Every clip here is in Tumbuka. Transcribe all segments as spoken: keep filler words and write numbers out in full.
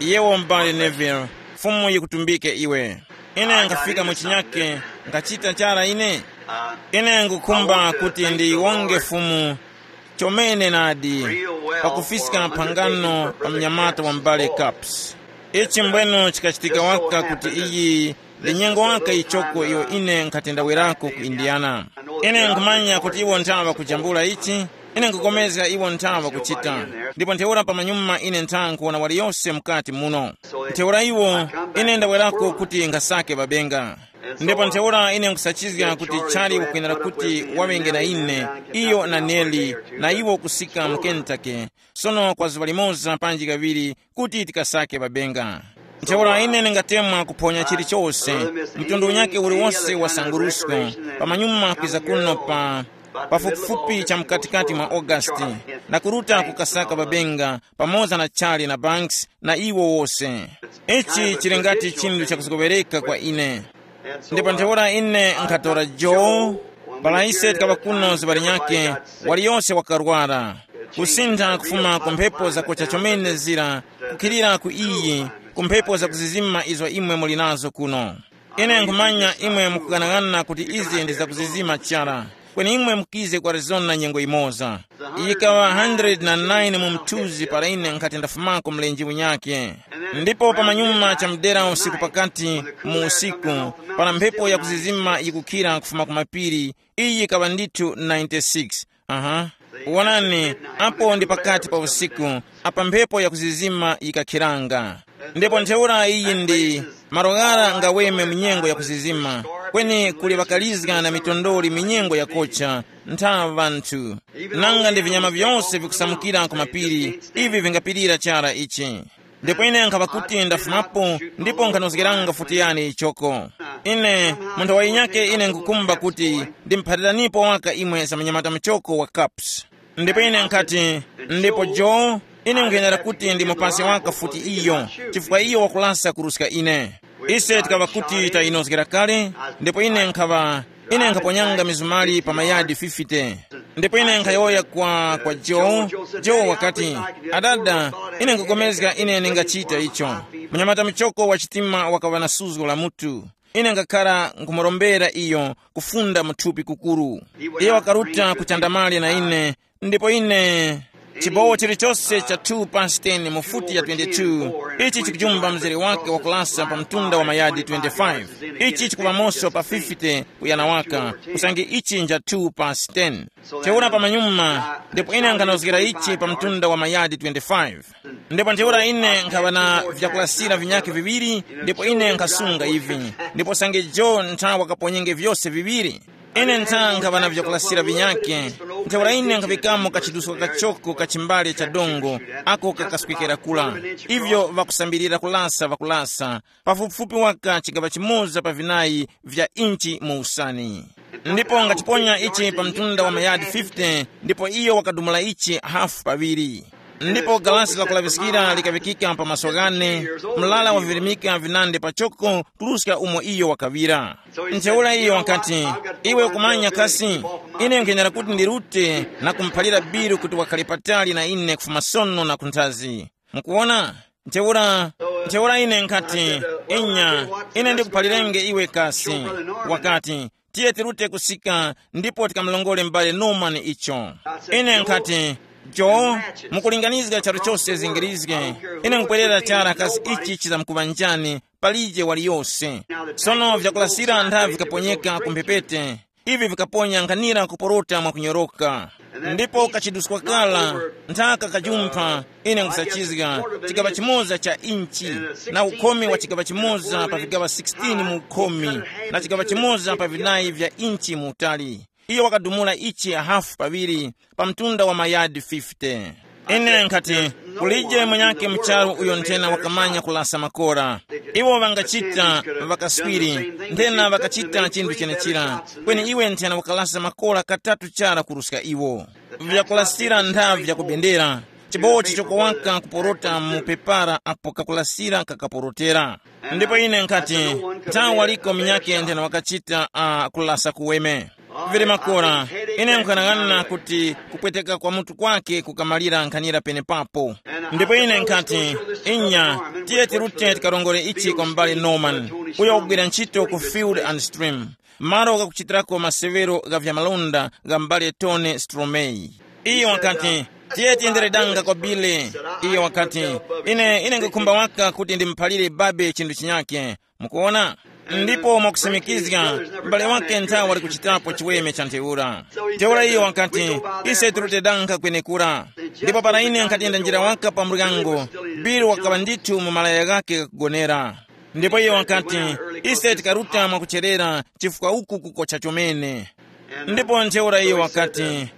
Yewo m'bale Neville, Fumu yikutumbike iwe. Ine nkhafika mu chinyake, nkhachita chara ine. Ine ngukhumba kuti ndiyiwonge Fumu chomene nadi, pakufiska phangano pa mnyamata wa m'bale Caps. Ichi mbwenu chikachitika waka kuti iyi ndi nyengo waka ichoko iyo ine nkhatendawerako ku Indiana. Ine nkhumanya kuti iwo nthawa kujambula ichi, ine nkukomezga iwo nthawa kuchita. Ndipo ntheura pamanyuma ine ntha nkuwona waliyose mukati muno. Ntheura iwo, ine ndawerako kuti nkhasake babenga. Ndipo ntheura ine nkusachizga kuti Charlie ukwenera kuti waŵenge na ine, iyo na Nelly, na iwo kusika mu Kentucky, sono kwa zuŵa limoza panji kaŵiri kuti tikasake babenga. Ntheura ine ndingatemwa kuphonya chilichose, mtundu unyakhe uliwose wa sangurusko, pamanyuma kwiza kuno pa pafupifupi cha mkatikati mwa August, na kuruta kukasaka babenga pamoza na Charlie na Banks na iwo wose. Ichi chili ngati chinthu chakuzowereka kwa ine. Ndipo ntheura ine nkhatora Joe, para ise tikaŵa kuno zuŵa linyakhe, waliyose wakarwara, kusintha kufuma ku mphepo zakocha chomene zira, kukhilira ku iyi, ku mphepo zakuzizima izo imwe muli nazo kuno. Ine nkhumanya imwe mukughanaghana kuti izi ndi zakuzizima chara, kweni imwe mukize ku Arizona nyengo imoza. Yikaŵa hundred na nine mu mthunzi para ine nkhati ndafumako mlenje unyakhe. Ndipo pamanyuma cha mdera usiku pakati mu usiku, para mphepo yakuzizima yikukhira kufuma ku mapiri, iyi yikaŵa ndithu ninety-six. Aha. Wonani, apo ndi pakati pa usiku, apa mphepo yakuzizima yikakhiranga. Ndipo ntheura iyi ndi, malo ghara ngaweme mu nyengo yakuzizima, kweni kuli ŵakalizga na mitondoli mu nyengo yakocha, ntha ŵanthu. Nanga ndi vinyama vyose vikusamukira ku mapiri, ivi vingapirira chara ichi. Ndipo ine nkhapa kuti ndafumapo, ndipo nkhanozgeranga futi yani ichoko. Ine, munthu wayinyake ine nkukhumba kuti ndimphaliranipo waka imwe za munyamata muchoko wa Caps. Ndipo ine nkhati, ndipo Joe, ine nkwenera kuti ndimupase waka futi iyo, chifukwa iyo wakulasa kuruska ine. Ise tikaŵa kuti tayinozgera kale, ndipo ine nkhaŵa, ine nkhaponyanga mizumali pa mayadi fifty. Ndipo ine nkhayowoya kwa, kwa Joe. Joe wakati, adada, ine nkupulikana ine ningachita icho. Munyamata muchoko wa chitima wakaŵa na suzgo la mutu. Ine ngakhara nkumurombera iyo kufunda mu thupi kukuru. Iyo wakaruta kuchandamali na ine, ndipo ine, chibowo chilichose cha two past ten mu futi ya twenty-two, ichi chikujumba mzere wake wakulasa pa mtunda wa mayadi twenty-five. Ichi chikupamoso pa fifty kuyana waka, usange ichi nja two past ten. Ntheura pamanyuma, ndipo ine nkhanozgera ichi pa mtunda wa mayadi twenty-five. Ndipo ntheura ine nkhaŵa na vyakulasira vinyakhe viŵiri, ndipo ine nkhasunga ivi, ndipo usange Joe ntha wakaponyenge vyose viŵiri. Ine ntha nkhaŵa na vyakulasira vinyakhe, ntheura ine nkhaŵikamo kachiduska kachoko ka chimbale cha dongo, ako kakaswekera kula. Ivyo ŵakusambirira kulasa ŵakulasa, pafupifupi waka chigaŵa chimoza pa vinayi vya inchi mu usani. Ndipo ngachiponya ichi pa mtunda wa mayadi fifty, ndipo iyo wakadumula ichi hafu paŵiri. Ndipo galasi lakulaŵiskira likaŵikika pa maso ghane, mlala wavirimika vinandi pachoko kuruska umo iyo wakaŵira. Ntheura iyo wakati, iwe ukumanya kasi, ine nkwenera kuti ndirute na kumuphalira biru kuti wakhale patali na ine kufuma sono na kunthazi. Mukuwona? Ntheura, ntheura ine nkhati, inya, ine ndikuphalirenge iwe kasi. Wakati, tiye tirute kusika ndipo tikamulongole m'bale Norman icho. Ine nkhati, Joe, mukulinganizga charu chose zingirizge, ine nkupwerera chara kasi ichi chizamkuŵa njani, palije waliyose. Sono vyakulasira ntha vikaponyeka ku mphepete, ivi vikaponya nkhanira kuporota mwakunyoroka. Ndipo kachiduskwa kala, nthaka kajumpha, ine nkusachizga, chigaŵa chimoza cha inchi, na ukhomi wa chigaŵa chimoza pa vigaŵa sixteen mu ukhomi, na chigaŵa chimoza pa vinayi vya inchi mu utali. Iyo wakadumula ichi hafu paŵiri, pa mtunda wa mayadi fifty. Ine nkhati, kulije mwenyake mu charu uyo nthena wakamanya kulasa makora. Iwo ŵangachita, ŵakaswiri, nthena ŵakachita chinthu chenechira, kweni iwe nthena wakalasa makora katatu chara kuruska iwo. Vyakulasira nthavi yakubendera, chibowo chichoko waka kuporota mu pepara apo kakulasira kakaporotera. Ndipo ine nkhati, nthawi waliko minyake nthena wakachita a kulasa kuweme. Vili makora, Ine nkhanang'ana kuti kupweteka kwa mutu kwake kukamalira nkhanira penepapo. Ndipo ine nkhati, inya, tiye tirute tikarongore ichi kwa m'bale Norman, uyo wakugwira ntchito ku Field and Stream, malo ghakuchitirako masewero gha vyamalonda gha m'bale Tony Stromey. Iyo wakati, tiye tiyendere danga kwa Billy. Iyo wakati, ine ine ngukhumba waka kuti ndimuphalire babe chinthu chinyake. Mukuona? Ndipo mwakusimikizga, m'bale wake nthawe wali kuchitapo chiweme cha ntheura. Ntheura iyo wakati, ise turute danga kwenekura. Ndipo para ine nkhatiyenda njira waka pa muryango, Bill wakaŵa ndithu mu malaya ghake ghakugonera. Ndipo iyo wakati, ise tikaruta mwakucherera, chifukwa uku kukocha chomene. Ndipo ntheura iyo wakati,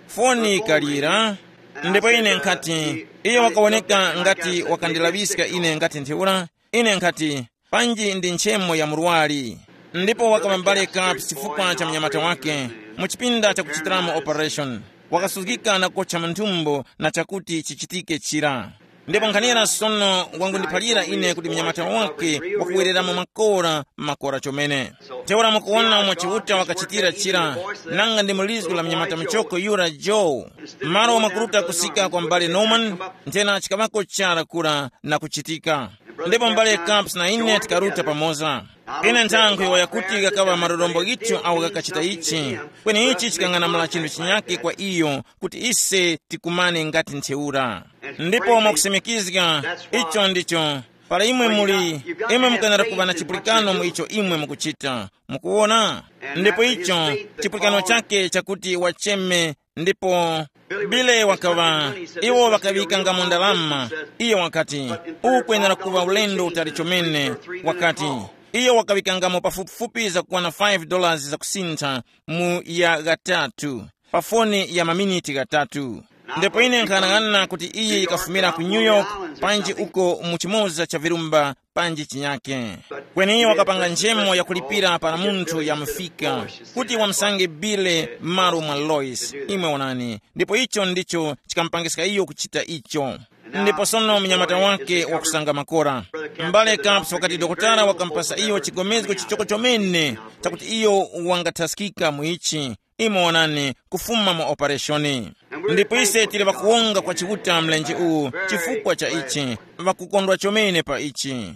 foni ikalira. Ndipo ine nkhati, iyo wakawoneka ngati wakandilaŵiska ine ngati ntheura. Ine nkhati, panji ndi nchemo ya murwari. Ndipo wakaŵa mbale kapu chifukwa cha mnyamata wake, mu chipinda chakuchitiramo operation, wakasuzgika na kukocha mu nthumbo na chakuti chichitike chira. Ndipo nkhanira sono wangundiphalira ine kuti mnyamata wake wakuwereramo makora, makora chomene. Ntheura mukuwona umo Chiuta wakachitira chira, nanga ndi mulizgu la mnyamata muchoko yura Joe. Malo mwakuruta kusika kwa m'bale Norman, nthena chikaŵako chara kura na kuchitika. Ndipo m'bale Camps na ine tikaruta pamoza. Ine nthankho iwaya kuti ghakaŵa malorombo ghithu awo ghakachita ichi, kweni ichi chikang'anamula chinthu chinyake kwa iyo, kuti ise tikumane ngati ntheura. Ndipo mwakusimikizga, icho ndicho, para imwe muli, imwe mukanara kuŵa na chipulikano mu icho imwe mukuchita. Mukuwona? Ndipo icho, chipulikano chake chakuti wacheme, ndipo Bile wakaŵa, iwo ŵakaŵikangamo ndalama. Iye wakati, ukwenera kuŵa ulendo utali chomene. Wakati, iye wakaŵikangamo pafupifupi zakukwana five dollars zakusintha mu ya ghatatu, pa foni ya maminiti ghatatu. Ndipo ine nkhanang'ana kuti iyi yikafumira ku New York, panji uko mu chimoza cha virumba, panji chinyake. Kweni iyo wakapanga nchemo yakulipira para munthu yamufika, kuti wamusange Bile m'malo mwa Lois. Imwe onani, ndipo icho ndicho chikamupangiska iyo kuchita icho. Ndipo sono mnyamata wake wakusanga makora. M'bale Camps wakati dokotala wakamupasa iyo chigomezgo chichoko chomene, chakuti iyo wangathaskika mu ichi. Imwe onani, kufuma mu opereshoni. Ndipo ise tili ŵakuwonga kwa Chiuta mlenje uwu, chifukwa cha ichi, ŵakukondwa chomene pa ichi.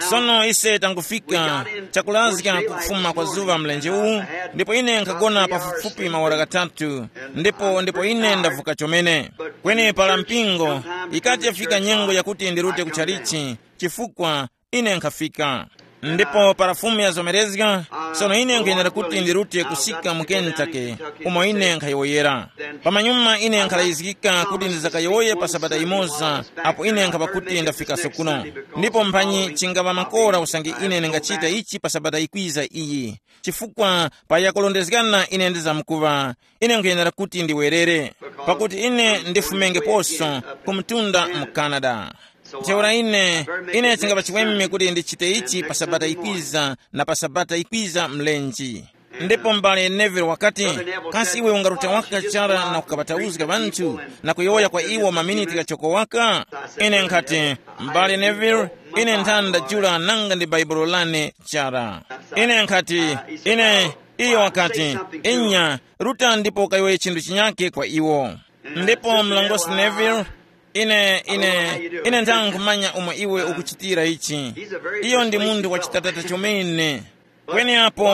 Sono ise tangufika, chakulazga kukufuma kwa zuŵa mlenje uwu, ndipo ine nkhagona pafupifupi maora ghatatu, ndipo ndipo ine ndavuka chomene. Kweni para mpingo, ikati yafika nyengo yakuti ndirute ku chalichi, chifukwa ine nkhafika. Ndipo para Fumu yazomerezga, sono ine nkhuyenera kuti ndirute kusika mu Kentucky, umo ine nkhayowoyera. Pamanyuma ine nkhalayizgika kuti ndizakayowoye pa sabata imoza, apo ine nkhapa kuti ndafikaso kuno. Ndipo mphanyi chingaŵa makora usange ine ndingachita ichi pa sabata ikwiza iyi, chifukwa pa yakulondezgana ine ndizamkuŵa, ine nkhuyenera kuti ndiwerere, pakuti ine ndifumengeposo ku mtunda mu Canada. Ntheura ine, ine chingapa chiweme kuti ndichite ichi pa sabata ikwiza na pa sabata ikwiza mlenji. Ndipo m'bale Neville wakati, kasi iwe ungaruta waka chara na kukaŵatauzga ŵanthu na kuyowoya kwa iwo maminiti ghachoko waka? Ine nkhati, m'bale Neville, ine nthani ndajula nanga ndi baibulo lane chara. Ine nkhati, ine, iyo wakati, inya, ruta ndipo ukayowoye chinthu chinyake kwa iwo. Ndipo mlongosi Neville, ine ine ine nthangu kumanya umo iwe ukuchitira ichi. Iyo ndi munthu wachitatata chomene. Kweni apo,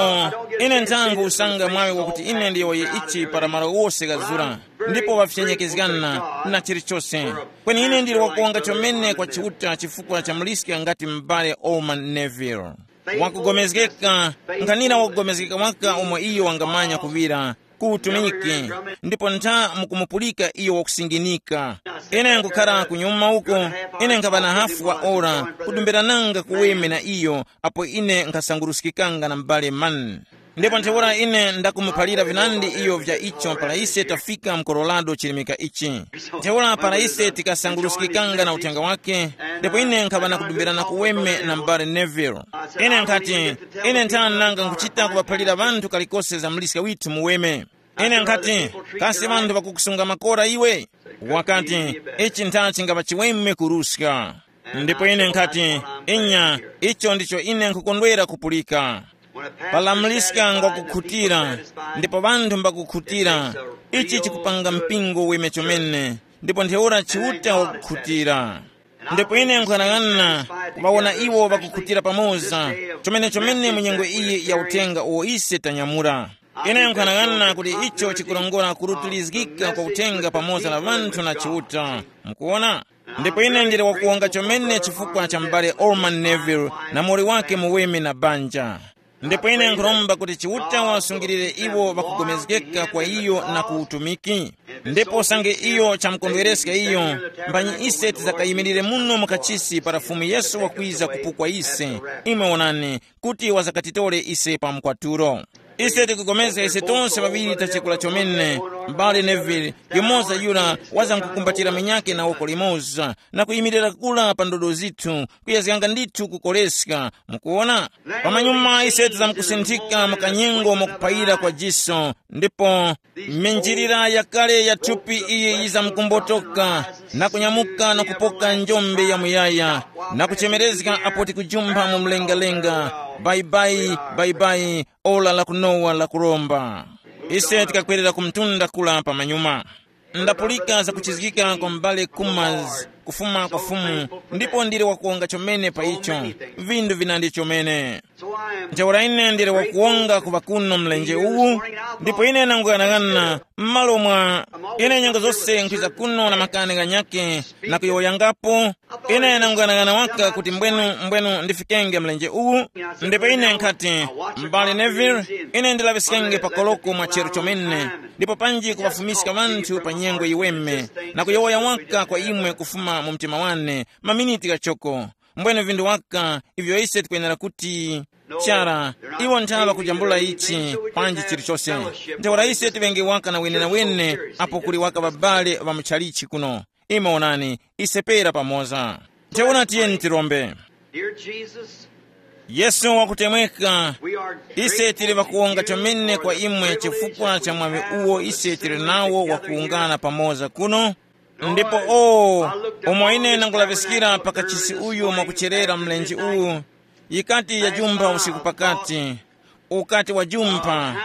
ine nthangu usanga mwaŵi wakuti ine ndiyowoye ichi para malo wose ghazura, ndipo ŵafyenyekezgana na chilichose. Kweni ine ndili wakuwonga chomene kwa Chiuta chifukwa cha muliska ngati m'bale Orman Neville. Wakugomezgeka, nkhanira wakugomezgeka waka umo iyo wangamanya kuŵira ku utumiki, ndipo ntha mukumupulika iyo wakusinginika. Ine nkukhara kunyuma uko, ine nkhaŵa na hafu wa ora kudumbirananga kuweme na iyo, apo ine nkhasanguruskikanga na m'bale Mann. Ndipo ntheura ine ndakumuphalira vinandi iyo vya icho para ise tafika mu Colorado chilimika ichi. Ntheura para ise tikasanguruskikanga na uthenga wake, ndipo ine nkhaŵa na kudumbirana kuweme na m'bale Neville. Ine nkhati, ine nthani nanga nkuchita kuŵaphalira ŵanthu kalikose za muliska withu muweme. Ine nkhati, kasi ŵanthu ŵakukusunga makora iwe? Wakati, ichi ntha chingaŵa chiweme kuruska. Ndipo ine nkhati, inya, icho ndicho ine nkhukondwera kupulika. Palamuliska ngwakukhutira, ndipo ŵanthu mbakukhutira. Ichi chikupanga mpingo weme chomene, ndipo ntheura Chiuta wakukhutira. Ndipo ine nkhanang'ana kuŵawona iwo ŵakukhutira pamoza, chomene chomene mu nyengo iyi ya uthenga uwo ise tanyamula. Ine nkhanang'ana kuti icho chikurongora kurutulizgika kwa uthenga pamoza na ŵanthu na Chiuta. Mukuona? Ndipo ine ndili wakuwonga chomene chifukwa cha m'bale Orman Neville na muwoli wake muweme na banja. Ndipo ine nkhuromba kuti Chiuta wasungilire iwo ŵakugomezgeka kwa iyo na ku utumiki. Ndipo usange iyo chamukondwereska iyo, mbanyi ise tizakayimirire muno mu kachisi para Fumu Yesu wakwiza kupukwa ise, imwe wonani, kuti wazakatitore ise pa mkwatulo. Ise tikupulikana ise tonse ŵaŵiri tachekula chomene, m'bale Neville, yumoza yura wazankukumbatira minyake na woko limoza na kuyimirira kula pa ndodo zithu, kuyezganga ndithu kukoleska. Mukuona? Pamanyuma ise tizamkusinthika mu kanyengo mwakuphayira kwa jiso, ndipo minjirira yakale ya thupi iyi yizamkumbotoka na kunyamuka na kupoka njombe ya muyaya, na kuchemerezga apo tikujumpha mu mlengalenga, bayibayi, bayibayi, ora la kunowa la kuromba. Ise tikakwerera ku mtunda kula pamanyuma. Ndapulika za kuchizgika kwa m'bale Kumas kufuma kwa Fumu, ndipo ndili wakuwonga chomene pa icho. Vindu vinandi chomene. Ntheura ine ndili wakuwonga kuŵa kuno mlenje uwu, ndipo ine nanguyang'ana m'malo mwa, ine nyengo zose nkhwiza kuno na makani ghanyakhe na kuyowoyangapo. Ine nanguyang'ana waka kuti mbwenu mbwenu ndifikenge mlenje uwu. Ndipo ine nkhati, m'bale Neville, ine ndilaŵiskenge pakoloko mwa chero chomene, ndipo panji kuŵafumiska ŵanthu pa nyengo yiweme, na kuyowoya waka kwa imwe kufuma mu mtima wane maminiti ghachoko. Mbwene vindu waka ivyo ise tikwenera kuti, chara, iwo nthaŵa kujambula ichi, panji chilichose. Ntheura ise tiŵenge waka na wenenawene apo kuli waka ŵabale ŵa muchalichi kuno. Imwe onani, ise pera pamoza. Ntheura tiyeni tirombe. Dear Jesus, yesu wakutemweka, we are ise tili grateful ŵakuwonga to you chomene for kwa the imwe miracle chifukwa cha mwaŵi uwo ise tili nawo wakuwungana pamoza kuno. Ndipo o, umo ine ndangulaŵiskira pa kachisi uyu mwakucherera mlenje uwu, yikati yajumpha usiku pakati, ukati wajumpha.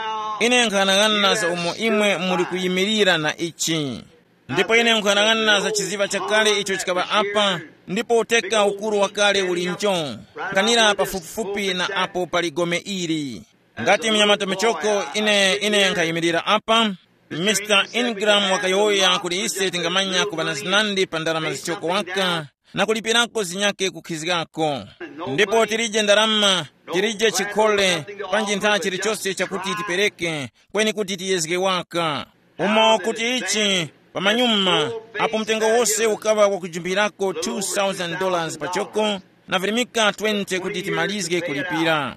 Ine nkhanang'ana za umo imwe muli kuyimirira na ichi. Ndipo ine nkhanang'ana za chiziŵa chakale icho chikaŵa apa, ndipo uteka ukuru wakale uli ncho, nkhanira pafupifupi na apo pali gome ili. Ngati mnyamata michoko ine ine nkhayimirira apa, Mr Ingram wakayowoya kuti ise tingamanya kuŵa na zinandi pa ndarama zichoko waka, na kulipirako zinyake kukhizgako. Ndipo tilije ndarama, tilije chikhole, panji ntha chilichose chakuti tipereke, kweni kuti tiyezge waka. Umo kuti ichi, pamanyuma, apo mtengo wose ukaŵa wakujumpirako two thousand dollars pachoko, na virimika twenty kuti timalizge kulipira.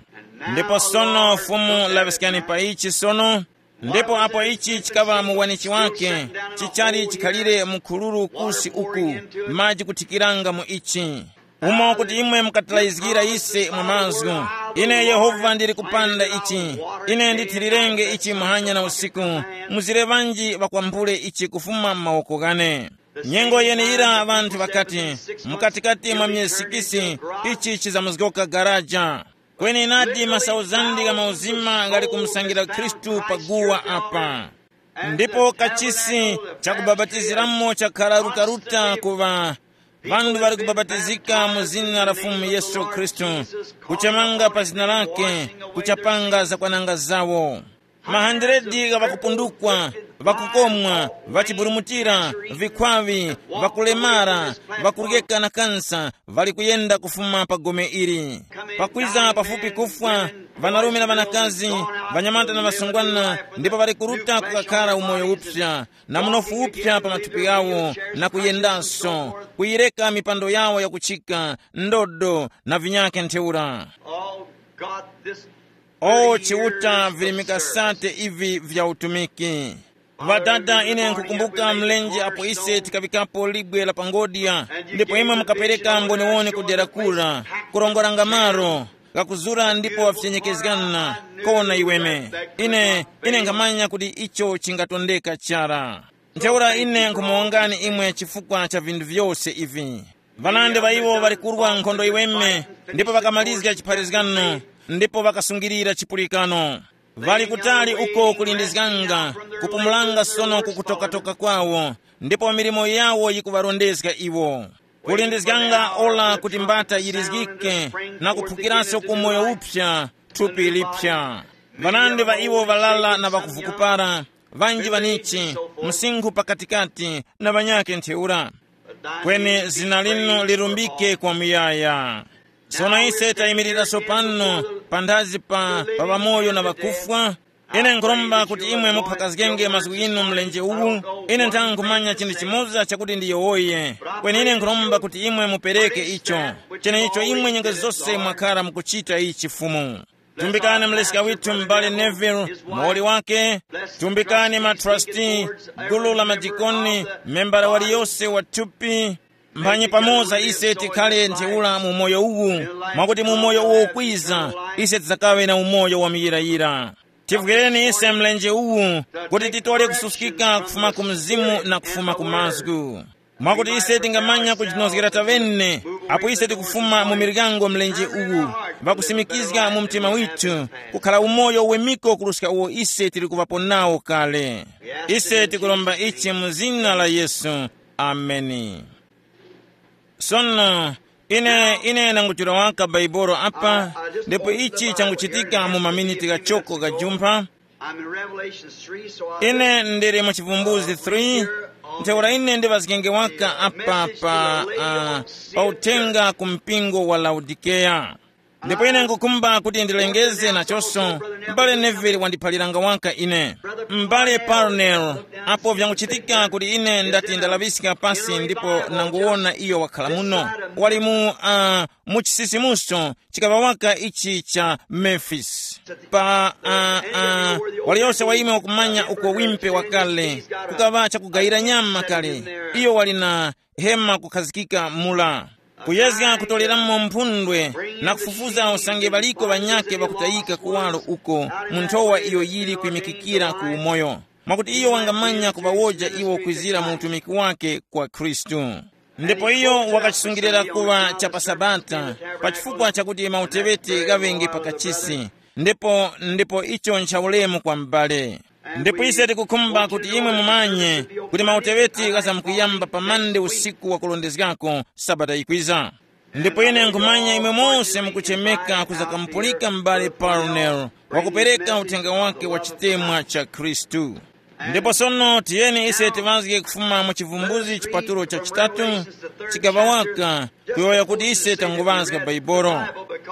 Ndipo sono Fumu laŵiskani pa ichi sono. Ndipo apo ichi chikaŵa muwanichi wake, chichali chikhalire mukhuluru kusi uku, maji kuthikiranga mu ichi. Umo kuti imwe mukatilayizgira ise mwa mazgu. Ine Yehova ndili kupanda ichi. Ine ndithilirenge ichi muhanya na usiku. Muzire ŵanji ŵakwambule ichi kufuma m'mawoko ghane. Nyengo yeneyira ŵanthu ŵakati, mukatikati mwa myezi sikisi, ichi chizamuzgoka garaja. Kweni nadi masauzandi gha mauzima ghali kumusangira Khristu paguwa apa. Ndipo kachisi chakubapatiziramo chakhala rutaruta kuŵa ŵanthu ŵali kubapatizika mu zina la Fumu Yesu Khristu, kuchemanga pa zina lake, kuchapanga zakwananga zawo. Mahandiredi gha ŵakupundukwa, ŵakukomwa, ŵachiburumutira, vikhwaŵi, ŵakulemara, ŵakuryeka na kansa, ŵali kuyenda kufuma pa gome ili. Pakwiza pafupi kufwa, ŵanarume na ŵanakazi, ŵanyamata na ŵasungwana, ndipo ŵali kuruta kukakhala umoyo uphya, na munofu uphya pa mathupi ghawo, na kuyendanso, kuyireka mipando yawo yakuchika, ndodo, na vinyakhe ntheura. Oh, God, this O Chiuta, virimika sate ivi vya utumiki. Ŵadada, ine nkukumbuka mlenje apo ise tikaŵikapo libwe la pangodya, ndipo imwe mukapereka mboniwoni ku dera kura, kurongoranga malo ghakuzura ndipo ŵafyenyekezgana, kona iweme. Ine, ine nkhamanya kuti icho chingatondeka chara. Ntheura ine nkhumuwongani imwe chifukwa cha vinthu vyose ivi. Ŵanandi ŵa iwo ŵali kurwa nkhondo yiweme, ndipo ŵakamalizga chipharizgano, ndipo ŵakasungirira chipulikano. Ŵali kutali uko kulindizganga, kupumulanga sono ku kutokatoka kwawo, ndipo milimo yawo yikuŵarondezga iwo. Kulindizganga ora kuti mbata yirizgike na kuphukiranso ku moyo uphya, thupi lipya. Ŵanandi ŵa iwo ŵalala na ŵakuvukupara, ŵanji ŵanichi, msinkhu pakatikati na ŵanyakhe ntheura. Kweni zina linu lirumbike kwa muyaya. Sono ise tayimirira sopano panthazi pa pa ŵamoyo na ŵakufwa. Ine nkhuromba kuti imwe muphakazgenge mazgu inu mlenje uwu. Ine nthanga nkhumanya chinthu chimoza chakuti ndiyowoye. Kweni ine nkhuromba kuti imwe mupereke icho, cheneicho imwe nyengo zose mwakhara mukuchita ichi Fumu. Tumbikani mleska withu m'bale Neville, muwoli wake. Tumbikani matrustee, gulu la madikoni, membala waliyose wa thupi. Mphanyi pamoza ise tikhale ntheura mu moyo uwu, mwakuti mu moyo uwo ukwiza, ise tidzakaŵe na umoyo wa muyirayira. Tivwireni ise mlenje uwu, kuti titole kususkika kufuma ku mzimu na kufuma ku mazgu, mwakuti ise tingamanya kujinozgera tavene. Apo ise tikufuma mu miryango mlenje uwu, vakusimikizga mu mtima withu, kukhala umoyo wemiko kuruska uwo ise tili kuŵapo nawo kale. Ise tikuromba ichi mu zina la Yesu. Ameni. Sono, ine ine nangutira waka Baibolo apa, ndipo ichi changuchitika mu maminiti ghachoko ghajumpha. I'm in Revelation three, so I ine ndili mu chivumbuzi three. Ntheura ine ndiŵazgenge waka apa pa uh, pa uthenga ku mpingo wa Laodikeya. Ndipo ine nkukhumba kuti ndilengeze nachonso. M'bale Neville wandiphaliranga waka ine. M'bale Parnell, apo vyanguchitika kuti ine ndati ndalaŵiska pasi ndipo nanguwona iyo wakhala muno, wali mu uh, mu chisisimuso chikaŵa waka ichi cha Memphis. Pa uh, uh, waliyose wa imwe wakumanya uko wimpe wakale, kukaŵa chakugayira nyama kale. Iyo wali na hema kukhazikika mula, kuyezga kutoreramo mphundwe na kufufuza usange ŵaliko ŵanyakhe ŵakutayika kuwaro uko mu nthowa iyo yili kwimikikira ku umoyo, mwakuti iyo wangamanya kuŵawoja iwo kwizira mu utumiki wake kwa Khristu. Ndipo iyo wakachisungilira kuŵa cha pa Sabata, pa chifukwa chakuti mauteŵeti ghaŵenge pa kachisi. Ndipo ndipo icho nchaulemu kwa m'bale. Ndipo ise tikukhumba kuti imwe mumanye kuti mauteŵeti ghazamkuyamba pa mande usiku wa kulondezgako Sabata yikwiza. Ndipo ine nkhumanya imwe mose mukuchemeka kuzakamupulika m'bale Parnell wakupereka uthenga wake wa chitemwa cha Khristu. Ndipo sono tiyeni ise tiŵazge kufuma mu chivumbuzi chipatulo cha chitatu, chigaŵa waka, kuyowoya kuti ise tanguŵazga Baibolo.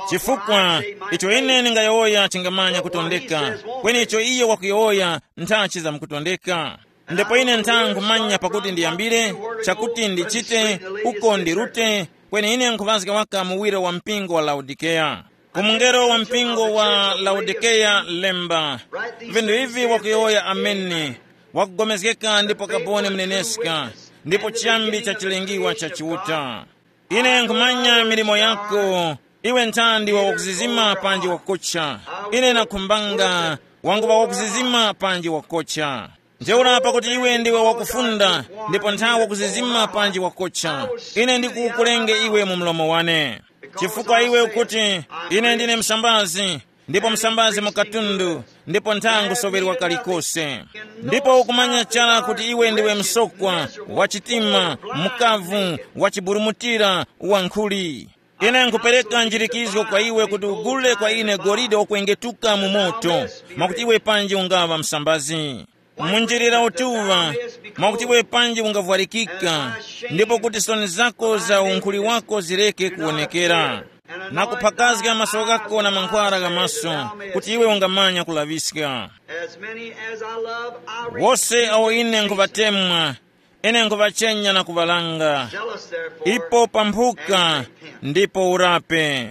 Chifukwa icho ine ndingayowoya chingamanya kutondeka, kweni icho iyo wakuyowoya nthachi zamkutondeka. Ndipo ine ntha nkhumanya pakuti ndiyambire, chakuti ndichite, uko ndirute, kweni ine nkhuŵazga waka muwiro wa mpingo wa Laodikeya. Ku mungelo wa mpingo wa Laodikeya lemba, vinthu ivi wakuyowoya Ameni, wakugomezgeka ndipo kaboni muneneska, ndipo chiyambi cha chilengiwa cha Chiuta. Ine nkhumanya milimo yako, iwe nthandi wa wakuzizima panji wakucha. Ine nakhumbanga wanguŵa wakuzizima panji wakocha. Ntheura pakuti iwe ndiwe wakufunda, ndipo nthawe wakuzizima panji wakocha, ine ndikukulenge iwe mu mlomo wane. Chifukwa iwe ukuti, ine ndine msambazi, ndipo msambazi mu katundu, ndipo ntha ngusoŵerwa kalikose. Ndipo ukumanya chara kuti iwe ndiwe msokwa, wachitima, mukavu, wachiburumutira, wankhuli. Ine nkhupereka njirikizgo kwa iwe kuti ugule kwa ine golide wakwengetuka mu moto, mwakuti iwe panji ungaŵa msambazi. Munjirira utuŵa, mwakuti iwe panji ungavwarikika, ndipo kuti soni zako za unkhuli wako zireke kuwonekera, na kuphakazga maso ghako na mankhwara gha maso, kuti iwe ungamanya kulaŵiska. As many as I love, I wose awo ine nkhuŵatemwa, ine nkhuŵachenya na kuŵalanga. Zealous therefore, ipo pamphuka, ndipo urape.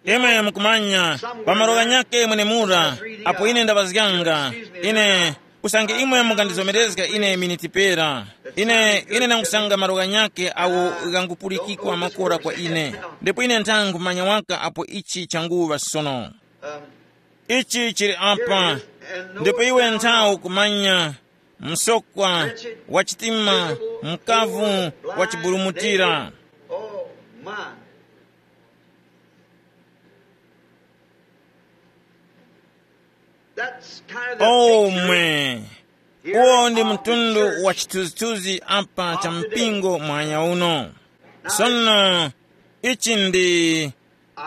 Imwe mukumanya, pa malo ghanyakhe mwenemura, apo ine ndaŵazganga, ine, usange imwe mukandizomerezga ine miniti pera, ine ine nangusanga malo ghanyakhe awo ghangupulikikwa makora kwa ine. Ndipo ine ntha nkhumanya waka apo ichi changuŵa sono. Ichi chili apa. Ndipo iwe ntha ukumanya, msokwa, wachitima, mkavu, wachiburumutira. Oh, my. That's kind of the Oh picture mwe, here uwo ndi of the mtundu church. Wa chithunzithunzi apa cha mpingo mwanya uno. Sono ichi ndi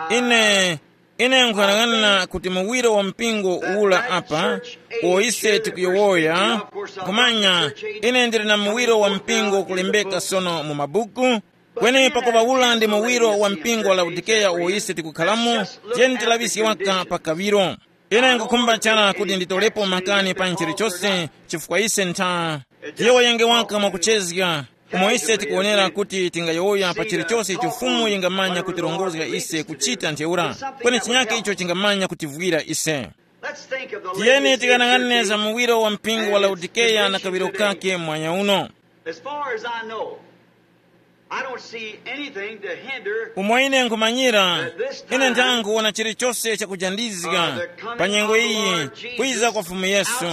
ine ine nkuyang'ana kuti muwiro wa mpingo ula apa uwo ise tikuyowoya. Kumanya, ine ndili na muwiro wa mpingo kulembeka sono mu mabuku. Kweni pakuŵa ula ndi muwiro wa mpingo wa Laodikeya uwo ise tikukhalamo, tiyeni tilaŵiske waka pa kaŵiro. Ine nkukhumba chara kuti nditolepo makani pa chilichose, chifukwa ise ntha tiyowoyenge waka mwakuchezga, umo ise tikuwonera kuti tingayowoya pa chilichose icho Fumu yingamanya kutirongozga ise kuchita ntheura. Kweni chinyake icho chingamanya kutivwira ise. Tiyeni tikanang'anire za muwiro wa mpingo wa Laodikeya na kaŵiro kake mwanya uno. As far as I know, I don't see anything to hinder. Umo ine nkhumanyira, ine ndang'ona chilichose chakujandizga pa nyengo iyi, kwiza kwa Fumu Yesu,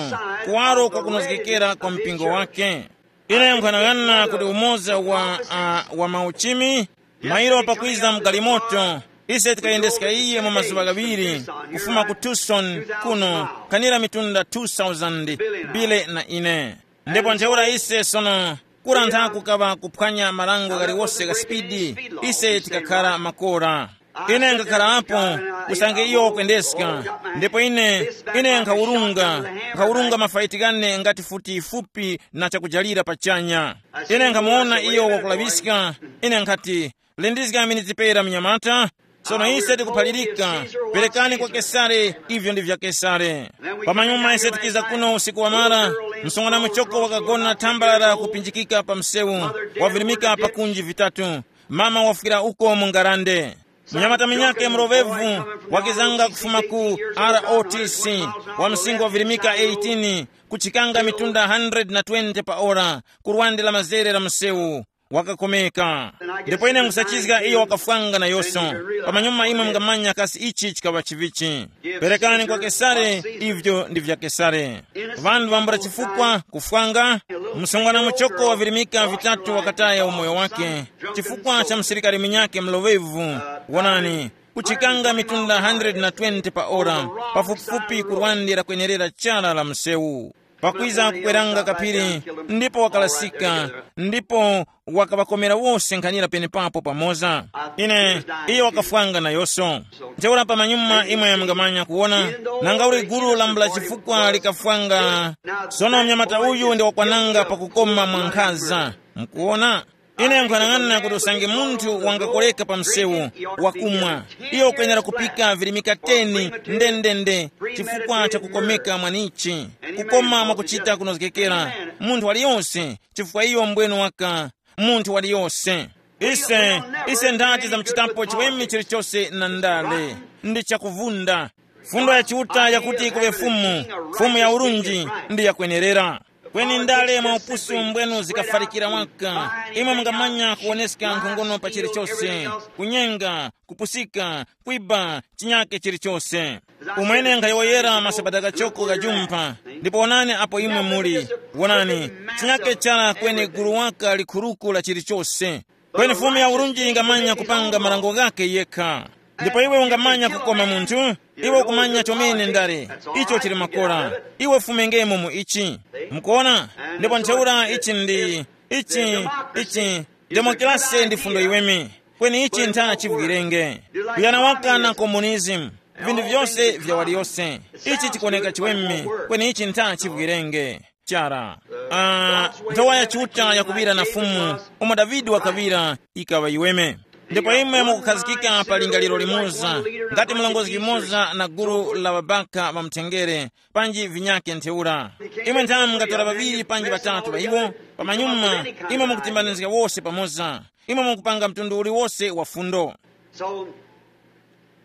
kuwaro kwa kunozgekera kwa mpingo wake. Ine nkhanang'ana kuti umoza wa, uh, wa mauchimi mairo pakwiza mgalimoto, ise tikayendeska iye mu mazuŵa ghaŵiri, kufuma ku Tucson kuno, kanira mitunda two thousand, bile na ine. Ndipo ntheura ise sono, kura nthaku kaŵa kuphwanya marango ghaliwose gha spidi, ise tikakhara makora. Ine ngakharapo, usange iyo wakwendeska, ndipo ine ine nkhawurunga nkhawurunga mafaiti ghane ngati futi yifupi na chakujalira pachanya. Ine nkhamuwona iyo wakulaŵiska. Ine nkhati, lindizgami nizipera mnyamata. Sono ise tikuphalirika, perekani kwa Kesare ivyo ndi vya Kesare. Pamanyuma ise tikiza kuno usiku wamara, msungwana muchoko wakagona thambalala kupinjikika pa msewu, wavirimika pakunji vitatu. Mama wafwira uko mu ngarande. Munyamata munyakhe muloŵevu wakizanga kufuma ku R O T C, wa msinkhu wavirimika eighteen, kuchikanga mitunda hundred na twenty pa ora, ku lwande la mazere la msewu, wakakomeka. Ndipo ine nkusachizga iyo wakafwanga nayoso. Pamanyuma imwe mungamanya kasi ichi chikaŵa chivichi. Perekani kwa Kesare ivyo ndi vya Kesare. Ŵanthu vambula chifukwa kufwanga, msungwana muchoko wavirimika vitatu wakataya umoyo wake chifukwa cha msilikari munyakhe mloŵevu. Wonani, kuchikanga mitunda hundred na twenty pa ora, pafupifupi kurwandira kwenerera chala la msewu. Pakwiza kukweranga kaphiri, ndipo wakalasika, ndipo wakaŵakomera wose nkhanira penepapo pamoza. Ine, iyo wakafwanga nayoso. Ntheura pamanyuma imwe mungamanya kuwona, nanga uli gulu lambula chifukwa likafwanga. Sono mnyamata uyu ndi wakwananga pakukoma mwa nkhaza. Mukuwona? Ine nkhanang'ana kuti usange munthu wangakoleka pa msewu, wakumwa, iyo ukwenera kupika virimika ten ndendende, chifukwa cha kukomeka mwanichi, kukoma mwakuchita kunozgekera, munthu waliyonse, chifukwa iyo mbwenu waka, munthu waliyonse. Ise, ise ndati za mchitapo chiweme chilichose na ndale, ndi chakuvunda. Fundo ya Chiuta yakuti kuŵe Fumu, Fumu ya urunji, ndi yakwenerera. Kweni ndale mwa upusi umbwenu zikafarikira waka. Imwe mungamanya kuwoneska nkhongono pa chilichose, kunyenga, kupusika, kwiba, chinyake chilichose. Umwene nkhayowoyera masabata kachoko kajumpha. Ndipo wonani apo imwe muli. Wonani, chinyake chala kweni gulu waka likhuruku la chilichose. Kweni Fumu ya urunji ingamanya kupanga marango ghakhe yekha. Ndipo iwe ungamanya kukoma munthu, iwe ukumanya chomene ndale, icho chili makora, iwe fumengemo mu ichi. Mukuona? Ndipo ntheura ichi ndi, ichi, ichi, demokrasi ndi fundo iweme. Kweni ichi ntha chivwirenge. Kuyana waka na komunizimu, vinthu vyose vya waliyose. Ichi chikuoneka chiweme, kweni ichi ntha chivwirenge. Chara. Ah, nthowa ya Chiuta yakuŵira na Fumu, umo Davide wakaŵira, ikaŵa iweme. Ndipo imwe mukukhazikika pa lingaliro limoza, ngati mlongozi limoza na gulu la ŵabaka ŵa mthengere, panji vinyake ntheura. Imwe nthamu mungatora ŵaŵiri panji ŵatatu ŵa iwo, pamanyuma imwe mukutimbanizga wose pamoza, imwe mukupanga mtundu uliwose wa fundo. So,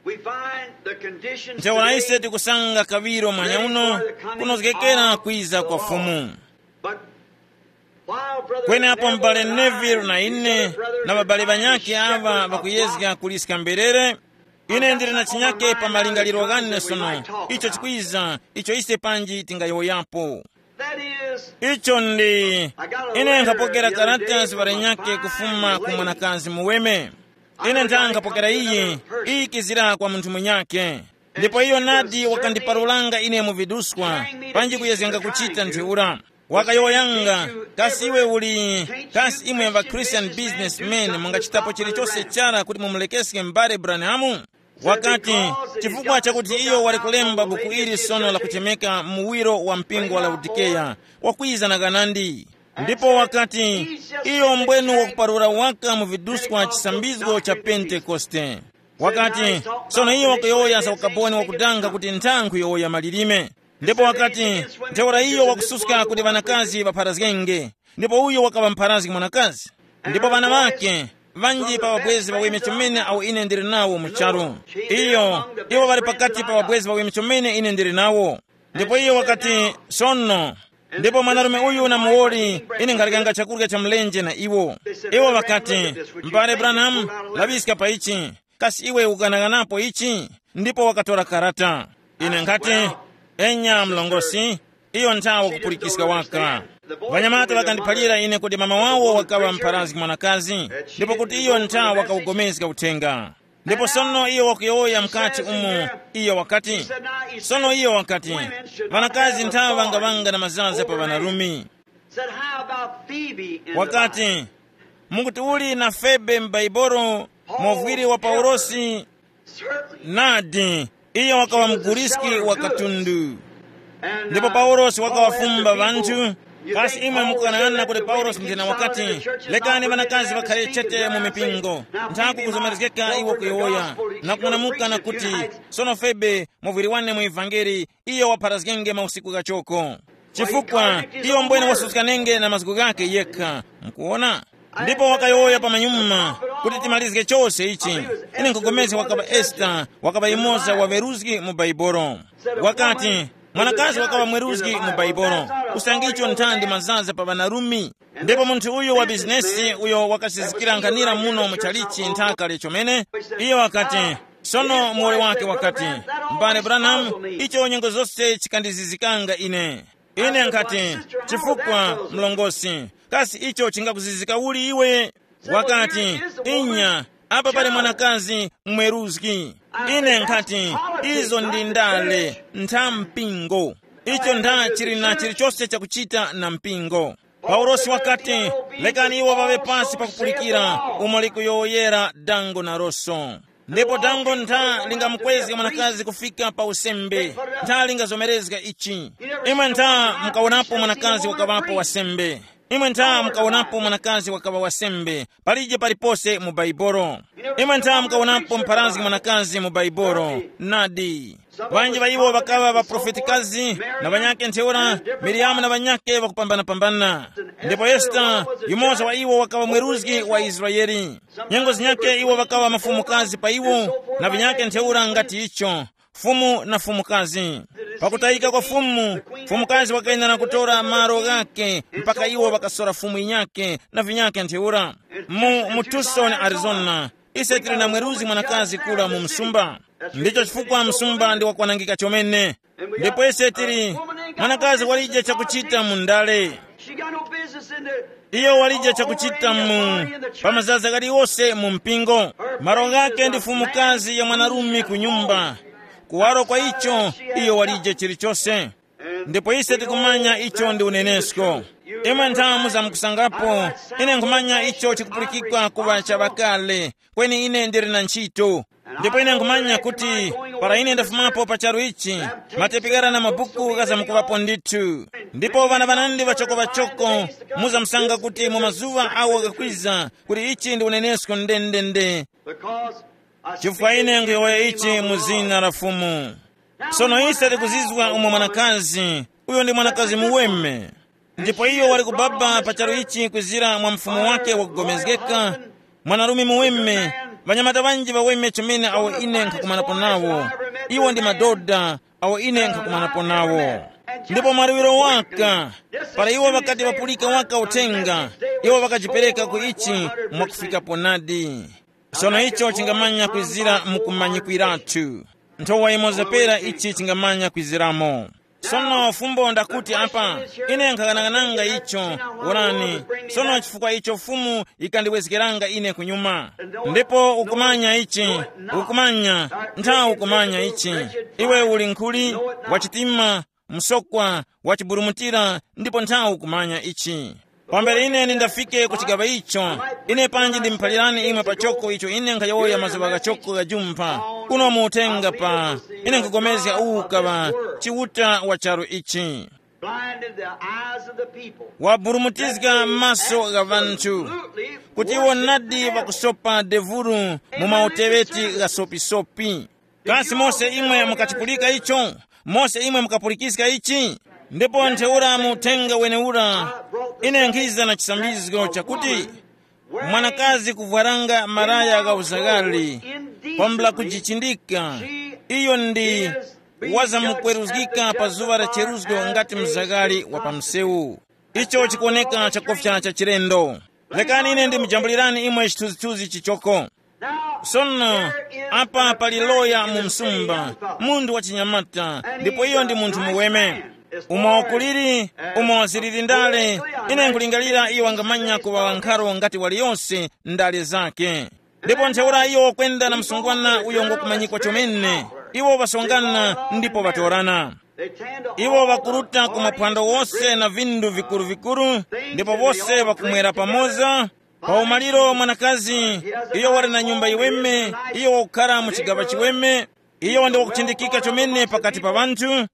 we find the conditions ntheura ise today tikusanga kaŵiro mwanya uno kunozgekera kwiza kwa Fumu. But while Brother kwenepo Neville m'bale and I Neville na and these ine other brothers na are babale trying to banyake shepherd ava a bakuyezga flock, kuliska mberere, ine ndili na chinyake pa malingaliro ghane sono, icho chikwiza, icho ise panji tingayowoyapo. That is, icho ndi, I got a ine letter nkhapokera the other day karata from a ziŵalenyake fine kufuma ku lady. Mwanakazi muweme. Ine ndangapokera iyi, iyi kizira kwa munthu munyake. Ndipo iyo nadi wakandiparulanga ine mu viduskwa, panji kuyezganga kuchita ntheura. Wakayowoyanga, kasi iwe uli, kasi imwe ŵa Christian businessmen mungachitapo chilichonse chara kuti mumulekeske m'bale Branham? Wakati, chifukwa chakuti iyo wali kulemba buku ili sono lakuchemeka muwiro wa mpingo wa Laodikeya, wakwiza na ghanandi. Ndipo wakati, iyo mbwenu wakuparura waka mu viduskwa chisambizgo cha Pentekoste. Wakati, sono iyo wakuyowoya za ukaboni wakudanga kuti nthankhu yowoya malilime. Ndipo wakati, ntheura iyo wakususka kuti ŵanakazi ŵapharazgenge. Ndipo uyo wakaŵa mpharazgi mwanakazi. Ndipo ŵana ŵake, ŵanji pa ŵabwezi ŵaweme chomene awo ine ndili nawo mu charu. Iyo, iwo ŵali pakati pa ŵabwezi ŵaweme chomene ine ndili nawo. Ndipo iyo wakati, sono, ndipo mwanarume uyu na muwoli, ine nkharyanga chakurya cha mlenje na iwo. Iwo ŵakati, m'bale Branham, laŵiska pa ichi. Kasi iwe ukanaghanapo ichi? Ndipo wakatora karata. Ine nkhati, enya mlongosi, iyo nthawe kupulikiska waka. Ŵanyamata ŵakandiphalira ine kuti mama wawo wakaŵa mpharazgi mwanakazi, ndipo kuti iyo nthawe wakawugomezga uthenga. Ndipo sono iyo wakuyowoya mkati umo, iyo wakati, sono iyo wakati, ŵanakazi nthawe ŵangaŵanga na mazaza pa ŵanarumi. Said, how about Phoebe in the Bible? Wakati, mukuti uli na Febe m'Baibolo, movwiri wa Paulosi? Certainly. Nadi, iyo wakaŵa mguriski wa katundu. Ndipo Paulosi wakawafumba ŵanthu. Kasi imwe mukukanana kuti Paulosi nthena wakati, lekani ŵanakazi ŵakhare chete mu mipingo? Nthaku kuzomerezgeka iwo kuyowoya na kung'anamuka na kuti, sono Febe, muvwiri wane mu ivangeli, iyo wapharazgenge mausiku ghachoko. Chifukwa iyo mbwene wasuska nenge na mazgu ghakhe yekha. Mukuona? Ndipo wakayowoya pamanyuma kuti timalizge chose ichi. Ine nkupulikana wakaŵa Esita, wakaŵa yumoza wa weruzgi mu Baibolo. Wakati, mwanakazi wakaŵa mweruzgi mu Baibolo. Usangicho nthandi mazaza pa ŵanarumi. Ndipo munthu uyu wa bizinesi uyo wakasizikira nkhanira muno mu chalichi nthaka lechomene, iye wakati, sono muwoli wake wakati, m'bale Branham, icho nyengo zose chikandizizikanga ine. Ine nkhati, chifukwa mlongosi, kasi icho chingakuzizika uli iwe? Wakati, inya, apa pali mwanakazi mweruzgi. Ine nkhati, izo ndi ndale ntha mpingo. Icho ndha chili na chilichonse chakuchita na mpingo. Paulosi wakati, lekani iwo ŵaŵe pasi pakupulikira umo likuyowoyera dango na roso. Ndipo dango ntha lingamukwezga mwanakazi kufika pa usembe, ntha lingazomerezga ichi. Imwe ntha mukawonapo mwanakazi wakaŵapo wasembe? Imwe ntha mukawonapo mwanakazi wakaŵa wasembe? Palije palipose mu Baibolo. Imwe ntha mukawonapo mpharazgi mwanakazi mu Baibolo? Nadi. Ŵanji ŵa iwo ŵakaŵa ŵaprofetikazi, na ŵanyakhe ntheura, Miriyamu na ŵanyakhe ŵakupambanapambana. Ndipo Esita, yumoza wa iwo wakaŵa mweruzgi wa Israele. Nyengo zinyakhe iwo ŵakaŵa mafumukazi pa iwo, na vinyakhe ntheura ngati icho, fumu na fumukazi. Pakutayika kwa fumu, fumukazi wakayenera kutora malo ghakhe mpaka iwo ŵakasora fumu yinyakhe na vinyakhe ntheura. Mu, mu Tucson, Arizona, ise tili na mweruzgi mwanakazi kura mu msumba. Ndicho chifukwa msumba ndi wakwanangika chomene. Ndipo ise tili, mwanakazi walije chakuchita mu ndale. She got no business in there. Iyo walije chakuchita mu, pa mazaza ghaliwose mu mpingo. Malo ghakhe ndi fumukazi ya mwanarume ku nyumba. Kuwaro kwa icho, iyo walije chilichose. Ndipo ise tikumanya icho ndi unenesko. Imwe nthamu zamkusangapo, ine nkhumanya icho chikupulikika kuŵa cha ŵakale, kweni ine ndili na ntchito. Ndipo ine nkhumanya kuti para ine ndafumapo pa charu ichi, matepikara na mabuku ghazamkuŵapo ndithu. Ndipo ŵana ŵanandi ŵachoko-ŵachoko muzamsanga kuti mu mazuŵa awo ghakwiza kuti ichi ndi unenesko ndendende. Chifukwa ine nkhuyowoya ichi mu zina la Fumu. Sono ise tikuzizwa umo mwanakazi, uyo ndi mwanakazi muweme. Ndipo iyo wali kubaba pa charu ichi kwizira mwa mfumu wake wakugomezgeka, mwanarume muweme, ŵanyamata ŵanji ŵaweme chomene awo ine nkhakumanapo nawo. Iwo ndi madoda awo ine nkhakumanapo nawo. Ndipo mwaluwiro waka, para iwo ŵakati ŵapulika waka uthenga, iwo ŵakajipereka ku ichi mwakufikapo nadi. Sono icho chingamanya kwizira mu kumanyikwiratu. Nthowa yimoza pera ichi chingamanya kwiziramo. Sono fumbo ndakuti apa, ine nkhaghanaghananga icho, wonani, sono chifukwa icho Fumu yikandiwezgeranga ine kunyuma. Ndipo ukumanya ichi, ukumanya, ntha ukumanya ichi. Iwe uli nkhuli, wachitima, msokwa, wachiburumutira, ndipo nthawi kumanya ichi. Pambere ine ndindafike ku chigaŵa icho, ine panji ndimuphalirani imwe pachoko icho ine nkhayowoya mazuŵa ghachoko gha jumpha, kuno mu uthenga pa, ine nkugomezga uwu kaŵa chiuta wa charu ichi. Blinded the eyes of the people. Waburumutizga maso gha vanthu, kuti iwo nadi vakusopa devuru mu mauteŵeti gha sopisopi. Kasi mose imwe mukachipulika icho? Mose imwe mukapulikiska ichi? Ndipo ntheura mu uthenga wenewura, ine nkhiza na chisambizgo chakuti mwanakazi kuvwaranga maraya gha uzaghali, kwambula kujichindika, iyo ndi wazamkweruzgika pa zuŵa la cheruzgo ngati mzaghali wa pa msewu. Icho chikuwoneka chakufya cha chilendo. Lekani ine ndimujambulirani imwe chithunzithunzi chichoko. Sono, apa pali loya mu msumba, munthu wa chinyamata, ndipo iyo ndi munthu muweme. Umo kuliri, umo ziliri ndale, ine nkulingalira iyo wangamanya kuŵa wankharo ngati waliyonse ndale zake. Ndipo ntheura iyo wakwenda na msungwana uyo ngokumanyikwa chomene. Iwo ŵasongana ndipo ŵatorana. Iwo ŵakuruta ku maphwando wose na vindu vikuru-vikuru, ndipo wose ŵakumwera pamoza. Pa umaliro mwanakazi, iyo wali na nyumba yiweme, iyo wakukhara mu chigaŵa chiweme, iyo ndi wakuchindikika chomene pakati pa ŵanthu.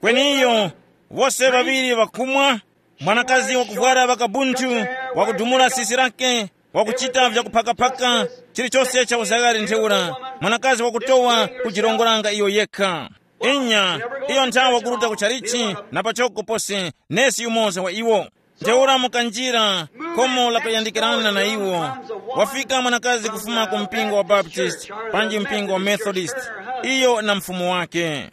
Kweni iyo, wose ŵaŵiri ŵakumwa, mwanakazi wakuvwara ŵakabunthu, wakudumula sisi lake, wakuchita vyakuphakaphaka, chilichose cha uzaghali ntheura, mwanakazi wakutowa kujirongoranga iyo yekha. Inya, iyo nthawe wakuruta ku chalichi na pachoko pose, nesi yumoza wa iwo. Ntheura mukanjira khomo lakuyandikirana na iwo, wafika mwanakazi kufuma ku mpingo wa Baptist, panji mpingo wa Methodist, iyo na mfumu wake.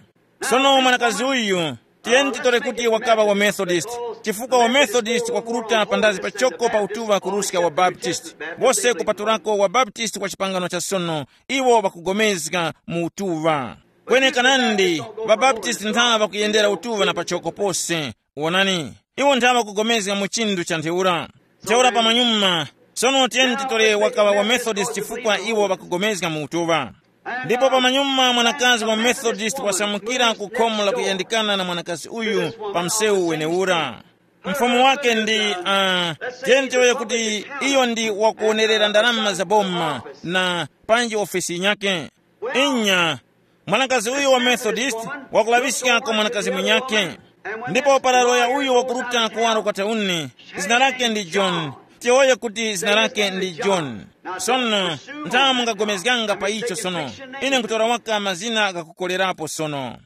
Sono mwanakazi uyu, tiyeni titore kuti wakaŵa wa Methodist, chifukwa wa Methodist wakuruta pandazi pachoko pa utuŵa kuruska wa Baptist. Wose kupatulako wa Baptist wa chipangano cha sono, iwo ŵakugomezga mu utuŵa. Kweni kanandi, ŵabaptisti ntha ŵakuyendera utuŵa na pachoko pose. Wonani, iwo ntha ŵakugomezga mu chinthu cha ntheura. Ntheura pamanyuma, sono tiyeni titore wakaŵa wa Methodist chifukwa iwo ŵakugomezga mu utuŵa. Ndipo pamanyuma mwanakazi wa Methodist wasamukira ku khomo la kuyandikana na mwanakazi uyu pa msewu wenewura. Mfumu wake ndi, uh, tiyeni tiyowoye kuti iyo ndi wakuonerera ndalama za boma na panji ofesi yinyakhe. Inya, mwanakazi uyu wa Methodist wakulaŵiska kwa mwanakazi mwinyakhe. Ndipo para loya uyu wakuruta kuwaro kwa tauni, zina lake ndi John. Tiyowoye kuti zina lake ndi John. Sono, ntha mungagomezganga pa icho sono. Ine nkutora waka mazina ghakukolerapo sono.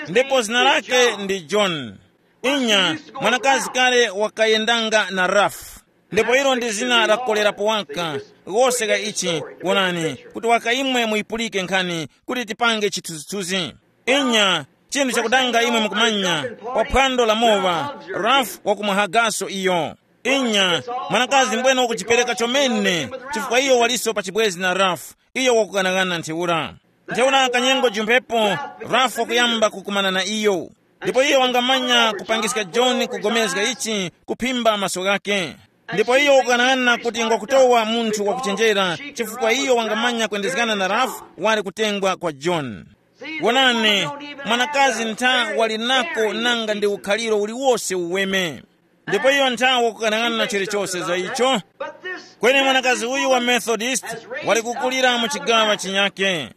Ndipo zina lake ndi John. Inya, mwanakazi kale wakayendanga na Rafu. Ndipo ilo ndi zina lakukolerapo waka, wose ka ichi, wonani, kuti waka imwe muyipulike nkhani kuti tipange chithunzithunzi. Inya, chinthu chakudanga imwe mukumanya, pa phwando la mowa, Rafu wakumwahagaso iyo. Inya, mwanakazi mbwene wakuchipereka chomene, chifukwa iyo waliso pa chibwezi na Rafu, iyo wakughanaghananga ntheura. Ntheura kanyengo jumphepo, Rafu wakuyamba kukumana na iyo. Ndipo iyo wangamanya kupangiska John kugomezga ichi kuphimba maso ghakhe. Ndipo iyo wakughanaghananga kuti ngwakutowa munthu wakuchenjera, chifukwa iyo wangamanya kwendezgana na Rafu wali kutengwa kwa John. Wonani, mwanakazi ntha wali nako nanga ndi ukhaliro uliwose uweme. Ndipo iyo ntha wakughanaghananga chilichose za icho. Kweni mwanakazi uyu wa Methodist wali kukulira mu chigaŵa chinyakhe.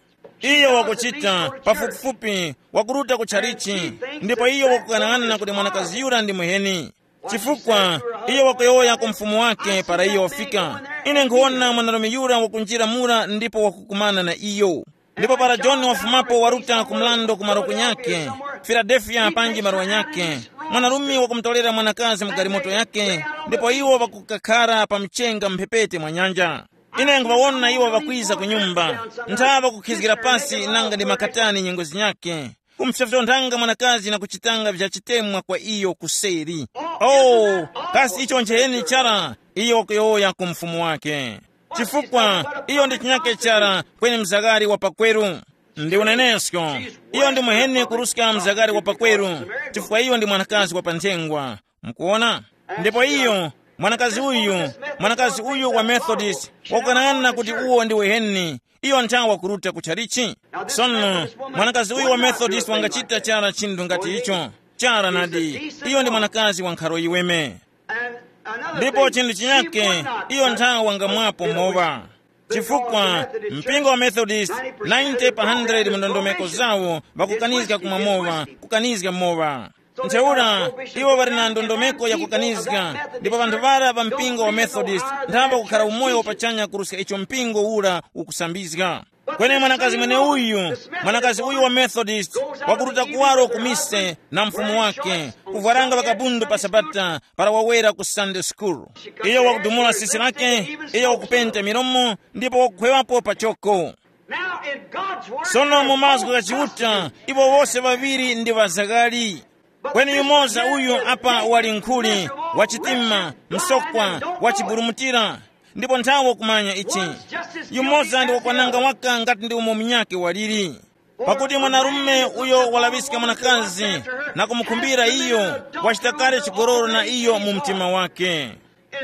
Iyo wakuchita pafupifupi wakuruta ku tchalichi, ndipo iyo wakughanaghananga kuti mwanakazi yura ndi muheni. Chifukwa iyo wakuyowoya ku mfumu wake para iyo wafika, ine nkhuwona mwanarume yura wakunjira mura ndipo wakukumana na iyo. Ndipo para John wafumapo waruta ku mlando ku maroko nyakhe, Filadelfiya panji maluwa nyakhe, mwanarume wakumutolera mwanakazi mu galimoto yake, ndipo iwo ŵakukakhara pa mchenga mphepete mwa nyanja. Ine nkhuŵawona iwo ŵakwiza ku nyumba, ntha ŵakukhizgira pasi nanga ndi makatani nyengo zinyakhe, kumupsopsonthanga mwanakazi na kuchitanga vyachitemwa kwa iyo kuseri. Oh, kasi icho ncheni chara? Iyo wakuyowoya ku mfumu wake. Chifukwa iyo ndi chinyake chara kweni mzagari wa pakweru. Ndi unenesko, iyo ndi muheni kuruska mzagari wa pakweru, chifukwa iyo ndi mwanakazi wa pa nthengwa. Mukuona? Ndipo iyo, mwanakazi uyu, mwanakazi uyu wa Methodist, wakukanana kuti uwo ndi uheni, iyo nthawa kuruta ku chalichi. Sono, mwanakazi uyu wa Methodist wangachita chara chinthu ngati icho. Chara nadi, iyo ndi mwanakazi wa nkharo yiweme. Ndipo chinthu chinyake, iyo nthawa wangamwapo mowa. Chifukwa mpingo wa Methodist, ninety pa hundred mu ndondomeko zawo, ŵakukanizga kumwa mowa, kukanizga mowa. Ntheura, iwo ŵali na ndondomeko ya kukanizga, ndipo ŵanthu ŵara ŵa mpingo wa Methodist nthamba kukhara umoyo wapachanya kuruska icho mpingo ura ukusambizga. Kweni mwanakazi mweneuyu, mwanakazi uyu wa Methodist, wakuruta kuwaro ku mise na mfumu wake, kuvwaranga ŵakabundu pa Sabata para wawera ku Sunday school. Iyo wakudumula sisi lake, iyo wakupenta milomo, ndipo wakukhwewapo pachoko. Now, in God's word, sono mu mazgu gha Chiuta, iwo wose ŵaŵiri ndi ŵazaghali. Kweni yumoza uyu apa wali nkhuli, wachitima, msokwa, wachiburumutira. Ndipo nthawo kumanya ichi, yumoza ndi wakwananga waka ngati ndi umo munyake waliri. Pakuti mwanarume uyo walaŵiska mwanakazi na kumukhumbira iyo, wachita kale chigololo na iyo mu mtima wake.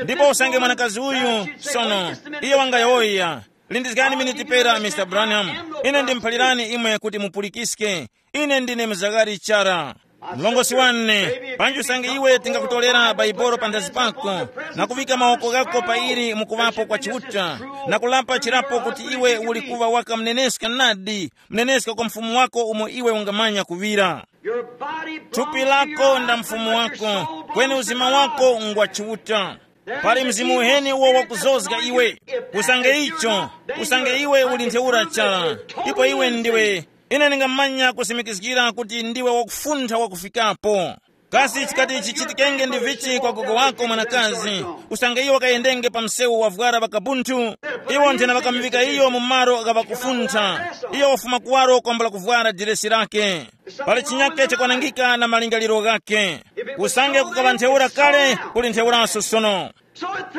Ndipo usange mwanakazi uyu, sono, iyo wangayowoya, lindizgani miniti pera, Mr Branham. Ine ndimuphalirani imwe kuti mupulikiske. Ine ndine mzagari chara. Mlongosi wane, panji usange iwe tingakutolera Baibolo panthazi pako, na kuvika mawoko ghako pa ili mukuvapo kwa Chiuta, na kulapa chirapo kuti iwe uli kuva waka mneneska nadi, mneneska kwa mfumu wako umo iwe ungamanya kuŵira. Thupi lako nda mfumu wako, kweni uzima wako ngwa Chiuta. Pali mzimu uheni uwo wakuzozga iwe. Usange icho, usange iwe uli ntheura chara, ipo iwe ndiwe, ine ndingamanya kusimikizgira kuti ndiwe wakufuntha wakufikapo. Kasi chikati chichitikenge ndi vichi kwa gogo wako mwanakazi, usange iyo wakayendenge pa msewu wavwara ŵakabunthu? Iwo nthena ŵakamuŵika iyo mu malo gha ŵakufuntha. Iyo wafuma kuwaro kwambula kuvwara diresi lake. Pali chinyake chakwanangika na malingaliro ghake. Usange kukaŵa ntheura kale, kuli ntheuranso sono.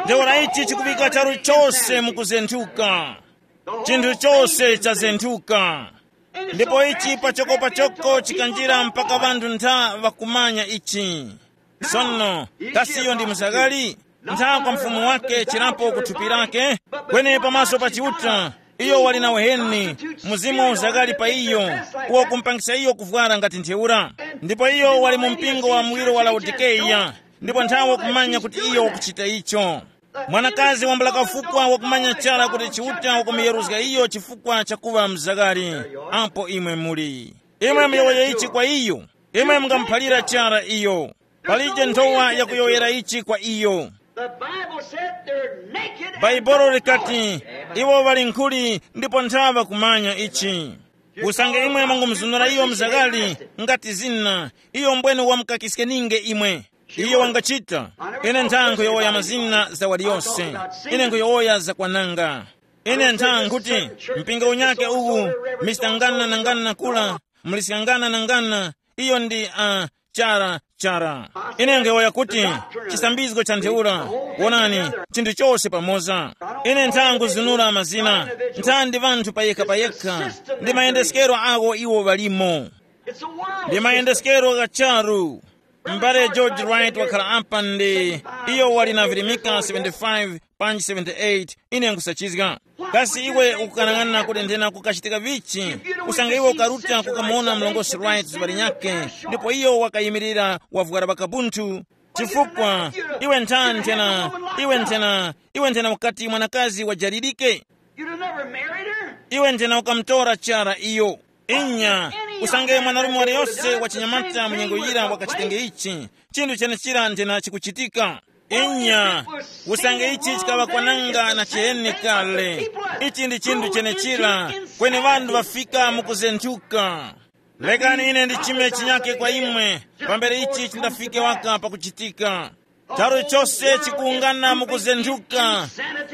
Ntheura ichi chikuŵika charu chose mukuzenthuka. Chinthu chose chazenthuka. Ndipo ichi pachoko pachoko chikanjira mpaka ŵanthu ntha ŵakumanya ichi. Sono, kasi iyo ndi mzaghali? Ntha kwa mfumu wake chirapo ku thupi lake, kweni pamaso pa Chiuta, iyo wali na uheni, mzimu wa uzaghali pa iyo, uwo kumpangisa iyo kuvwara ngati ntheura. Ndipo iyo wali mu mpingo wa muwiro wa Laodikeya, ndipo nthawe kumanya kuti iyo wakuchita icho. Mwanakazi wambula kafukwa wakumanya chara kuti Chiuta wakumuyeruzga iyo chifukwa chakuŵa mzaghali. Apo imwe muli. Imwe muyowoye ichi kwa iyo. Imwe mungamuphalira chara iyo. Palije nthowa yakuyowoyera ichi kwa iyo. The Bible said they're naked and Bhaibuli don't know likati, it. Iwo ŵali nkhuli ndipo nthaŵa kumanya ichi. Usange imwe mwangumuzunura iyo mzaghali, ngati zina, iyo mbwene wamukakiskeninge imwe. Iyo wangachita. Ine nthankho yowoya mazina za waliyose. Ine nkhuyowoya za kwananga. Ine nthankhuti, mpingo unyake uwu, mistangana na ngana kula, muliskangana na ngana, iyo ndi uh, chara chara. Ine ngewoya kuti chisambizgo cha ntheura. Wonani, chinthu chose pamoza. Ine nthangu zinura mazina, nthandi vanthu payekha payekha, ndi mayendeskero awo iwo ŵalimo. Ndi mayendeskero gha charu. M'bale George Wright wakhala apa ndi iyo wali na virimika seventy-five panji seventy-eight. Ine nkusachizga. Kasi iwe ukukanang'ana kuti nthena kukachitika vichi? Usange iwe ukaruta kukamuwona mlongosi Wright zuŵa linyakhe, ndipo iyo wakayimirira wavwara ŵakabunthu. Chifukwa iwe nthani nthena, iwe nthena, iwe nthena ukati mwanakazi wajalirike? You'd have never married her. Iwe nthena ukamutora chara iyo. Inya, usange mwanarume waliyose wachinyamata mu nyengo yira wakachitenge ichi, chinthu chenechira nthena chikuchitika. Inya, usange ichi chikaŵa kwananga na chiheni kale, ichi ndi chinthu chenechira, kweni ŵanthu ŵafika mukuzenthuka. Lekani ine ndichime chinyake kwa imwe, pambere ichi chindafike waka pakuchitika. Charu chose chikuwungana mukuzenthuka,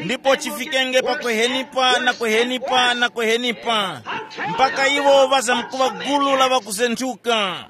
ndipo chifikenge pa kuhenipa na kuhenipa na kuhenipa, mpaka iwo ŵazamkuŵa gulu la ŵakuzenthuka.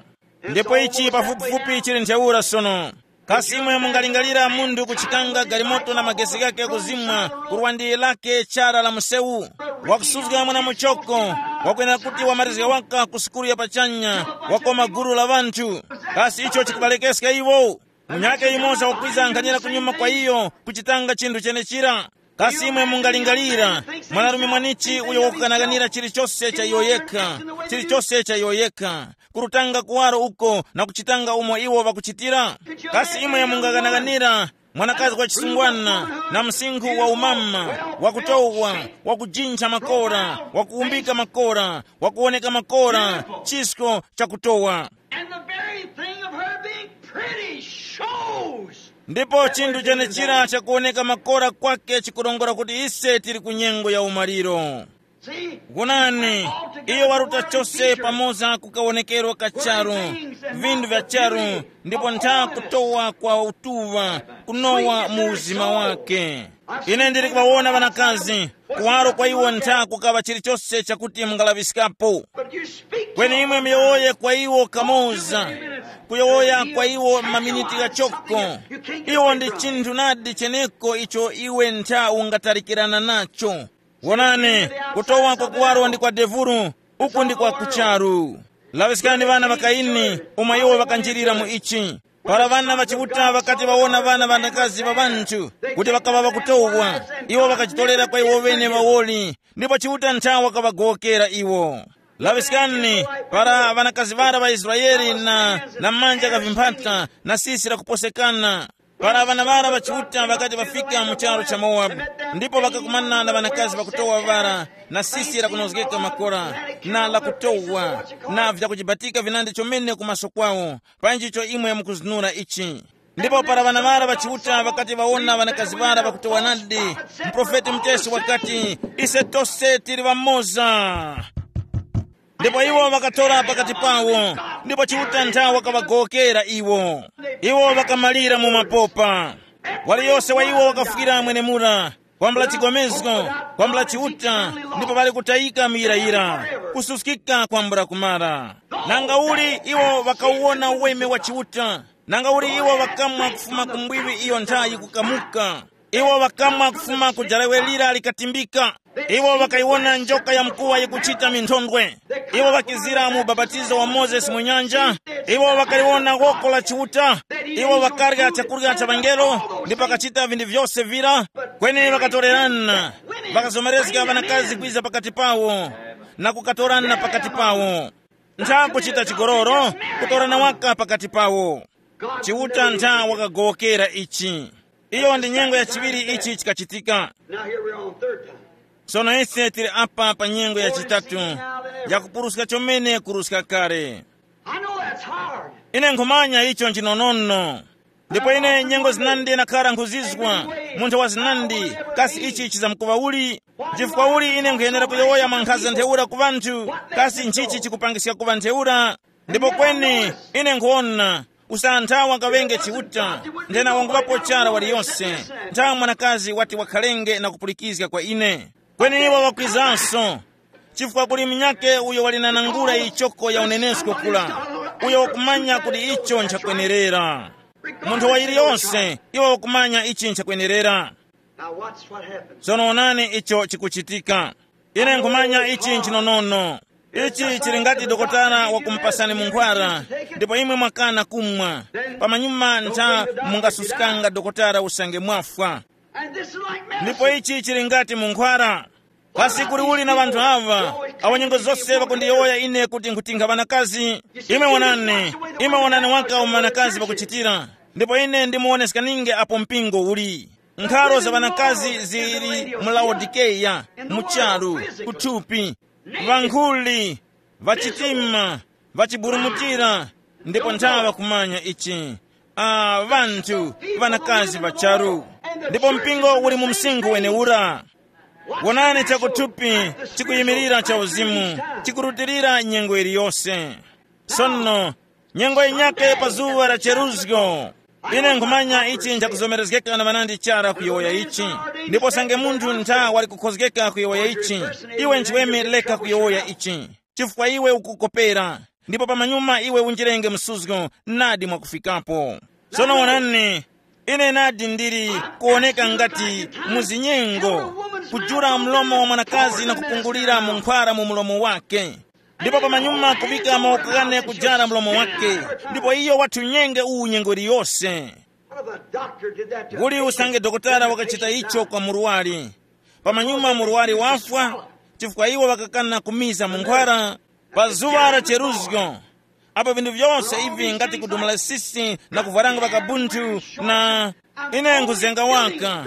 Ndipo ichi pafupifupi chili ntheura sono. Kasi imwe mungalingalira munthu kuchikanga galimoto na magesi ghake kuzimwa ku lwandiri lake chara la msewu, wakusuzga mwana muchoko, wakwenera kuti wamarizga waka ku sukulu ya pachanya, wakoma gulu la ŵanthu? Kasi icho chikubalekeska iwo? Munyake yumoza wakwiza nkhanira kunyuma kwa iyo kuchitanga chinthu chenechira. Kasi imwe mungalingalira mwanarume mwanichi uyo wakukanakanira chilichose cha iyo yekha, chilichose cha iyo yekha, kurutanga kuwaro uko na kuchitanga umo iwo ŵakuchitira? Kasi imwe mungakanakanira mwanakazi wa chisungwana na msinkhu wa umama, wakutowa, wakujintha makora, wakuwumbika makora, wakuwoneka makora, chisko chakutowa? And the very thing of her being pretty shows. Ndipo chinthu chenechira chakuwoneka makora kwake chikurongora kuti ise tili ku nyengo ya umaliro. See? Kunani, iyo waruta chose pamoza ku kawonekero ka charu, vinthu vya charu, ndipo ntha kutowa kwa utuŵa kunowa mu uzima wake. Ine ndili kuŵawona ŵanakazi, kuwaro kwa iwo ntha kukaŵa chilichose chakuti mungalaŵiskapo. But you speak to kweni imwe them. Miyowoye kwa iwo kamoza, kuyowoya kwa iwo maminiti ghachoko. Iwo ndi chinthu nadi cheneko icho iwe ntha ungatalikirana nacho. Wonani, kutowa kwa kuwaro ndi kwa devuru, uku ndi kwa kucharu. Laŵiskani ŵana ŵa Kaini, umo iwo ŵakanjirira mu ichi. Para ŵana ŵa Chiuta ŵakati ŵawona ŵana ŵanakazi ŵa ŵanthu kuti ŵakaŵa ŵakutowa, iwo ŵakachitorera kwa iwo ŵene ŵawoli, ndipo Chiuta nthawe wakaŵagowokera iwo. Laŵiskani, para ŵanakazi ŵara ŵa Israele na, na manja gha vimphata na sisi lakuposekana, para ŵana ŵara ŵa Chiuta ŵakati ŵafika mu charu cha Mowabu, ndipo ŵakakumana na ŵanakazi ŵakutowa ŵara na sisi lakunozgeka makora na lakutowa na vyakujibatika vinandi chomene kumaso kwawo, panji icho imwe mukuzinura ichi. Ndipo para ŵana ŵara ŵa Chiuta ŵakati ŵawona ŵanakazi ŵara ŵakutowa nadi, muprofeti muchesi wakati, ise tose tili ŵamoza. Ndipo iwo ŵakatora pakati pawo, ndipo Chiuta nthawe wakaŵagowokera iwo. Iwo ŵakamalira mu mapopa. Waliyose wa iwo wakafwira mwenemura, kwambula chigomezgo, kwambula Chiuta, ndipo ŵali kutayika muyirayira, kususkika kwambula kumara. Nanga uli iwo ŵakawuwona uweme wa Chiuta? Nanga uli iwo ŵakamwa kufuma ku mbwiwi iyo nthayi kukamuka? Iwo ŵakamwa kufuma ku jarawe lira likatimbika. Iwo ŵakayiwona njoka ya mkuwa yikuchita minthondwe. Iwo ŵakizira mu ubapatizo wa Mozesi mu nyanja. Iwo ŵakaliwona woko la Chiuta. Iwo ŵakarya chakurya cha ŵangelo, ndipo ŵakachita vinthu vyose vira. Kweni ŵakatorerana, ŵakazomerezga ŵanakazi kwiza pakati pawo na kukatorana pakati pawo. Ntha kuchita chigololo, kutorana waka pakati pawo. Chiuta ntha wakagowokera ichi. Iyo ndi nyengo ya chiŵiri ichi chikachitika. Now here we're on third time. Sono ise tili apa pa nyengo ya chitatu, yakupuruska chomene kuruska kale. I know that's hard. Ine nkhumanya icho nchinonono. Ndipo ine nyengo zinandi nakhala nkhuzizwa, munthu wa zinandi, kasi ichi chizamkuŵa uli? Chifukwa uli ine nkhuyenera kuyowoya mwa nkhaza ntheura ku ŵanthu? Kasi nchichi chikupangiska kuŵa ntheura? Ndipo kweni ine nkhuwona, usantha wangaŵenge Chiuta, nthena wanguŵapo chara waliyose, nthawi mwanakazi wati wakhalenge na kupulikizga kwa ine. Kweni iwo ŵakwizanso, chifukwa kuli munyakhe uyo wali na nangula yichoko ya unenesko kula, uyo wakumanya kuti icho nchakwenerera. Munthu wa yiliyose iwo wakumanya ichi nchakwenerera. Now watch what happened. Tsono onani icho chikuchitika. Ine nkhumanya ichi nchinonono. Ichi chili ngati dokotala wakumupasani munkhwara, ndipo imwe mwakana kumwa. Pamanyuma ntha mungasuskanga dokotala usange mwafwa. And this is like medicine. Ndipo ichi chili ngati munkhwara. Kasi kuli uli na ŵanthu aŵa, awo nyengo zose ŵakundiyowoya ine kuti nkhutingha ŵanakazi? Imwe wonani, imwe wonani waka umo ŵanakazi ŵakuchitira, ndipo ine ndimuwoneskaninge apo mpingo uli. Nkharo za ŵanakazi zili mu Laodikeya, mu charu, kuthupi, ŵankhuli, ŵachitima, ŵachiburumutira, ndipo nthawa kumanya ichi. Ah, ŵanthu, ŵanakazi ŵa charu. Ndipo mpingo uli mu msinkhu wenewura. Wonani chakuthupi chikuyimirira cha uzimu, chikurutilira nyengo iliyose. Sono, nyengo yinyakhe pa zuŵa la cheruzgo. Ine nkhumanya ichi nchakuzomerezgeka na ŵanandi chara kuyowoya ichi. Ndipo sange munthu ntha wali kukhozgeka kuyowoya ichi, iwe nchiweme leka kuyowoya ichi, chifukwa iwe ukukopera, ndipo pamanyuma iwe unjirenge msuzgo nadi mwakufikapo. Sono wonani, ine nadi ndili kuwoneka ngati mu zinyengo, kujula mlomo wa mwanakazi na kupungulira munkhwara mu mlomo wake. Ndipo pamanyuma kuŵika mawoko ghane kujara mlomo wake, ndipo iyo wathunyenge uwu nyengo iliyose. Kuli usange dokotala wakachita icho kwa murwari. Pamanyuma murwari wafwa, chifukwa iwo ŵakakana kumiza mu nkhwara. Pa zuŵa la cheruzgo, apo vinthu vyose ivi ngati kudumula sisi na kuvwaranga vakabunthu, na ine nkhuzenga waka,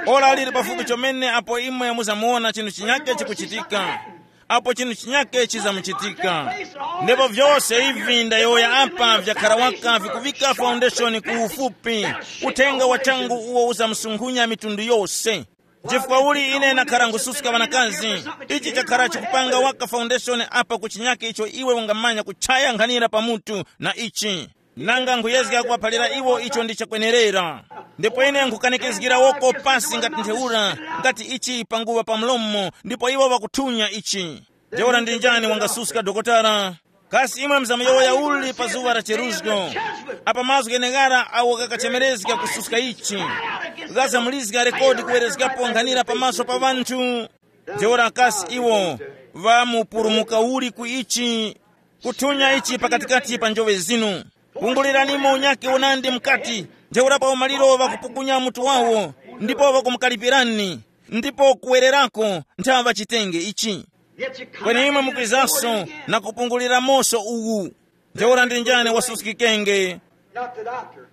ora lili pafupi chomene apo imwe muzamuwona chinthu chinyake chikuchitika, apo chinthu chinyake chizamuchitika. Ndipo vyose ivi ndayowoya apa vyakhara waka vikuvika foundation ku ufupi, uthenga wa changu uwo uzamusunkhunya mitundu yose. Chifukwa uli ine nakhara ngususka ŵanakazi, ichi chakhara chikupanga waka foundation apa ku chinyake icho iwe ungamanya kuchaya nkhanira pa mutu na ichi. Nanga nkhuyezga kuŵaphalira iwo icho ndi chakwenerera. Ndipo ine nkhukanikizgira woko pasi ngati ntheura, ngati ichi panguŵa pa mlomo, ndipo iwo ŵakuthunya ichi. Ntheura ndi njani wangasuska dokotala? Kasi imwe mzamuyowoya uli pa zuŵa la cheruzgo? Apa mazgu gheneghara awo ghakachemerezga kususka ichi, ghazamulizga rekodi kuwerezgapo nkhanira pamaso pa ŵanthu. Ntheura kasi iwo ŵamupulumuka uli ku ichi? Kuthunya ichi pakatikati pa njoŵe zinu. Kunguliranimo unyake unandi mukati. Ntheura pa umaliro ŵakupukunya mutu wawo, ndipo ŵakumukalipirani, ndipo kuwererako nthaŵa chitenge ichi. Kweni imwe mukwizanso na kupungulira moso uwu. Ntheura ndi njani wasuskikenge? Not the doctor.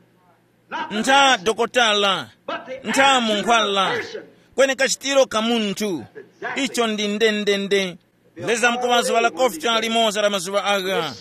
Not the Ntha medicine. Dokotala, But the ntha attitude of munkhwala, a person. Kweni kachitiro ka munthu. Exactly. Icho ndi ndendende. Leza mkuŵa zuŵa la kofcha limoza la mazuŵa agha,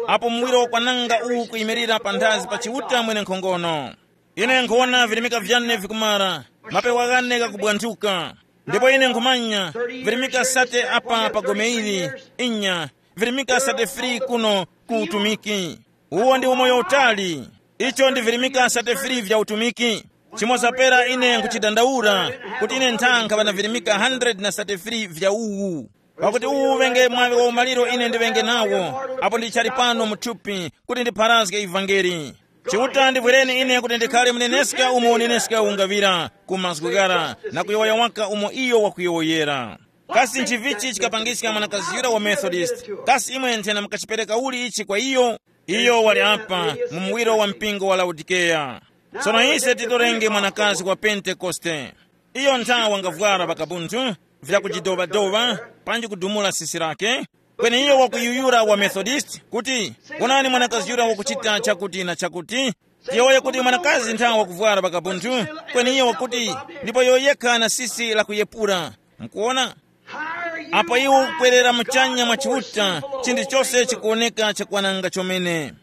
apo muwiro wakwananga uwu kuyimirira panthazi pa Chiuta mwene nkhongono. Ine nkhuwona virimika vyane vikumara, mapewa ghane ghakubwanthuka. Ndipo ine nkhumanya, virimika sate apa pa gome ili, inya, virimika sate free kuno ku utumiki. Uwo ndi umoyo utali. Icho ndi virimika sate free vya utumiki. Chimoza pera ine nkuchidandaura, kuti ine nthankha ŵana virimika hundred na sate free vya uwu. Pakuti uwu uvenge mwaŵi wa umaliro ine ndiŵenge nawo, apo ndichali pano mu thupi, kuti ndipharazge ivangeli. Chiuta ndivwireni ine kuti ndikhale muneneska umo uneneska ungaŵira ku mazgu ghara, na kuyowoya waka umo iyo wakuyowoyera. Kasi nchivichi chikapangiska mwanakazi yura wa Methodist? Kasi imwe nthena mukachipereka uli ichi kwa iyo? Iyo wali apa mu muwiro wa mpingo wa Laodikeya. Sono ise titorenge mwanakazi wa Pentekoste. Iyo nthawe wangavwara pakabunthu, vyakujidoŵadoŵa, panji kudumula sisi lake. Kweni iyo wakuyuyura wa Methodist kuti, onani mwanakazi yura wakuchita chakuti na chakuti. Tiyowoye kuti mwanakazi nthawe wakuvwara pakabunthu, kweni iyo wakuti, ndipo iyo yekha na sisi lakuyepura. Mukuona? Apo iwo ukwerera muchanya mwa Chiuta, chinthu chose chikuwoneka chakwananga chomene.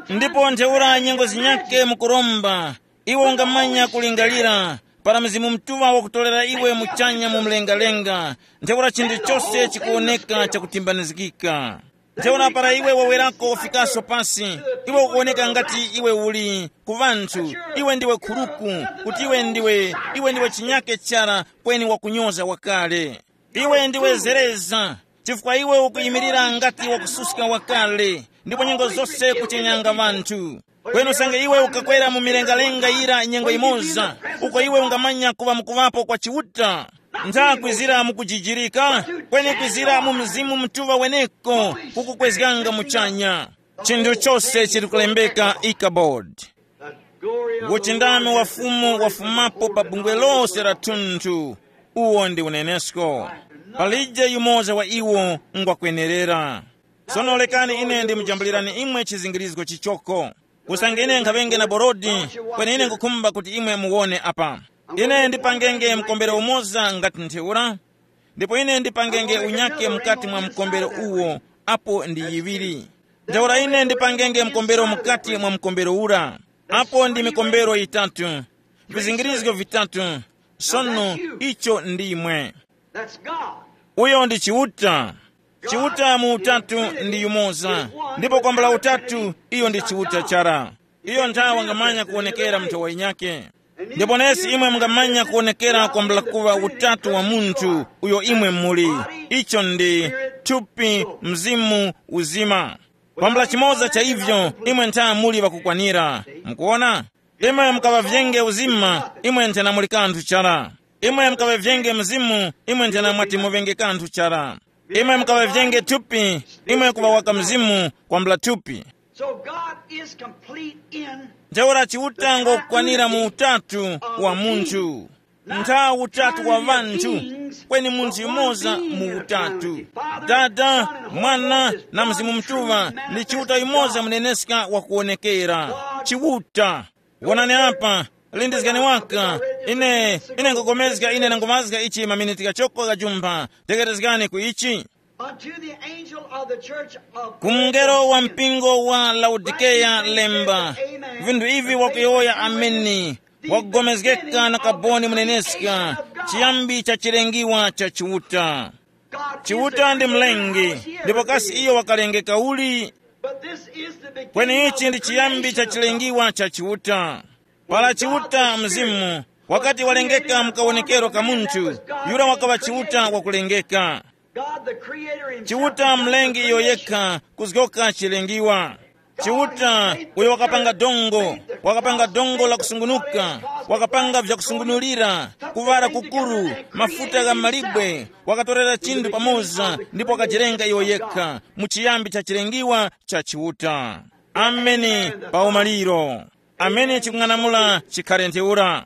Ndipo ntheura nyengo zinyake mukuromba, iwe ungamanya kulingalira, para Mzimu Mutuŵa wakutorera iwe muchanya mu mlengalenga, ntheura chinthu chose chikuwoneka chakutimbanizgika. Ntheura para iwe wawerako ufikaso pasi, iwe ukuwoneka ngati iwe uli ku ŵanthu, iwe ndiwe khuruku, kuti iwe ndiwe, iwe ndiwe chinyake chara kweni wakunyoza wakale. Iwe ndiwe zereza, chifukwa iwe ukuyimirira ngati wakususka wakale, ndipo nyengo zose kuchenyanga ŵanthu. Kweni usange iwe ukakwera mu milengalenga yira nyengo imoza, uko iwe ungamanya kuŵa mukuŵapo kwa Chiuta. Ntha kwizira mu kujijirika, kweni kwizira mu Mzimu Mutuŵa weneko kukukwezganga muchanya. Chinthu chose chili kulembeka Ikabodi. Uchindami wa Fumu wafumapo pa bungwe lose la thunthu. Uwo ndi unenesko. Palije yumoza wa iwo ngwakwenerera. Sono lekani ine ndimujambulirani imwe chizingirizgo chichoko. Usange ine nkhaŵenge na borodi, kweni ine nkhukhumba kuti imwe muwone apa. Ine ndipangenge mkombero umoza ngati ntheura, ndipo ine ndipangenge unyake mukati mwa mkombero uwo, apo ndi yiŵiri. Ntheura ine ndipangenge mkombero mukati mwa mkombero ura, apo ndi mikombero yitatu, vizingirizgo vitatu. Sono icho ndimwe. That's God. Uyo ndi Chiuta. Chiuta mu utatu ndi yumoza, ndipo kwambula utatu iyo ndi Chiuta chara. Iyo nthawe wangamanya kuwonekera munthu wa inyake. Ndipo nesi imwe mungamanya kuwonekera kwambula kuŵa utatu wa munthu uyo imwe muli. Icho ndi thupi, mzimu, uzima. Kwambula chimoza cha ivyo imwe ntha muli ŵakukwanira. Mukuona? Imwe mukaŵavyenge uzima, imwe nthena muli kanthu chara. Imwe mukaŵavyenge mzimu, imwe nthena mwati muŵenge kanthu chara. Imwe mukaŵavyenge thupi, imwe kuŵa waka mzimu kwambula thupi. So God is complete in Ntheura Chiuta ngokwanira mu utatu wa munthu. Ntha utatu wa ŵanthu, kweni munthu yumoza mu utatu. Dada, Mwana na Mzimu Mutuŵa ndi Chiuta yumoza muneneska wakuwonekera. Chiuta. Wonani apa, lindizgani waka. Ine, ine ngogomezga, ine ndangomazga ichi maminiti ghachoko ghajumpha. Tegherezgani ku ichi. Unto the angel of the church of Ku mngelo wa mpingo wa Laodikeya lemba, vinthu ivi wakuyowoya ameni, wakugomezgeka na kaboni muneneska, chiyambi cha chilengiwa cha Chiuta. Chiuta ndi mlengi, ndipo kasi iyo wakalengeka uli? Kweni ichi ndi chiyambi cha chilengiwa cha Chiuta. Para Chiuta Mzimu wakati walengeka mu kawonekero ka munthu, yura wakaŵa Chiuta wakulengeka. Chiuta mlengi iyo yekha kuzgoka chilengiwa. Chiuta uyo wakapanga dongo, wakapanga dongo la kusungunuka, wakapanga vyakusungunulira, kuŵala kukuru, mafuta gha malibwe, wakatorera chinthu pamoza ndipo wakajirenga iyo yekha mu chiyambi cha chilengiwa cha Chiuta. Ameni. Pa umaliro. Amene chikung'anamula chikhale ntheura.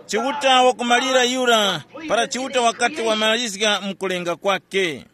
Chiuta wakumalira yura para Chiuta wakati wamalizga mkulenga kwake.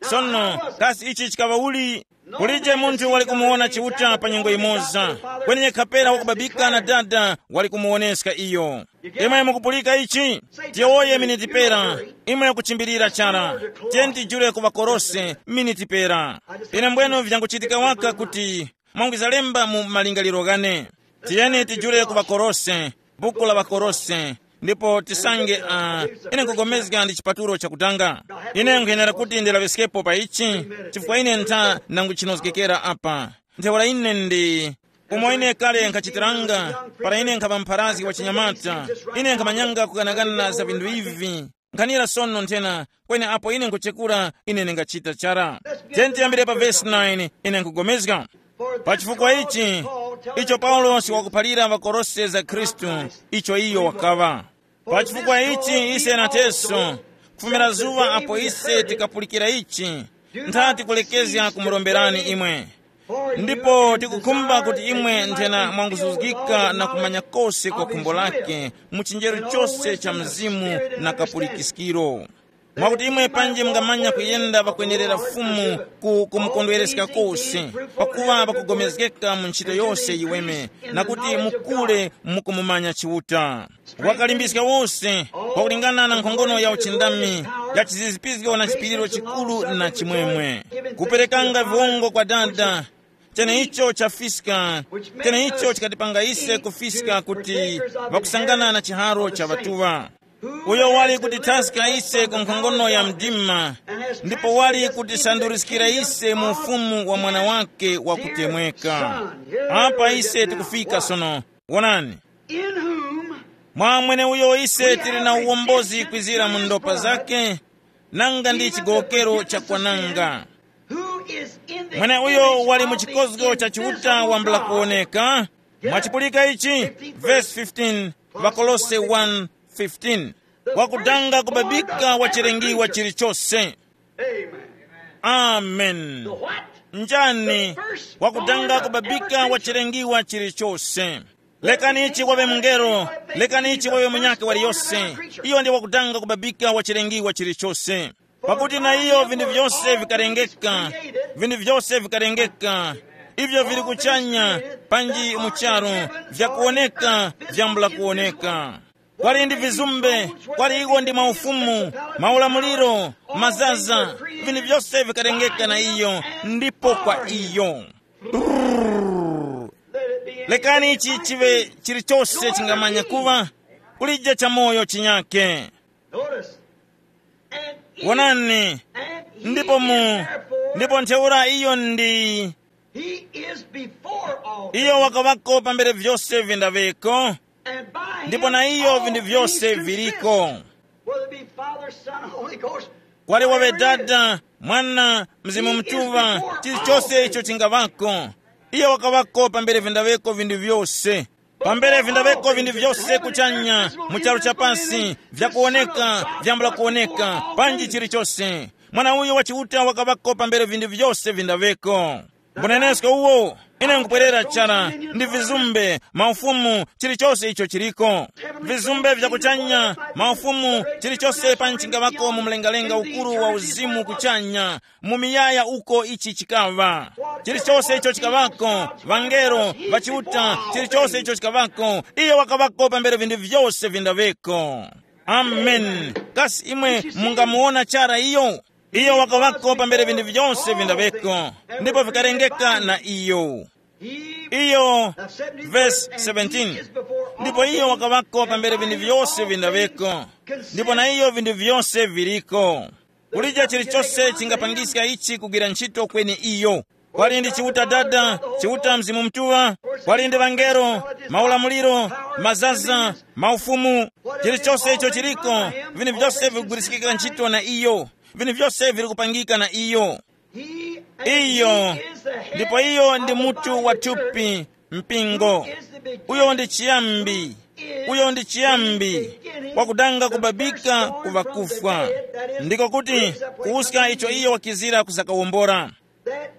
Sono, kasi ichi chikaŵa uli? Kulije munthu wali kumuwona Chiuta pa nyengo imoza, kweni yekha pera wakubabika na Dada wali kumuwoneska iyo. Imwe mukupulika ichi? Tiyowoye miniti pera. Imwe kuchimbilira chara. Tiyeni tijule ku ŵakolose miniti pera. Ine mbwenu vyanguchitika waka kuti mwangwizalemba mu malingaliro ghane. Tiyeni tijule ku ŵakolose, buku la ŵakolose, ndipo tisange uh, ine nkugomezga ndi chipatulo chakutanga. Ine nkhuyenera kuti ndilaŵiskepo pa ichi, chifukwa ine ntha nanguchinozgekera apa. Ntheura ine ndi umo ine kale nkhachitiranga, para ine nkhaŵa mpharazgi wa chinyamata, ine nkhamanyanga kukanakana za vinthu ivi. Nkhanira sono nthena, kweni apo ine nkuchekura, ine ndingachita chara. Tiyeni tiyambire pa vesi nine, ine nkugomezga. Pa chifukwa ichi, icho Paulosi wakuphalira ŵakolose za Khristu, icho iyo wakaŵa. Pa chifukwa ichi ise nateso, kufumira zuŵa apo ise tikapulikira ichi, nthati kulekezga kumuromberani imwe. Ndipo tikukhumba kuti imwe nthena mwanguzuzgika na kumanya kose kwa khumbo lake mu chinjeru chose cha mzimu na kapulikiskiro. Mwakuti imwe panji mungamanya kuyenda pakwenerera Fumu ku kumukondwereska kose, pakuŵa pakugomezgeka mu ntchito yose yiweme, na kuti mukule mukumumanya Chiuta. Wakalimbiska wose, pakulingana na nkhongono ya uchindami, ya chizizipizgo na chipiriro chikuru na chimwemwe, kuperekanga viwongo kwa Dada, cheneicho chafiska, cheneicho chikatipanga ise kufiska kuti ŵakusangana na chiharo cha ŵatuŵa, uyo wali kutithaska ise ku nkhongono ya mdima, ndipo wali kutisanduriskira ise mu ufumu wa Mwana wake wakutemweka. Apa ise tikufika sono. Wonani, in whom mwa mweneuyo ise tili na uwombozi kwizira mu ndopa zake, nanga ndi chigowokero cha kwananga. Who is in the mwene uyo wali mu chikozgo cha Chiuta wambula kuwoneka. Mwachipulika ichi, verse fifteen, Vakolose one fifteen, wakudanga kubabika wa chilengiwa chilichose. Amen. Amen. What? Njani? Wakudanga kubabika wa chilengiwa chilichose. Lekani ichi wawe mungelo, lekani ichi wawe munyakhe waliyose. Iyo ndi wakudanga kubabika wa chilengiwa chilichose. Pakuti na iyo vinthu vyose vikalengeka, vinthu vyose vikalengeka, ivyo vili kuchanya panji mu charu, vyakuwoneka, vyambula kuwoneka. Kwali ndi vizumbe, kwali iwo ndi maufumu, maulamuliro, mazaza, vinthu vyose vikalengeka na iyo, ndipo kwa iyo. Brrr. Lekani ichi chive chilichose chingamanya kuŵa, kulije chamoyo chinyake. Notice. And he, wonani, and he ndipo mu, therefore, ndipo ntheura iyo ndi, he is before all iyo things, wakawako pambere vyose vindaveko, and by ndipo him na iyo all vinthu things vyose consist. Viliko. Whether it be Father, Son, Holy Ghost, kwali wawe Dada, Mwana, Mzimu Mtuŵa, chilichose icho chingavako, iyo wakawako pambere vindaveko vinthu vyose. Pambere vindaveko vinthu vyose kuchanya, mu charu cha pasi, vyakuwoneka, vyambula kuwoneka, panji chilichose. Mwana uyo wa Chiuta wakawako pambere vinthu vyose vindaveko. Mbunenesko uwo, ine nkupwerera chara, ndi vizumbe, maufumu, chilichose icho chiliko. Vizumbe vya kuchanya, maufumu, chilichose panji chingavako mu mlengalenga ukuru wa uzimu kuchanya, mu miyaya uko ichi chikaŵa. Chilichose icho chikaŵako, vangelo, vachiuta, chilichose icho chikaŵako, iyo wakaŵako pambere vinthu vyose vindaŵeko. Amen. Kasi imwe mungamuwona chara iyo? Iyo wakaŵako pambere vinthu vyose vindaŵeko, ndipo vikarengeka na iyo. Iyo, verse seventeen, ndipo iyo wakaŵako pambere vinthu vyose vindaŵeko, ndipo na iyo vinthu vyose viriko. Kulija chilichose chingapangiska ichi kugwira ntchito kweni iyo. Kwali ndi Chiuta Dada, Chiuta Mzimu Mutuŵa, kwali ndi ŵangelo, maulamuliro, mazaza, maufumu, chilichose icho chiliko, vinthu vyose vikugwiriskika ntchito na iyo, vinthu vyose vili kupangika na iyo. Iyo, ndipo iyo ndi mutu wa thupi, mpingo. Uyo ndi chiyambi, uyo ndi chiyambi, wakudanga kubabika ku ŵakufwa, ndiko kuti kuwuska icho iyo wakizira kuzakawombora. That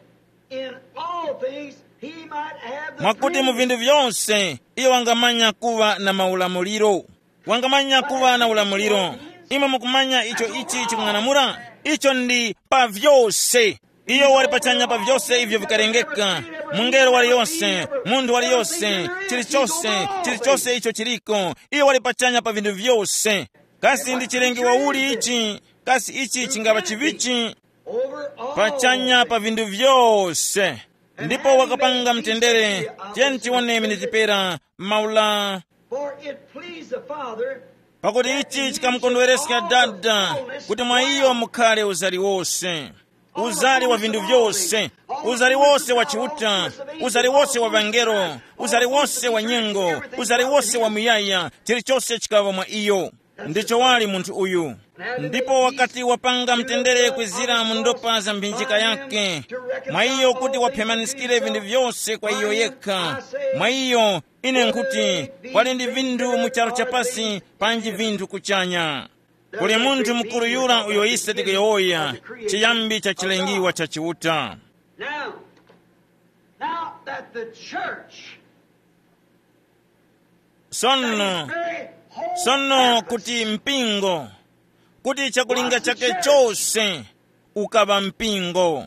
in all things he might have the mwakuti mu preeminence. Vinthu vyose iyo wangamanya kuva na maulamuliro. Wangamanya kuva na ulamuliro. Imwe mukumanya icho ichi chikung'anamula? Icho ndi pa vyose. Iyo wali pachanya pa vyose ivyo vikarengeka, mungelo waliyonse, munthu waliyonse, chilichose, chilichose icho chiliko, iyo wali pachanya pa vinthu vyose. Kasi ndi chilengi wauli ichi? Kasi ichi chingapa chivichi? Pachanya pa vinthu vyose. Ndipo wakapanga mtendere. Tiyeni tiwone miniti pera maula. For it pleased the Father. Pakuti ichi chikamukondwereska Dada, kuti mwa iyo mukhale uzali wose, uzali wa vinthu vyose, uzali wose wa Chiuta, uzali wose wa vangelo, uzali wose wa nyengo, uzali wose wa muyaya, chilichose chikaŵa mwa iyo. Ndicho wali munthu uyu. Ndipo wakati wapanga mtendere kwizira mu ndopa za mphinjika yake, mwa iyo kuti waphemaniskire vinthu vyose kwa iyo yekha, mwa iyo ine nkuti, kwali ndi vinthu mu charu chapasi panji vinthu kuchanya. Kuli munthu mukuru yura uyo ise tikuyowoya, chiyambi cha chilengiwa cha Chiuta. Now, now that the church sono very whole sono purpose kuti mpingo, kuti chakulinga chake chose ukaŵa mpingo.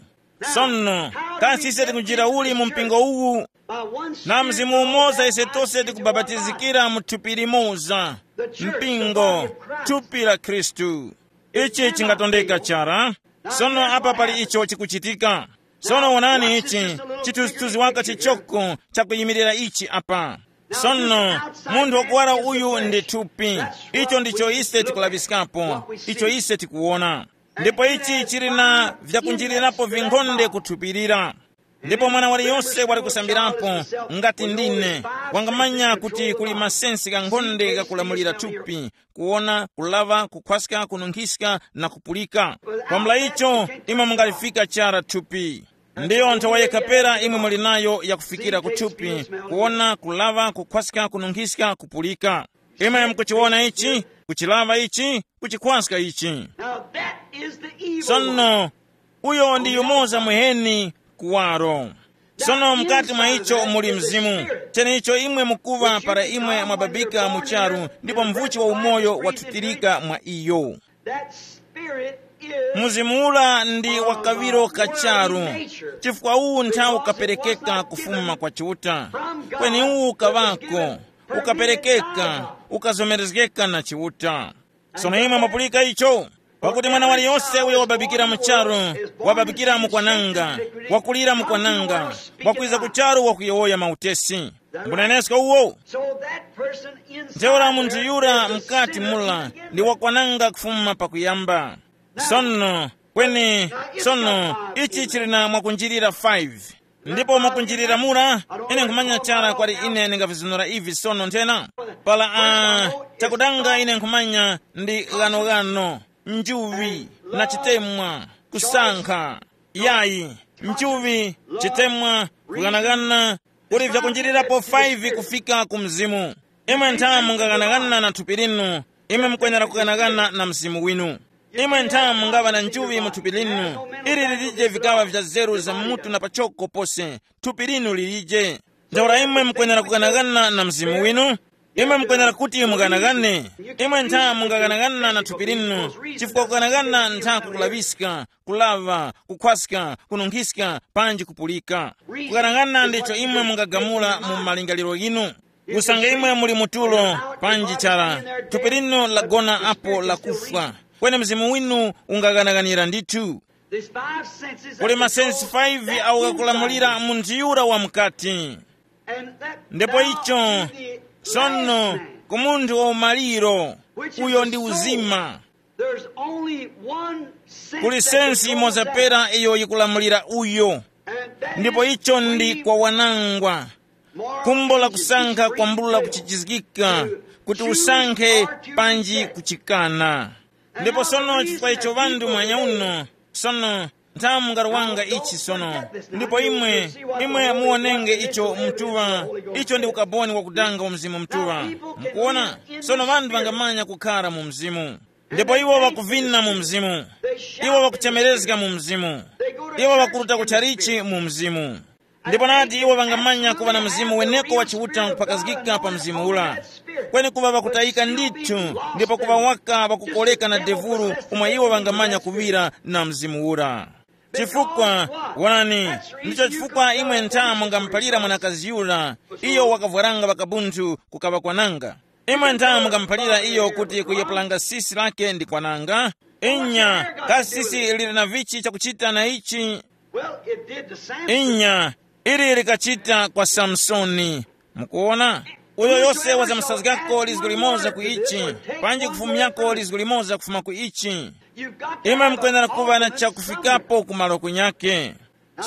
Sono, kasi ise tikunjira uli mu mpingo uwu? By one na Spirit, mzimu umoza ise tose tikubabatizikira mu thupi limoza, mpingo, thupi la Khristu. Ichi chingatondeka chara. Sono apa pali icho chikuchitika. Sono wonani ichi, chithunzithunzi waka chichoko chakuyimirira ichi apa. Sono, munthu wakuwara uyu ndi thupi. Icho ndicho ise tikulaŵiskapo, icho ise tikuwona. Ndipo ichi chili na vyakunjirirapo vinkhonde kuthupirira. Ndipo mwana waliyonse wali kusambirapo, ngati ndine, wangamanya kuti kuli masensi ghankhonde ghakulamulira thupi, kuwona, kulaŵa, kukhwaska, kununkhiska na kupulika. Kwambula icho, imwe mungalifika chara thupi. Ndiyo nthowa yekha pera imwe muli nayo yakufikira ku thupi, kuwona, kulaŵa, kukhwaska, kununkhiska, kupulika. Imwe mukuchiwona ichi, kuchilaŵa ichi, kuchikhwaska ichi. Now that is the evil one. Sono, uyo ndi yumoza muheni kuwaro. Sono mkati mwa icho muli mzimu, cheneicho imwe mukuŵa para imwe mwababika mu charu, ndipo mvuchi wa umoyo wathutirika mwa iyo. That spirit is mzimu ula ndi wa kaŵiro ka charu, chifukwa uwu nthawi ukaperekeka kufuma kwa Chiuta. Kweni uwu ukaŵako, ukaperekeka, ukazomerezgeka na Chiuta. Sono imwe mwapulika icho, pakuti mwana waliyonse uyo wababikira mu charu, wababikira mu kwananga, wakulira mu kwananga, wakwiza ku charu wakuyowoya mautesi. Mbunenesko uwo. So that person inside ntheura munthu there yura is a mkati sinner mula in the ndi beginning. Wakwananga kufuma pakuyamba. Sono, kweni, sono, ichi chili na mwakunjirira five. Ndipo mwakunjirira mura, ine nkhumanya chara kwati ine ndingavizunura ivi sono nthena. Pala, uh, chakudanga ine nkhumanya ndi ghanoghano, njuŵi, na chitemwa, kusankha, yayi, njuŵi, chitemwa, kughanaghana, kuli vyakunjirirapo five kufika ku mzimu. Imwe ntha mungaghanagana na thupi linu, imwe mukwenera kughanagana na mzimu winu. Imwe nthamu mungaŵa na njuŵi mu thupi linu, ili lilije vikaŵa vya zeru za mutu na pachoko pose, thupi linu lilije. Ntheura imwe mukwenera kukanakana na mzimu winu. Imwe mukwenera kuti mukanakane. Imwe ntha mungakanakana na thupi linu, chifukwa kukanakana ntha kukulaŵiska, kulaŵa, kukhwaska, kununkhiska, panji kupulika. Kukanakana ndicho imwe mungagamula mu malingaliro ghinu. Usange imwe muli mutulo, panji chara, thupi linu lagona apo lakufwa, kweni mzimu winu ungakanakanira ndithu. There's five senses that kuli control masensi five that awo inside. Akulamulira munthu yura wa mukati. And that ndipo now icho to the sono last man, ku munthu wa umaliro, which is uyo the ndi soul. Uzima. There's only one sense kuli that sensi controls imodzi that. Pera iyo yikulamulira uyo. And that ndipo is icho ndi free kwa wanangwa. Kumbo la kusankha kwambula kuchichizgika, kuti usankhe panji kuchikana. Ndipo sono chifukwa icho ŵanthu mwanya uno, sono nthamu ngaruwanga ichi sono. Ndipo imwe, imwe muwonenge icho mtuŵa, icho ndi ukaboni wakudanga wa Mzimu Mtuŵa. Mukuona? Sono ŵanthu ŵangamanya kukhara mu Mzimu. Ndipo iwo ŵakuvina mu Mzimu. Iwo ŵakuchemerezga mu Mzimu. Iwo ŵakuruta ku chalichi mu Mzimu. Ndipo nati iwo ŵangamanya kuŵa na mzimu weneko wa Chiuta kupakazgika pa mzimu ura. Kweni kuŵa ŵakutayika ndithu, ndipo kuŵa waka ŵakukoleka na devulu, umo iwo ŵangamanya kuŵira na mzimu ura. Chifukwa, wonani, ndicho chifukwa imwe ntha mungamuphalira mwanakazi yura, iyo wakavwaranga ŵakabunthu kukaŵa kwananga. Imwe ntha mungamuphalira iyo kuti kuyepulanga sisi lake ndi kwananga. Inya, kasi sisi lili na vichi chakuchita na ichi? Well, it did to Samson. Inya, ili likachita kwa Samsoni. Mukuona? Uyo yose wazamusazgako lizgu limoza ku ichi, panji kufumyako lizgu limoza kufuma ku ichi. Imwe mukwenera kuŵa na chakufikapo ku malo kunyake.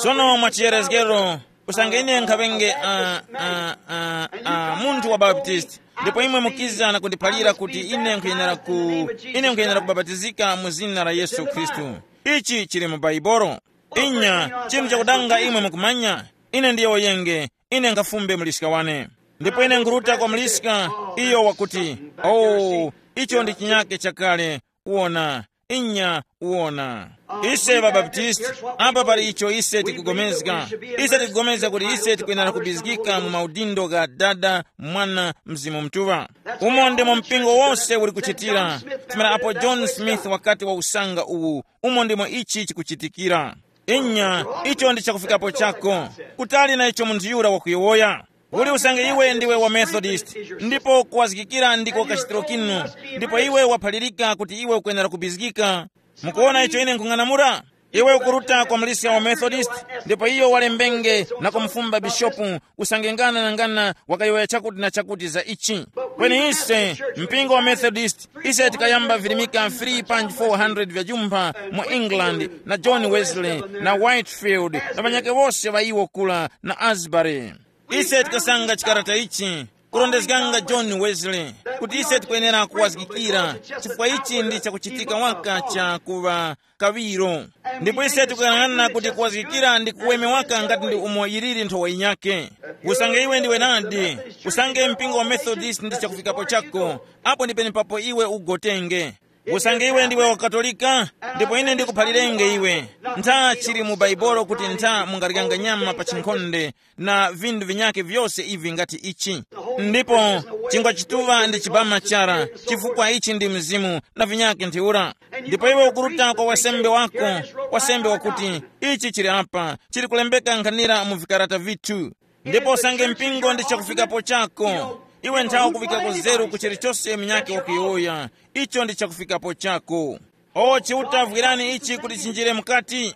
Sono mwa chiyerezgero, usange ine nkhaŵenge uh, uh, uh, uh, munthu wa Baptisti, ndipo imwe mukiza na kundiphalira kuti ine nkhuyenera ku ine nkhuyenera kubabatizika mu zina la Yesu Khristu. Ichi chili mu Baibolo. Inya, chinthu chakudanga imwe mukumanya, ine ndiye woyenge, ine nkhafumbe muliska wane. Ndipo ine nkhuruta kwa muliska, iyo wakuti, oh, icho ndi chinyake chakale. Wona, inya, wona. Ise ŵabaptisti, apa pali icho ise tikugomezga. Ise tikugomezga kuti ise tikwenera kubizgika mu maudindo gha Dada, Mwana, Mzimu Mutuŵa. Umo ndimo mpingo wose uli kuchitira. Tumira apo John Smith wakati wa usanga uwu, umo ndimo ichi chikuchitikira. Inya, icho ndi chakufikapo chako. Kutali na icho munthu yura wakuyowoya. Uli usange iwe ndiwe wa Methodist, ndipo kuwazgikira ndiko kachitiro kinu, ndipo iwe waphalirika kuti iwe ukwenera kubizgika. Mukuona icho ine nkhung'anamula? Iwe ukuruta kwa muliska wa Methodist, ndipo iyo walembenge na kumufumba bishopu, usange ngana na ngana wakayowoya chakuti na chakuti za ichi. Kweni ise, mpingo wa Methodist, ise tikayamba virimika three point four hundred vya jumpha mu England, na John Wesley, na Whitefield, na ŵanyake wose ŵa iwo kula, na Asbury. Ise tikasanga chikarata ichi, kurondezganga John Wesley, kuti ise tikwenera kuwazgikira, chifukwa ichi ndi chakuchitika waka cha kuŵa kaŵiro. Ndipo ise tikuyang'ana kuti kuwazgikira ndi kuweme waka ngati ndi umo yiliri nthowa yinyake. Usange iwe ndiwe nadi, usange mpingo wa Methodist ndi chakufikapo chako, apo ndi penepapo iwe ugotenge. Usange iwe ndiwe wa Katolika, ndipo ine ndikuphalirenge iwe, ntha chili mu Baibolo kuti ntha mungaryanga nyama pa chinkhonde, na vinthu vinyakhe vyose ivi ngati ichi. Ndipo chingwa chituŵa ndi chibama chara, chifukwa ichi ndi mzimu, na vinyakhe ntheura. Ndipo iwe ukuruta kwa wasembe wako, wasembe wakuti, ichi chili apa, chili kulembeka nkhanira mu vikarata vithu. Ndipo usange mpingo ndi chakufikapo chako, iwe nthawe kuvikako zeru ku chilichose munyakhe wakuyowoya, icho ndi chakufikapo chako. O Chiuta, vwirani ichi kuti chinjire mukati.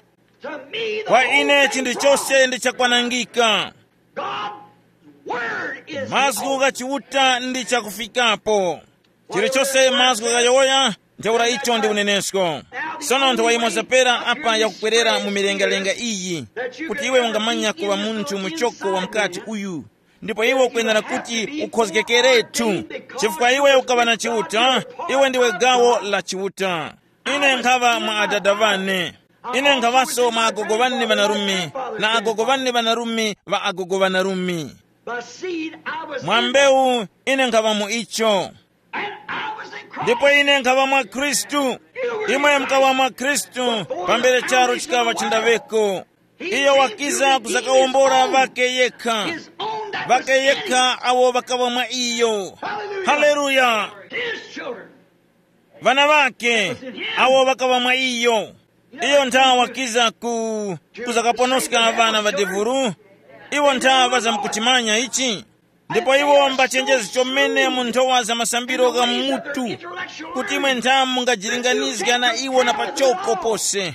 Kwa ine chinthu chose ndi chakwanangika. Mazgu gha Chiuta ndi chakufikapo. Chilichose mazgu ghayowoya, ntheura icho ndi unenesko. Sono nthowa yimoza pera apa yakukwerera mu milengalenga iyi, kuti iwe ungamanya kuŵa munthu muchoko wa mukati uyu, ndipo iwe ukwenera kuti ukhozgekeretu, chifukwa iwe ukaŵa na Chiuta, iwe ndiwe gawo la Chiuta. Ine nkhaŵa mwa adada ŵane. Ine nkhaŵaso mwa agogo ŵane ŵanarume, na agogo ŵane ŵanarume ŵa agogo ŵanarume. By seed, I was mwa in mbewu, ine nkhaŵa mu icho. And I was in Ndipo ine nkhaŵa mwa Khristu. Imwe mukaŵa mwa Khristu pambere charo chikaŵa chindaŵeko. Iyo wakiza kuzakawombora ŵake yekha. Ŵake yekha awo ŵakaŵa mwa iyo. Haleluya. Ŵana ŵake awo ŵakaŵa mwa iyo. Iyo ntha wakiza ku kuzakaponoska ŵana ŵa devuru. Iwo ntha ŵazamkuchimanya ichi. Ndipo iwo mbachenjezi chomene mu nthowa za masambiro gha mutu, kuti imwe ntha mungajilinganizga na iwo na pachoko pose.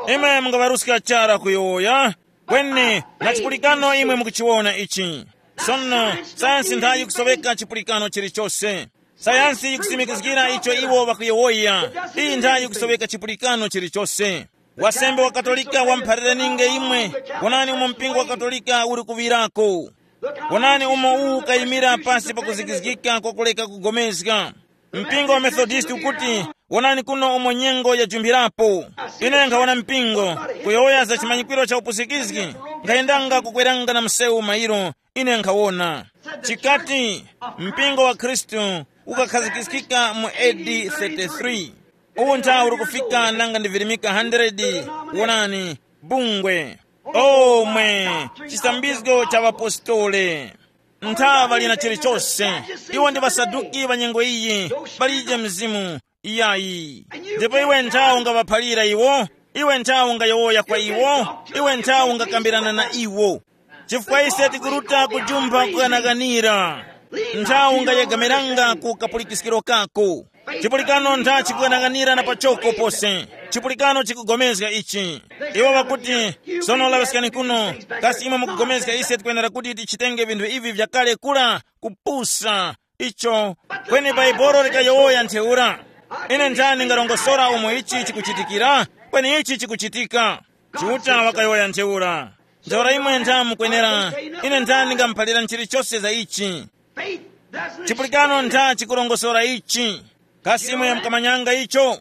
Imwe mungaŵaruska chara kuyowoya. Kweni na chipulikano imwe mukuchiwona ichi. Sono sayansi ntha yikusoweka chipulikano chilichose. Sayansi yikusimikizgira icho iwo ŵakuyowoya. Iyi ntha yikusoweka chipulikano chilichose. Wasembe wa Katolika wamuphaliraninge imwe. Wonani umo mpingo wa Katolika uli kuŵirako. Wonani umo uwu ukayimira pasi pa kuzikizgika kwa kuleka kugomezga. Mpingo wa Methodist ukuti, wonani kuno umo nyengo yajumpirapo. Ine nkhawona mpingo kuyowoya za chimanyikwiro cha upusikizgi. Nkhayendanga kukweranga na msewu mairo. Ine nkhawona chikati mpingo wa Khristu ukakhazikiskika mu A D thirty-three. Uwu nthawi uli kufika nanga ndi virimika hundred. Wonani, bungwe, omwe, chisambizgo cha ŵapostole. Nthaŵa lina chilichose. Iwo ndi ŵasaduki ŵa nyengo iyi. Palije mzimu. Iyayi. Ndipo iwe nthawi ungaŵaphalira iwo. Iwe nthawi ungayowoya kwa iwo. Iwe nthawi ungakambirana na iwo. Chifukwa ise tikuruta kujumpha kukanakanira. Nthawi ungayegamiranga ku kapulikiskiro kako. Chipulikano ntha chikukanakanira na pachoko pose. Chipulikano chikugomezga ichi. Iwo ŵakuti, sono laŵiskani kuno. Kasi imwe mukugomezga ise tikwenera kuti tichitenge vinthu ivi vyakale kula kupusa icho? Kweni Baibolo likayowoya ntheura. Ine nthani ngarongosora umo ichi chikuchitikira? Kweni ichi chikuchitika. Chiuta wakayowoya ntheura. Ntheura imwe ntha mukwenera. Ine nthani ngamuphalira chilichose za ichi. Chipulikano ntha chikurongosora ichi. Kasi imwe mukamanyanga icho?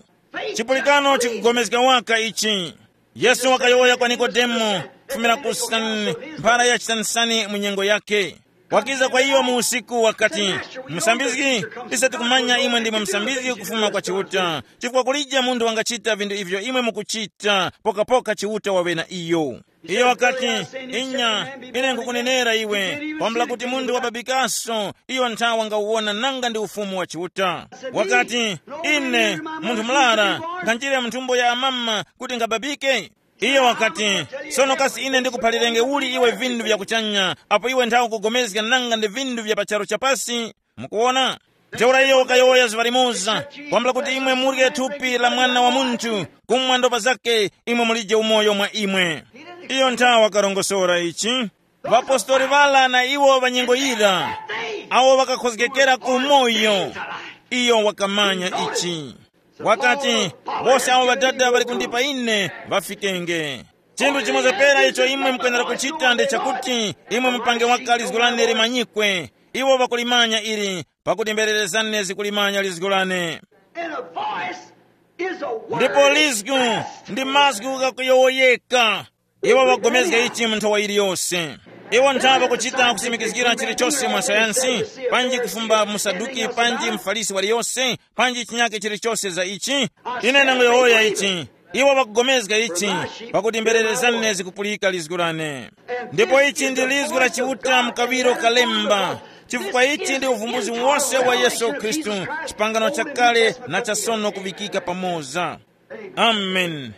Chipulikano chikugomezga waka ichi. Yesu wakayowoya kwa Nikodemo kufumira ku Sani, mphara ya chitanisani mu nyengo yake. Wakiza kwa iyo mu usiku wakati, musambizgi, ise tikumanya imwe ndimwe musambizgi kufuma kwa Chiuta, chifukwa kulije munthu wangachita vinthu ivyo imwe mukuchita, pokapoka Chiuta wawe na iyo. Iyo wakati, inya, ine nkukunenera iwe, kwambula kuti munthu wababikaso, iyo nthawa ngawuwona nanga ndi ufumu wa Chiuta. Wakati, ine, munthu mlara, nkhanjire mu nthumbo ya amama kuti ngababike? Iyo wakati, sono kasi ine ndikuphalirenge uli iwe vinthu vya kuchanya, apo iwe nthawe ukugomezga nanga ndi vinthu vya pa charu chapasi? Mukuwona? Ntheura iyo wakayowoya zuŵa limoza, kwambula kuti imwe murye thupi la Mwana wa Munthu, kumwa ndopa zake, imwe mulije umoyo mwa imwe. Iyo nthawe wakarongosora ichi. Ŵapostoli ŵala na iwo ŵanyengo yira, awo ŵakakhozgekera ku umoyo, iyo wakamanya ichi. Wakati, wose awo Ŵadada ŵali kundipa ine, ŵafikenge. Chinthu chimoza pera icho imwe mukwenera kuchita ndi chakuti imwe mupange waka lizgu lane limanyikwe. Iwo ŵakulimanya ili, pakuti mberere zane zikulimanya lizgu lane. And a voice is a word. Ndipo lizgu ndi mazgu ghakuyowoyeka. Iwo ŵagomezga ichi mu nthowa yiliyose. Iwo nthava kuchita kusimikizgira chilichose mwa sayansi, panji kufumba musaduki panji mfarisi waliyose, panji chinyake chilichose za ichi. Ine ndangoyowoya ichi. Iwo ŵakugomezga ichi, pakuti mberere zane zikupulika lizgu lane. Ndipo ichi ndi lizgu la Chiuta mu kaŵiro kalemba, chifukwa ichi ndi uvumbuzi wose wa Yesu Khristu, chipangano chakale na chasono kuŵikika pamoza. Amen.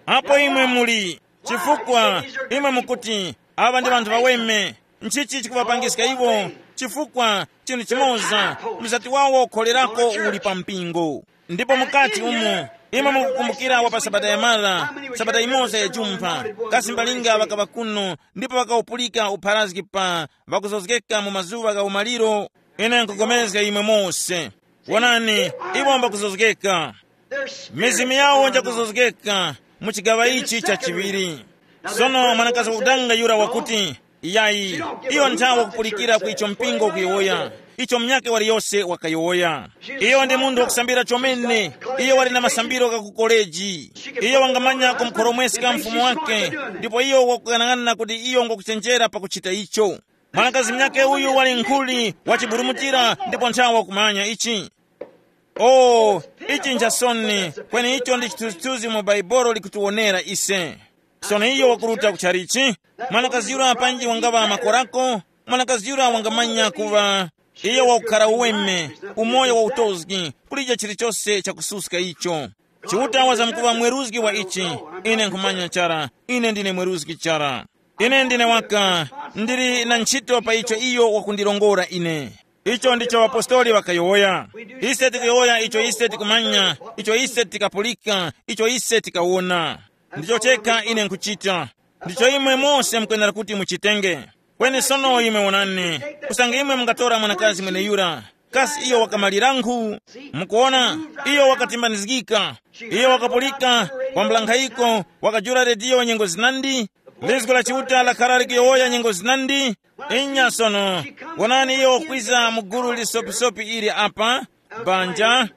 Apo imwe muli, chifukwa imwe mukuti, aŵa ndi ŵanthu ŵaweme. Nchichi chikuŵapangiska iwo? Chifukwa chinthu chimoza, mzati wawo wokholerako uli pa mpingo. Ndipo mukati umo, imwe mukukumbukira wa pa sabata ya mara, sabata imoza ya jumpha, kasi mbalinga ŵakaŵa kuno, ndipo ŵakawupulika upharazgi pa ŵakuzozgeka mu mazuŵa gha umaliro. Ine nkupulikana imwe mose. Wonani, iwo mbakuzozgeka. Mizimu yawo njakuzozgeka mu chigaŵa ichi cha chiŵiri. Sono mwanakazi wakudanga yura wakuti, iyayi, iyo nthawe kupulikira ku icho mpingo ukuyowoya, icho munyakhe waliyose wakayowoya. Iyo ndi munthu wakusambira chomene. Iyo wali na masambiro gha ku koleji. Iyo wangamanya kumukhoromweska mfumu wake, ndipo iyo wakuyang'ana kuti iyo ngwakuchenjera pakuchita icho. Mwanakazi munyakhe uyu wali nkhuli wachiburumutira ndipo nthawe wakumanya ichi. Oh, ichi nchasoni, kweni icho ndi chithunzithunzi mu Baibolo likutiwonera ise. Sono iyo wakuruta ku chalichi, mwanakazi yura panji wangaŵa makorako, mwanakazi yura wangamanya kuŵa iyo wakukhara uweme, umoyo wa utozgi, kulije chilichose chakususka icho. Chiuta wazamkuŵa mweruzgi wa ichi, ine nkhumanya chara, ine ndine mweruzgi chara. Ine ndine waka, ndili na ntchito pa icho iyo wakundilongora ine. Icho ndicho ŵapostoli ŵakayowoya. Ise tikuyowoya icho ise tikumanya, icho ise tikapulika, icho ise tikawona. Ndicho chekha ine nkhuchita. Ndicho imwe mose mukwenera kuti muchitenge. Kweni sono imwe wonani, usange imwe mungatora mwanakazi mweneyura, kasi iyo wakamalirangu? Mukuona, iyo wakatimbanizgika. Iyo wakapulika, wambulankhayiko, wakajula rediyo nyengo zinandi. Lizgo la Chiuta lakhara likuyowoya nyengo zinandi. Inya sono, wonani iyo wakwiza mu gulu lisopisopi ili apa, banja,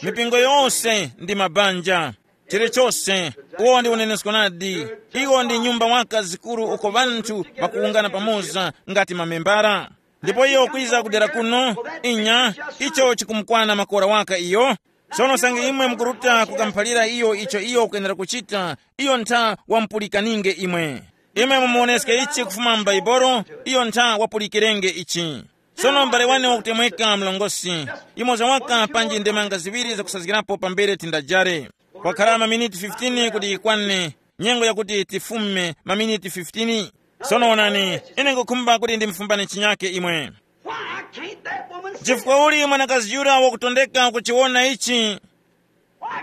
mipingo yose ndi mabanja. Chilichose, uwo ndi unenesko nadi. Iwo ndi nyumba waka zikuru uko ŵanthu ŵakuwungana pamoza ngati mamembara. Ndipo iyo kwiza kudera kuno, inya, icho chikumukwana makora waka iyo. Sono sange imwe mukuruta kukamuphalira iyo icho iyo ukwenera kuchita, iyo ntha wamupulikaninge imwe. Imwe mumuwoneske ichi kufuma m'Baibolo, iyo ntha wapulikirenge ichi. Sono m'bale wane wakutemweka mlongosi, imoza waka panji ndemanga ziŵiri zakusazgirapo pambere tindajare. Kwakhala maminiti fifteen kuti yikwane, nyengo yakuti tifume maminiti fifteen. Sono onani, ine ngukhumba kuti ndimufumbane chinyake imwe. Why can't that woman see? Chifukwa uli mwanakazi yura wakutondeka kuchiwona ichi?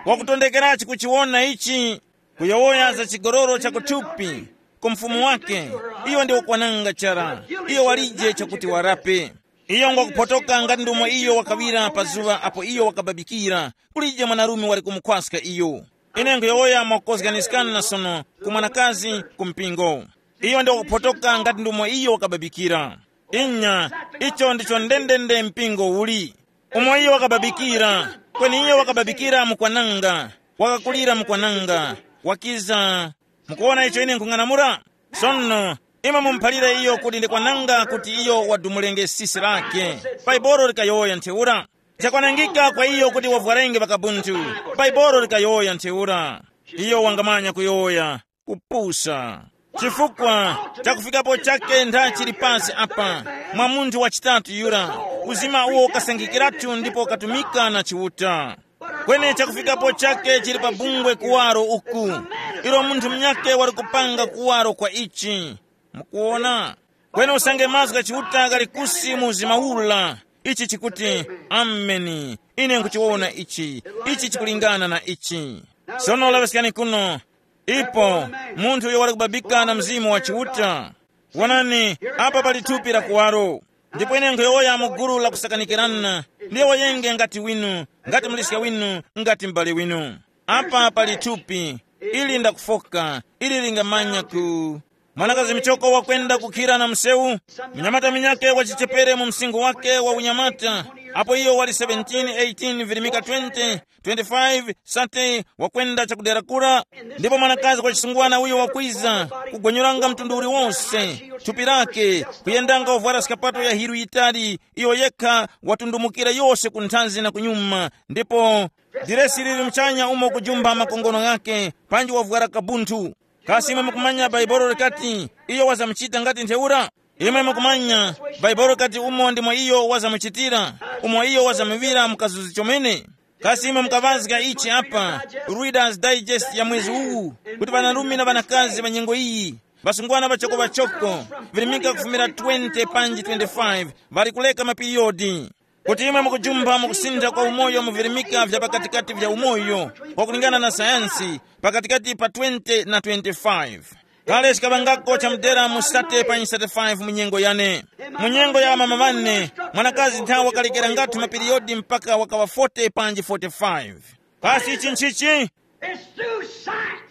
Wakutondekerachi kuchiwona ichi? Kuyowoya za chigololo chakuthupi ku mfumu wake, iyo ndi wakwananga chara, iyo walije chakuti warape. Iyo ngwakuphotoka ngati ndomwe iyo wakawira pa zuŵa apo iyo wakababikira, kulije mwanarume wali kumukhwaska iyo. Ine nkhuyowoya mwakukozganiskana sono ku mwanakazi ku mpingo. Iyo ndi wakuphotoka ngati ndomwe iyo wakababikira. Inya, icho ndicho ndendende mpingo uli. Umo iyo wakababikira, kweni iyo wakababikira mukwananga, wakakulira mukwananga, wakiza. Mukuwona icho ine nkhung'anamula? Sono, imwe mumuphalire iyo kuti ndi kwananga kuti iyo wadumulenge sisi lake. Baibolo likayowoya ntheura. Chakwanangika kwa iyo kuti wavwarenge vakabunthu. Baibolo likayowoya ntheura. Iyo wangamanya kuyowoya, kupusa. Chifukwa chakufikapo chake ntha chili pasi apa, mwa munthu wa chitatu yura, uzima uwo ukasangikiratu ndipo ukatumika na Chiuta. Kweni chakufikapo chake chili pa bungwe kuwaro uku, ilo munthu munyake wali kupanga kuwaro kwa ichi. Mukuwona? Kweni usange mazgu gha Chiuta ghali kusi mu uzima ula, ichi chikuti, ameni, ine nkuchiwona ichi, ichi chikulingana na ichi. Sono laŵiskani kuno, ipo munthu uyo wali kubabika na Mzimu wa Chiuta. Wonani, apa pali thupi la kuwaro. Ndipo ine nkhuyowoya mu gulu la kusakanikirana, ndiye wayenge ngati winu, ngati muliska winu, ngati m'bale winu. Apa pali thupi, ili ndakufoka, ili lingamanya ku. Mwanakazi michoko wakwenda kukhira na msewu, mnyamata minyake wachichepere mu msinkhu wake wa unyamata, apo iyo wali seventeen, eighteen, virimika twenty, twenty-five, thirty, wakwenda chakudera kura. Ndipo mwanakazi wa chisungwana uyo wakwiza, kugwenyuranga mtundu uliwonse, thupi lake, kuyendanga wavwara skapato ya hiru yitali, iyo yekha watundumukira yose ku nthanzi na kunyuma, ndipo diresi lili muchanya umo kujumpha makongono ghake, panji wavwara kabunthu. Kasi imwe mukumanya Baibolo likati, iyo wazamuchita ngati ntheura? Imwe mukumanya, Baibolo likati umo ndimo iyo wazamuchitira, umo iyo wazamuŵira mukazuzi chomene. Kasi imwe mukaŵazga ichi apa, Reader's Digest ya mwezi uwu, kuti ŵanarume na ŵanakazi ŵa nyengo iyi, ŵasungwana ŵachoko-ŵachoko, virimika kufumira twenty panji twenty-five, ŵali kuleka mapiriyodi. Kuti imwe mukujumpha mu kusintha kwa umoyo mu virimika vya pakatikati vya umoyo, kwakulingana na sayansi, pakatikati pa twenty na twenty-five. Kale chikaŵangako chamudera mu thirty panji thirty-five mu nyengo yane. Mu nyengo ya amama ŵane, mwanakazi nthawi wakalekera ngati mapiriyodi mpaka wakaŵa forty panji forty-five. Kasi ichi nchichi? It's through science.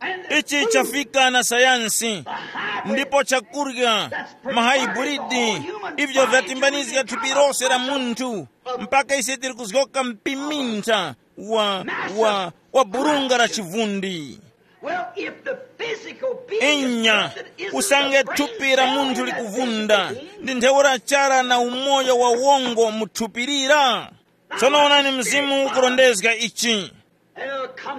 And the ichi food chafika na sayansi, the hybrid ndipo chakurya, that's mahaiburidi, ivyo vyatimbanizga thupi lose la munthu, mpaka ise tili kuzgoka mpimintha wa, wa, wa burunga la chivundi. Well, if the physical being is inya corrupted, isn't usange the brain thupi la cell munthu in that likuvunda physical being? Ndi ntheura chara na umoyo wa wongo mu thupi lira. Tsono onani, mzimu ukurondezga ichi.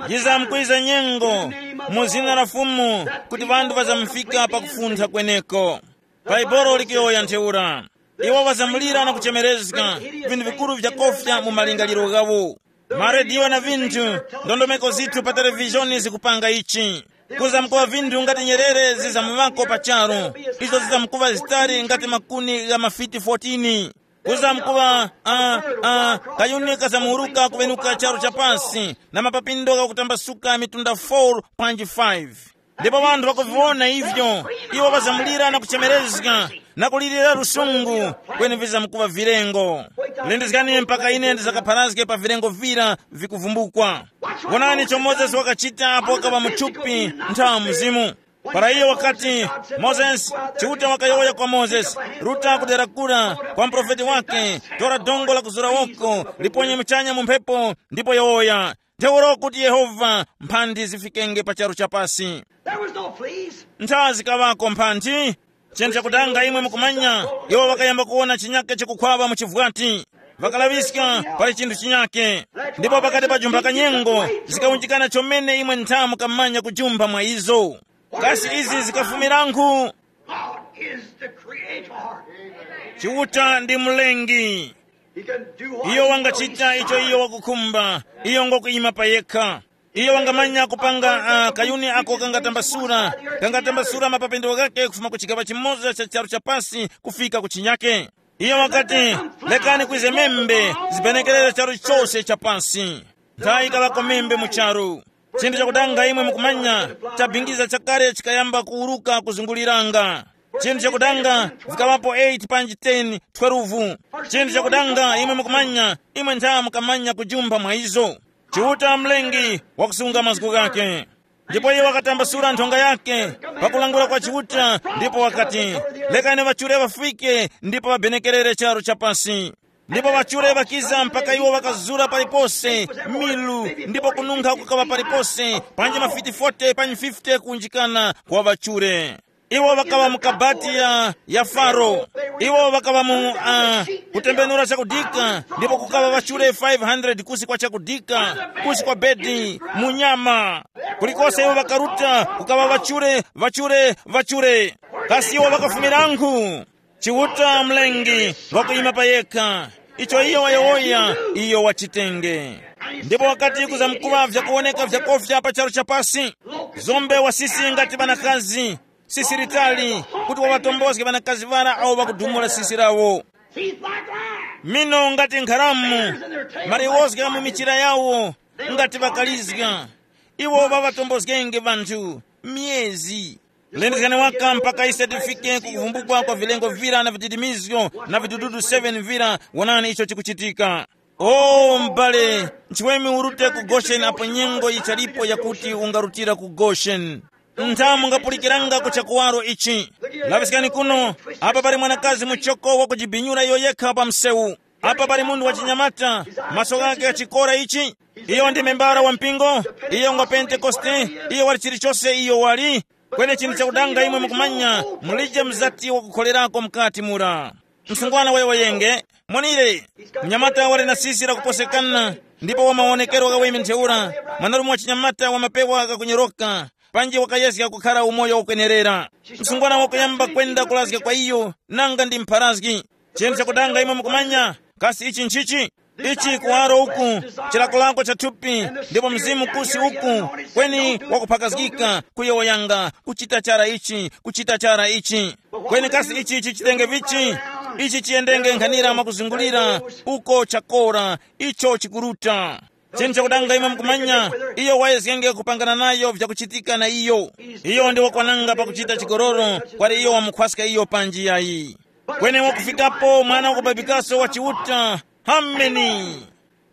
Yizamkwiza nyengo mu zina la Fumu, kuti ŵanthu ŵazamufika pakufuntha kweneko. Bhaibuli likuyowoya ntheura. Iwo ŵazamulira na kuchemerezga, vinthu vikuru vyakofya mu malingaliro ghawo. Marediyo na vinthu, ndondomeko zithu pa televizhoni zikupanga ichi. Kuzamkuŵa vinthu ngati nyerere zizamuŵako pa charu, izo zizamkuŵa zitali ngati makuni gha mafiti fourteen. Kuzamkuŵa, uh, uh, kayuni kazamuwuruka kuŵenuka charu cha pasi, na mapapindo ghakutambasuka mitunda four panji five. Ndipo ŵanthu ŵakuviwona ivyo, iwo ŵazamulira na kuchemerezga, na kulirira lusungu, kweni vizamkuŵa vilengo. Lindizgani mpaka ine ndizakapharazge pa vilengo vira vikuvumbukwa. Wonani icho Mozesi wakachita apo wakaŵa mu thupi nthawa mzimu. Para iyo wakati, Mozesi, Chiuta wakayowoya kwa Mozesi, ruta kudera kura kwa muprofeti wake, tora dongo la kuzura woko, liponye muchanya mu mphepo, ndipo yowoya. Ntheura kuti Yehova, mphandi zifikenge pa charu cha pasi. There was no fleas. Ntha zikaŵako mphanthi. Chinthu chakutanga imwe mukumanya, iwo ŵakayamba kuwona chinyake chikukhwaŵa mu chivwati. Ŵakalaŵiska pali chinthu chinyake. Ndipo pakati pa jumba kanyengo, zikawunjikana chomene imwe ntha mukamanya kujumba mwa izo. Kasi izi zikafumirankhu? God is the creator. Chiuta ndi mlengi. He can do what iyo he wangachita wants. Icho iyo wakukhumba. Iyo ngokuyima pa yekha. Iyo wangamanya kupanga uh, kayuni ako kangatambasura, kangatambasura mapapendero ghake kufuma ku chigaŵa chimoza cha charu cha pasi kufika ku chinyake. Iyo wakati, lekani kwize membe zibenekerere charu chose cha pasi. Nthawi ikaŵako membe mu charu. Chinthu chakudanga imwe mukumanya, chabingiza chakale chikayamba kuwuruka kuzunguliranga. Chinthu chakudanga, vikaŵapo eight panji ten, twelve. Chinthu chakudanga imwe mukumanya, imwe ntha mukamanya kujumba mwa izo. Chiuta mlengi wakusunga mazgu ghake. Ndipo iye wakatambasula nthonga yake pakulangula kwa Chiuta, ndipo wakati, lekani ŵachure ŵafike ndipo ŵabenekerere charu cha pasi. Ndipo ŵachure ŵakiza mpaka iwo ŵakazura palipose milu, ndipo kununkha kukaŵa palipose, panji mafiti forty panji fifty kuwunjikana kwa ŵachure. Iwo ŵakaŵa mu kabati ya, ya Faro. Iwo ŵakaŵa mu uh, kutembenura chakudika, ndipo kukaŵa ŵachure five hundred kusi kwa chakudika, kusi kwa bedi, mu nyama. Kulikose iwo ŵakaruta, kukaŵa ŵachure, ŵachure, ŵachure. Kasi iwo ŵakafumirankhu? Chiuta mlengi wakuyima pa yekha. Icho iyo wayowoya, iyo wachitenge. Ndipo wakati kuzamkuŵa vyakuwoneka vyakofya pa charu cha pasi, zombe wasisi ngati ŵanakazi, sisi litali, kuti waŵatombozge ŵanakazi ŵara awo ŵakudumula sisi lawo. Teeth like lions. Mino ngati nkharamu, maliwozga mu michira yawo ngati ŵakalizga. Iwo ŵaŵatombozgenge ŵanthu myezi. Lindizgani waka mpaka ise tifike ku kuvumbukwa kwa vilengo vira na vididimizgo na vidududu seven vira. Wonani icho chikuchitika. O m'bale, nchiweme urute ku Gosheni apo nyengo yichalipo yakuti ungarutira ku Gosheni. Ntha mungapulikiranga ku chakuwaro ichi. Laŵiskani kuno, apa pali mwanakazi muchoko wakujibinyura iyo yekha pa msewu. Apa pali munthu wachinyamata, maso ghake ghachikora ichi. Iyo ndi membara wa mpingo, iyo ngwa Pentekoste, iyo wali chilichose iyo wali. Kweni chinthu chakudanga imwe mukumanya, mulije mzati wakukholerako mukati mura. Msungwana wayo wayenge, monire, mnyamata wali na sisi lakuposekana, ndipo wa mawonekero ghaweme ntheura, mwanarume wa chinyamata wa mapewa ghakunyoroka, panji wakayezga kukhara umoyo wakwenerera. Msungwana wakuyamba kwenda kulazga kwa iyo, nanga ndi mpharazgi. Chinthu chakudanga imwe mukumanya, kasi ichi nchichi? Ichi kuwaro uku, chilakolako cha thupi, ndipo mzimu kusi uku, kweni wakuphakazgika, kuyowoyanga, kuchita chara ichi, kuchita chara ichi. Kweni kasi ichi chichitenge vichi? Ichi chiyendenge nkhanira mwakuzungulira, uko chakora, icho chikuruta. Chinthu chakudanga imwe mukumanya, iyo wayezgenge kupangana nayo vyakuchitika na iyo. Iyo ndi wakwananga pakuchita chigololo, kwali iyo wamukhwaska iyo panji yayi. Kweni wakufikapo mwana wakubabikaso wa Chiuta. Hameni.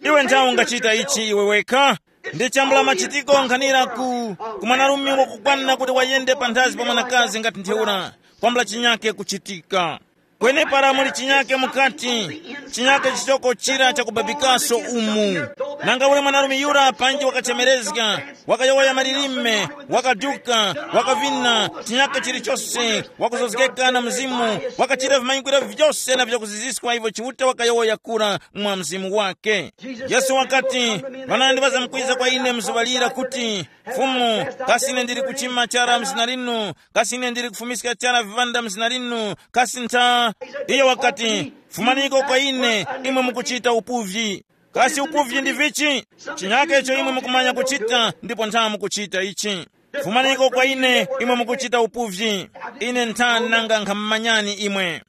Iwe nthawe ungachita ichi iwe wekha? Ndi chambula machitiko nkhanira ku, ku mwanarume wakukwana kuti wayende panthazi pa mwanakazi ngati ntheura, kwambula chinyake kuchitika. Kwenepara muli chinyake mukati, chinyake chichoko chira chakubabikaso umu. Nanga ule mwanarume yura panji wakachemerezga, wakayowoya malilime, wakaduka, wakavina, chinyake chilichose, wakuzozgeka na mzimu, wakachita vimanyikwiro vyose na vyakuziziswa ivyo Chiuta wakayowoya kura mwa mzimu wake. Yesu wakati, ŵanandi ŵazamkwiza kwa ine mzuŵa lira kuti, Fumu, kasi ine ndili kuchima chara mzina linu? Kasi ine ndili kufumiska chara vivanda mzina linu? Kasi ntha? Iyo wakati, fumaniko kwa ine, imwe mukuchita upuvyi. Kasi upuvyi ndi vichi? Chinyake icho imwe mukumanya kuchita ndipo ntha mukuchita ichi. Fumaniko kwa ine, imwe mukuchita upuvyi. Ine ntha nanga nkhammanyani imwe.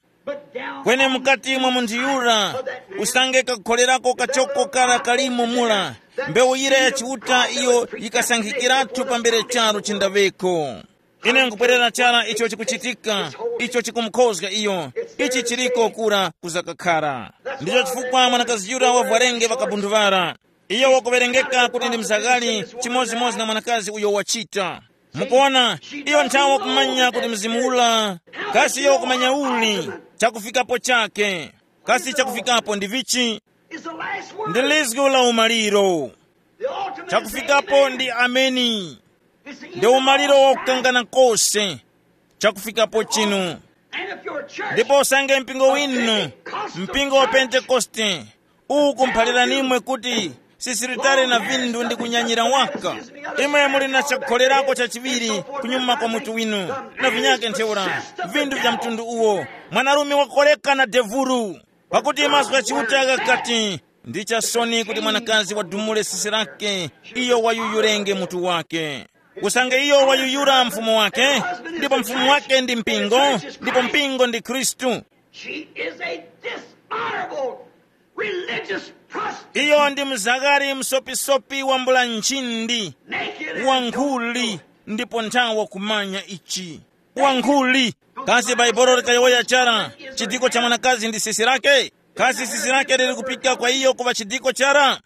Kweni mukati mwa munthu yura, usange kakukholerako kachoko kara kalimo mura, mbewu yira ya Chiuta iyo yikasankhikiratu pambere charu chindaŵeko. Ine nkubwerera chara icho chikuchitika, icho chikumukhozga iyo, ichi chiriko kura kuzakakhara. Ndicho chifukwa mwanakazi yura wavwarenge ŵakabunduvara. Iyo wakuwerengeka kuti ndi mzaghali chimodzimodzi na mwanakazi uyo wachita. Mukuona, iyo nthawe wakumanya kuti mzimu ula, kasi iyo wakumanya uli, chakufikapo chake. Kasi chakufikapo ndi vichi? Is the last word. Ndi lizgu la umaliro. The ultimate is chakufikapo amen. Ndi ameni. It's the end. Ndi of umaliro all time. Wakukangana kose. Chakufikapo chinu. And if your church ndipo usange mpingo winu, mpingo wa Pentekoste, uwu kumphalira nimwe kuti sisiritali na vindu ndi kunyanyira waka. Imwe muli na chakukholerako chachiŵiri kunyuma kwa mutu winu, na vinyake ntheura, vindu vya mtundu uwo. Mwanarume wakoleka na devuru. Pakuti mazgu gha Chiuta ghakati, ndi chasoni kuti mwanakazi wadumule sisi lake, iyo wayuyurenge mutu wake. Usange iyo wayuyura mfumu wake, ndipo mfumu wake ndi mpingo, ndipo mpingo ndi Khristu. She is a dishonorable religious prostitute. Iyo ndi mzagari msopisopi wambula nchindi, naked and wankhuli, ndipo nthawa kumanya ichi. Wankhuli. Kasi Bhaibuli likayowoya chara chidiko cha mwanakazi ndi sisi lake? Kasi sisi lake lili kupika kwa iyo kuŵa chidiko chara?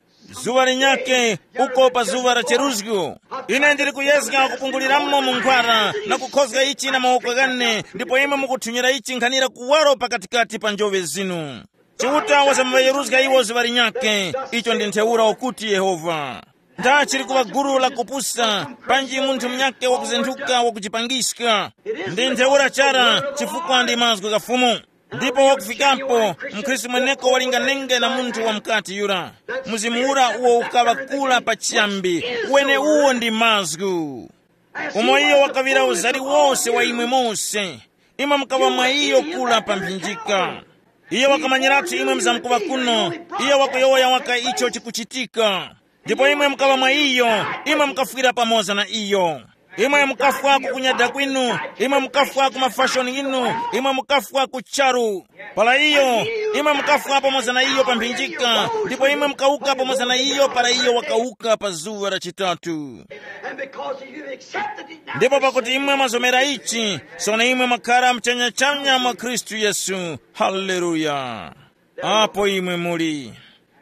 Zuŵa linyakhe, uko pa zuŵa la cheruzgo, ine ndili kuyezga kupunguliramo mu nkhwara na kukhozga ichi na mawoko ghane, ndipo imwe mukuthunyira ichi nkhanira kuwaro pakatikati pa njoŵe zinu. Chiuta wasambayeruzga iwo zuŵa linyakhe. Icho ndi ntheura ukuti Yehova. Nda chili kuŵa gulu la kupusa, panji munthu munyakhe wakuzenthuka wakujipangiska. Ndi ntheura chara, chifukwa ndi mazgu gha Fumu. Ndipo wakufikapo, mkhristu mweneko walinganenge na munthu wa mukati yura. Mzimu ura uwo ukaŵa kula pa chiyambi, wene uwo ndi mazgu. Umo iyo wakaŵira uzari wose wa imwe mose, imwe mukaŵa mwa iyo kula pa mphinjika. Iyo wakamanyiratu imwe mzamkuŵa kuno, iyo wakuyowoya waka icho chikuchitika. Ndipo imwe mukaŵa mwa iyo, imwe mukafwira pamoza na iyo. Imwe mukafwa ku kunyada kwinu, imwe mukafwa ku mafashoni inu, imwe mukafwa ku charu. Para iyo, imwe mukafwa pamoza na iyo pa mphinjika, ndipo imwe mukawuka pamoza na iyo para iyo wakawuka pa zuŵa la chitatu. And because you accepted it now, ndipo pakuti imwe mwazomera ichi, sono imwe mwakhara mchanyachanya mwa Khristu Yesu. Haleluya. Apo imwe muli,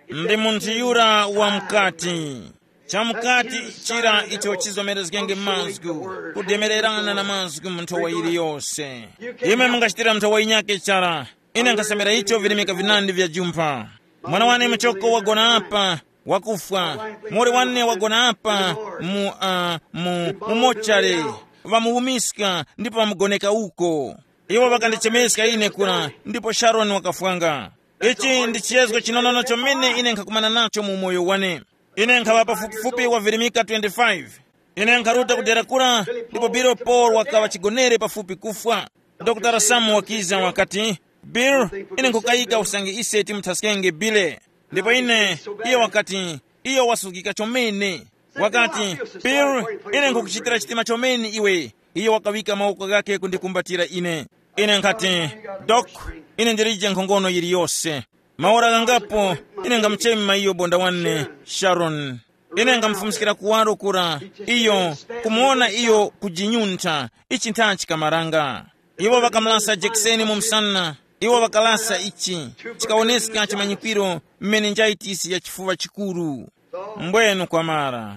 ndi munthu yura wa mukati. Chamukati chira icho chizomerezgenge mazgu, kudemererana na mazgu mu nthowa yiliyose. Imwe mungachitira nthowa yinyake chara. Ine nkhasemera icho virimika vinandi vya jumpha. Mwana wane muchoko wagona apa, wakufwa. Mori wane wagona apa mu, uh, mu, mu mochare. Ŵamuwumiska ndipo ŵamugoneka uko. Iwo ŵakandichemeska ine kura, ndipo Sharon wakafwanga. Ichi ndi chiyezgo chinonono chomene ine nkhakumana nacho mu umoyo wane. Ine nkhaŵa pafupifupi wavirimika twenty-five. Ine nkharuta kudera kura, ndipo Bill Paul wakaŵa chigonere pafupi kufwa. Dokotala Sam wakiza wakati, Bill, ine nkukayika usange ise timuthaskenge Bile. Ndipo ine, iye wakati, iyo wasuzgika chomene. Wakati, Bill, ine nkhukuchitira chitima chomene iwe. Iyo wakawika mawoko ghakhe kundikumbatira ine. Ine nkhati, Dok, ine ndilije nkhongono yiliyose. Maora ghangapo, ine ngamuchema iyo bonda wane, Sharon. Ine ngamufumiskira kuwaro kura, iyo, kumuwona iyo kujinyuntha, ichi ntha chikamaranga. Iwo ŵakamulasa jekiseni mu msana, iwo ŵakalasa ichi, chikawoneska chimanyikwiro, meninjaitisi ya chifuŵa chikuru. Mbwenu kwamara.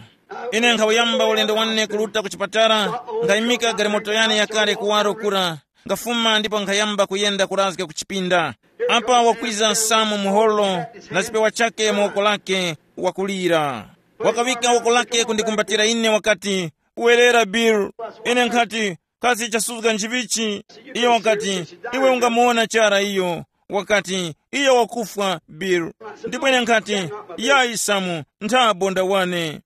Ine nkhawuyamba ulendo wane kuruta ku chipatala, nkhayimika galimoto yane yakale kuwaro kura, Ngafuma ndipo nkhayamba kuyenda kurazga ku chipinda. Apa wakwiza Samu muholo na chipewa chake mu woko lake, wakulira. Wakaŵika woko lake kundikumbatira ine wakati, "Werera, Bill." Ine nkhati, "Kasi chasuzga nchivichi?" Iyo wakati, "Iwe ungamuwona chara iyo." Wakati, "Iyo wakufwa, Bill." Ndipo ine nkhati, "Yayi Samu, ntha bonda wane."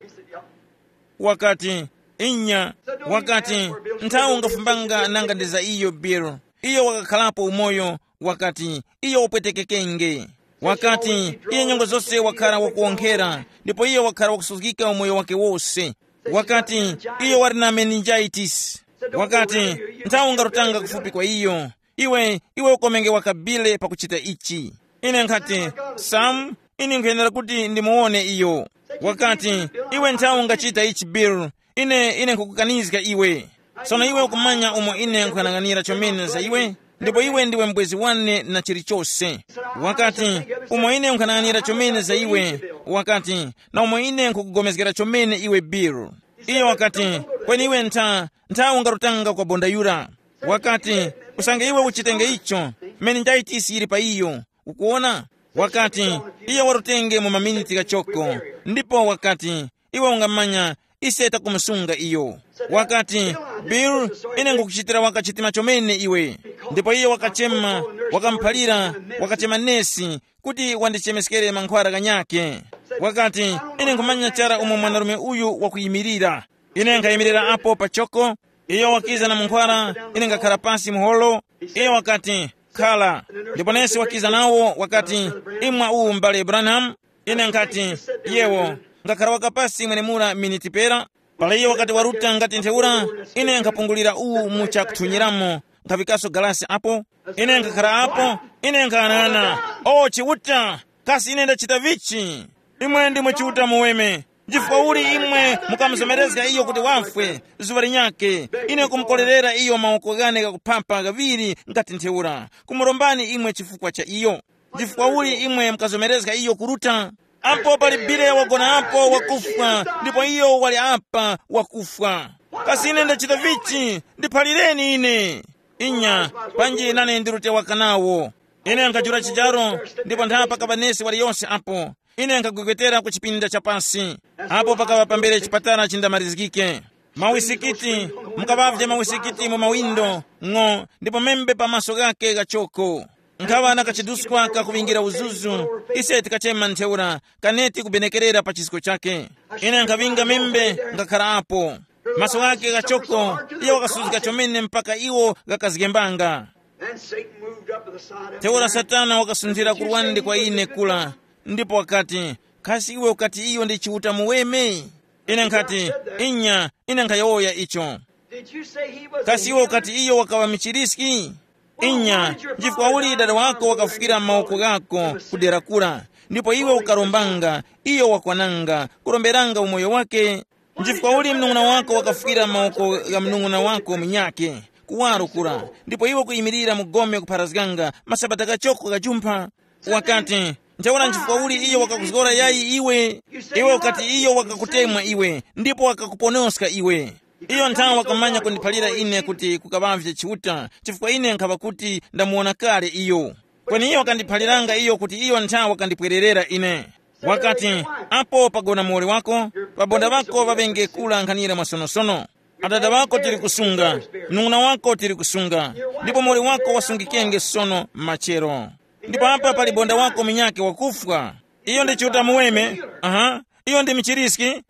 Wakati, "Inya." Wakati, "Nthawi ungafumbanga nanga ndi za iyo, Bill. Iyo wakakhalapo umoyo." Wakati, "Iyo wapwetekekenge." Wakati, "Iye nyengo zose wakhala wakuwonkhera, ndipo iyo wakhala wakusuzgika umoyo wake wose." Wakati, "Iyo wali na meningitis." Wakati, "Nthawi ungarutanga kufupi kwa iyo. Iwe, iwe ukomenge wakabile pakuchita ichi." Ine nkhati, "Sam, ine nkhuyenera kuti ndimuwone iyo." Wakati, "Iwe nthawi ungachita ichi, Bill. Ine, ine nkhukukanizga iwe. Sono iwe ukumanya umo ine nkhanang'anira chomene za iwe, ndipo iwe ndiwe mbwezi wane na chilichose." Wakati, "Umo ine nkhanang'anira chomene za iwe," wakati, "na umo ine nkhukugomezgera chomene iwe, Bill." Iyo wakati, "Kweni iwe ntha, ntha ungarutanga kwa bonda yura." Wakati, "Usange iwe uchitenge icho, meningitis yili pa iyo. Ukuwona?" Wakati, "Iyo warutenge mu maminiti ghachoko." Ndipo wakati, "Iwe ungamanya, ise takumusunga iyo." Wakati, "Bill, ine ngukuchitira waka chitima chomene iwe." Ndipo iyo wakachema, wakamuphalira, wakachema nesi kuti wandichemeskere mankhwara ghanyakhe. Wakati, "Ine nkhumanya chara umo mwanarume uyu wakuyimirira. Ine nkhayimirira apo pachoko, iyo wakiza na munkhwara, ine ngakhara pasi muholo." Iyo wakati, "Khala." Ndipo nesi wakiza nawo wakati, "Imwa uwu, m'bale Branham." Ine nkhati, "Yewo, ngakhara wakapasi mwenemura miniti pera." Para iyo wakati waruta ngati ntheura, ine nkhapungulira uwu mu chakuthunyiramo, nkhavikaso galasi apo. Ine nkhakhala apo, ine nkhanana, "O Chiuta, kasi ine ndachita vichi? Imwe ndimwe Chiuta muweme. Chifukwa uli imwe mukamuzomerezga iyo kuti wafwe zuŵa linyakhe? Ine kumukorerera iyo mawoko ghane ghakuphapa ghaŵiri ngati ntheura, kumurombani imwe chifukwa cha iyo. Chifukwa uli imwe mukazomerezga iyo kuruta? Apo pali bile wagona apo wakufwa, ndipo iyo wali apa wakufwa. Kasi ine ndachita vichi? Ndiphalireni ine." Inya, panji nane ndirute waka nawo. Ine nkajula chijaro, ndipo ntha pakaba nesi waliyose apo. Ine nkagwegwetera ku chipinda cha pasi. Apo pakaba pambere chipatala chindamarizgike. Mawisikiti, mukaŵavye mawisikiti mu mawindo, ng'o, ndipo membe pa maso ghake ghachoko. Nkhaŵa na kachiduskwa kakuŵingira uzuzu, ise tikachema ntheura, kaneti kubenekerera pa chisko chake. Ine nkhaŵinga membe, ngakhara apo. Maso ghake ghachoko, iyo wakasuzika chomene mpaka iwo ghakazgembanga. Then Satan moved up to the side of the Ntheura Satana wakasunthira ku lwande kwa ine kula, ndipo wakati, "Kasi iwe ukati iyo ndi Chiuta muweme?" Ine nkhati, "Inya, ine nkhayowoya icho." Did you say he was a Kasi iwe healer? Ukati iyo wakaŵa michiriski? Inya, chifukwa uli dada wako wakafukira mawoko ghako kudera kura, ndipo iwe ukarombanga, iyo wakwananga, kuromberanga umoyo wake? Nchifukwa uli mnung'una wako wakafukira mawoko gha mnung'una wako munyakhe, kuwaro kura, ndipo iwe kuyimirira mu gome kupharazganga masabata ghachoko ghajumpha? Wakati, ntheura nchifukwa uli iyo wakakuzgora yayi iwe? Iwe ukati iyo wakakutemwa iwe, ndipo wakakuponoska iwe. Iyo nthawe wakamanya kundiphalira ine kuti kukaŵavye Chiuta, chifukwa ine nkhaŵa kuti ndamuwona kale iyo. Kweni iyo wakandiphaliranga iyo kuti iyo nthawe wakandipwererera ine. Wakati, apo pagona muwoli wako, pabonda ŵako ŵaŵenge kula nkhanira mwasonosono. Adada ŵako tili kusunga, mnung'una wako tili kusunga, ndipo muwoli wako wasungikenge sono machero. Ndipo apa pali bonda wako munyakhe wakufwa. Iyo ndi Chiuta muweme. Aha, iyo ndi michiriski.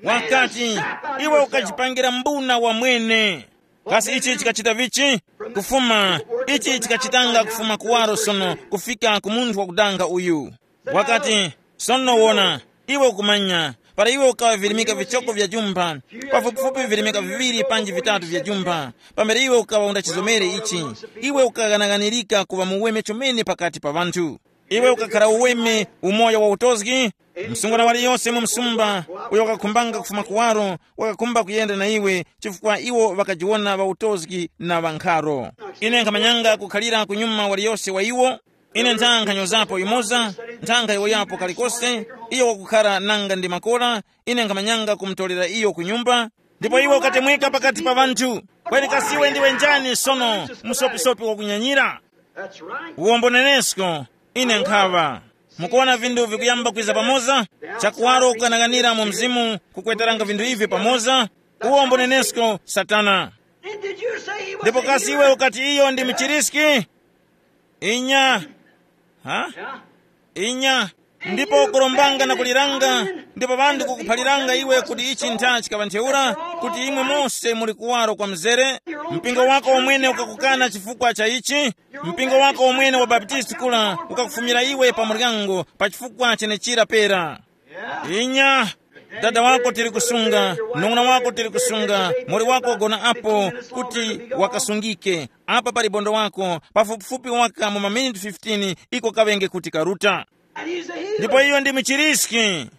Wakati, iwe ukajipangira mbuna wamwene. Kasi ichi chikachita vichi? Kufuma, ichi chikachitanga kufuma kuwaro sono kufika ku munthu wakudanga uyu. Wakati, sono wona, iwe ukumanya, para iwe ukaŵa virimika vichoko vya jumba, pafupifupi virimika viŵiri panji vitatu vya jumba, pambere iwe ukaŵa undachizomere ichi, iwe ukaghanaghanirika kuŵa muweme chomene pakati pa ŵanthu. Iwe ukakhara uweme, umoyo wa utozgi. Msungwana waliyose mu msumba uyo wakakhumbanga kufuma kuwaro, wakakhumba kuyenda na iwe, chifukwa iwo ŵakajiwona ŵautozgi na ŵankharo. Ine nkhamanyanga kukhalira kunyuma waliyose wa iwo. Ine ntha nkhanyozapo yumoza, ntha nkhayowoyapo kalikose. Iyo wakukhara nanga ndi makora. Ine nkhamanyanga kumutorera iyo ku nyumba. Ndipo iwe ukatemweka pakati pa ŵanthu. Kweni kasi iwe ndiwe njani sono, musopisopi wakunyanyira? That's right. Uwombo nenesko, ine nkhaŵa. Mukuona vinthu vikuyamba kwiza pamoza? Chakuwaro kukanang'anira mu mzimu kukweteranga vinthu ivi pamoza. Uwombo nenesko, Satana. And did you say he was ndipo a kasi healer? Iwe ukati iyo ndi mchiriski? Inya. Ha? Yeah. Inya. Ndipo ukurombanga na kuliranga, ndipo ŵanthu kukuphaliranga iwe kuti ichi ntha chikaŵa ntheura, kuti imwe mose muli kuwaro kwa mzere. Mpingo wako omwene ukakukana chifukwa cha ichi. Mpingo wako omwene wa Baptisti kula ukakufumira iwe pa muryango pa chifukwa chenechira pera. Inya. Dada wako tili kusunga, nung'una wako tili kusunga, muli wako wagona apo, kuti wakasungike. Apa pali bondo wako, pafupifupi waka mu maminiti fifteen iko kaŵenge kuti karuta. Ndipo iyo ndi muchiriski.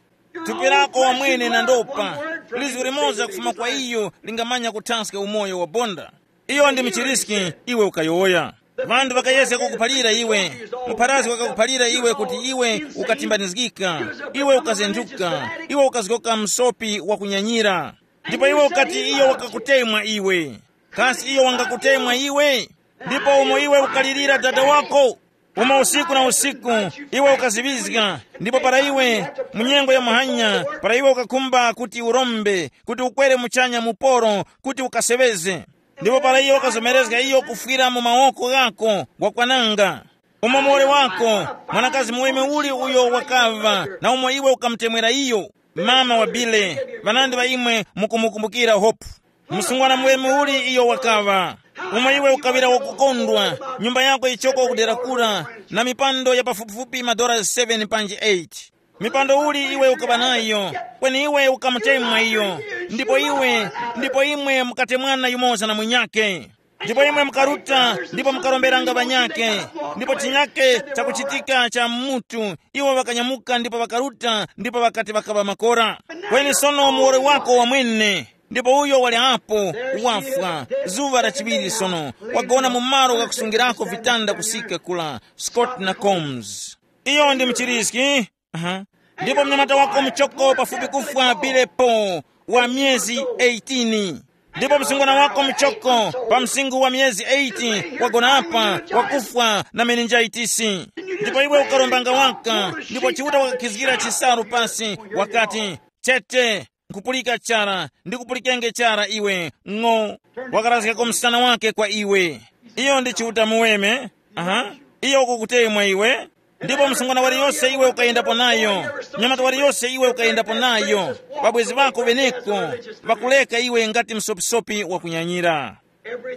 Thupi lako wamwene na ndopa, lizgu limoza kufuma kwa iyo lingamanya kuthaska umoyo wa bonda. Iyo ndi muchiriski, iwe ukayowoya. Ŵanthu ŵakayezga kukuphalira iwe. Mupharazgi wakakuphalira iwe kuti iwe ukatimbanizgika, iwe ukazenduka, iwe ukazgoka msopi wakunyanyira. Ndipo iwe ukati iyo wakakutemwa iwe. Kasi iyo wangakutemwa iwe? Ndipo umo iwe ukalirira dada wako, umo usiku na usiku iwe ukaziŵizga, ndipo para iwe, mu nyengo ya muhanya, para iwe ukakhumba kuti urombe, kuti ukwere muchanya muporo, kuti ukaseŵeze. Ndipo para iyo wakazomerezga iyo kufwira mu mawoko ghako, wakwananga. Umo muwoli wako, mwanakazi muweme uli uyo wakaŵa, na umo iwe ukamutemwera iyo, mama wa Bile, ŵanandi ŵa imwe mukumukumbukira Hope. Msungwana muweme uli iyo wakaŵa, umo iwe ukaŵira wakukondwa, nyumba yako yichoko kudera kura, na mipando ya pafupifupi madora seven panji eight. Mipando uli iwe ukaŵa nayo, kweni iwe ukamutemwa iyo, ndipo iwe, ndipo imwe mukatemwana yumoza na munyakhe. Ndipo imwe mukaruta ndipo mukaromberanga ŵanyakhe, ndipo chinyakhe chakuchitika cha mutu, iwo ŵakanyamuka ndipo ŵakaruta ndipo ŵakati ŵakaŵa makora. Kweni sono muwoli wako wamwene, ndipo uyo wali apo, wafwa, zuŵa la chiŵiri sono, wagona mu malo ghakusungirako vitanda kusika kula, Scott na Combs. Iyo ndi mchiriski. Aha. Ndipo mnyamata wako mchoko pafupi kufwa Bilepo, wa myezi eighteen. Ndipo msungwana wako mchoko pa msinkhu wa myezi eight wagona apa, wakufwa na meninjaitisi. Ndipo iwe ukarombanga waka, ndipo Chiuta wakakhizgira chisalu pasi, wakati, chete, nkupulika chara, ndikupulikenge chara iwe, ng'o. Wakarazgako msana wake kwa iwe. Iyo ndi Chiuta muweme. Aha. Iyo ukukutemwa iwe. Ndipo msungwana waliyose iwe ukayendapo nayo, nyamata waliyose iwe ukayendapo nayo, ŵabwezi ŵako ŵeneko ŵakuleka iwe ngati msopisopi wakunyanyira.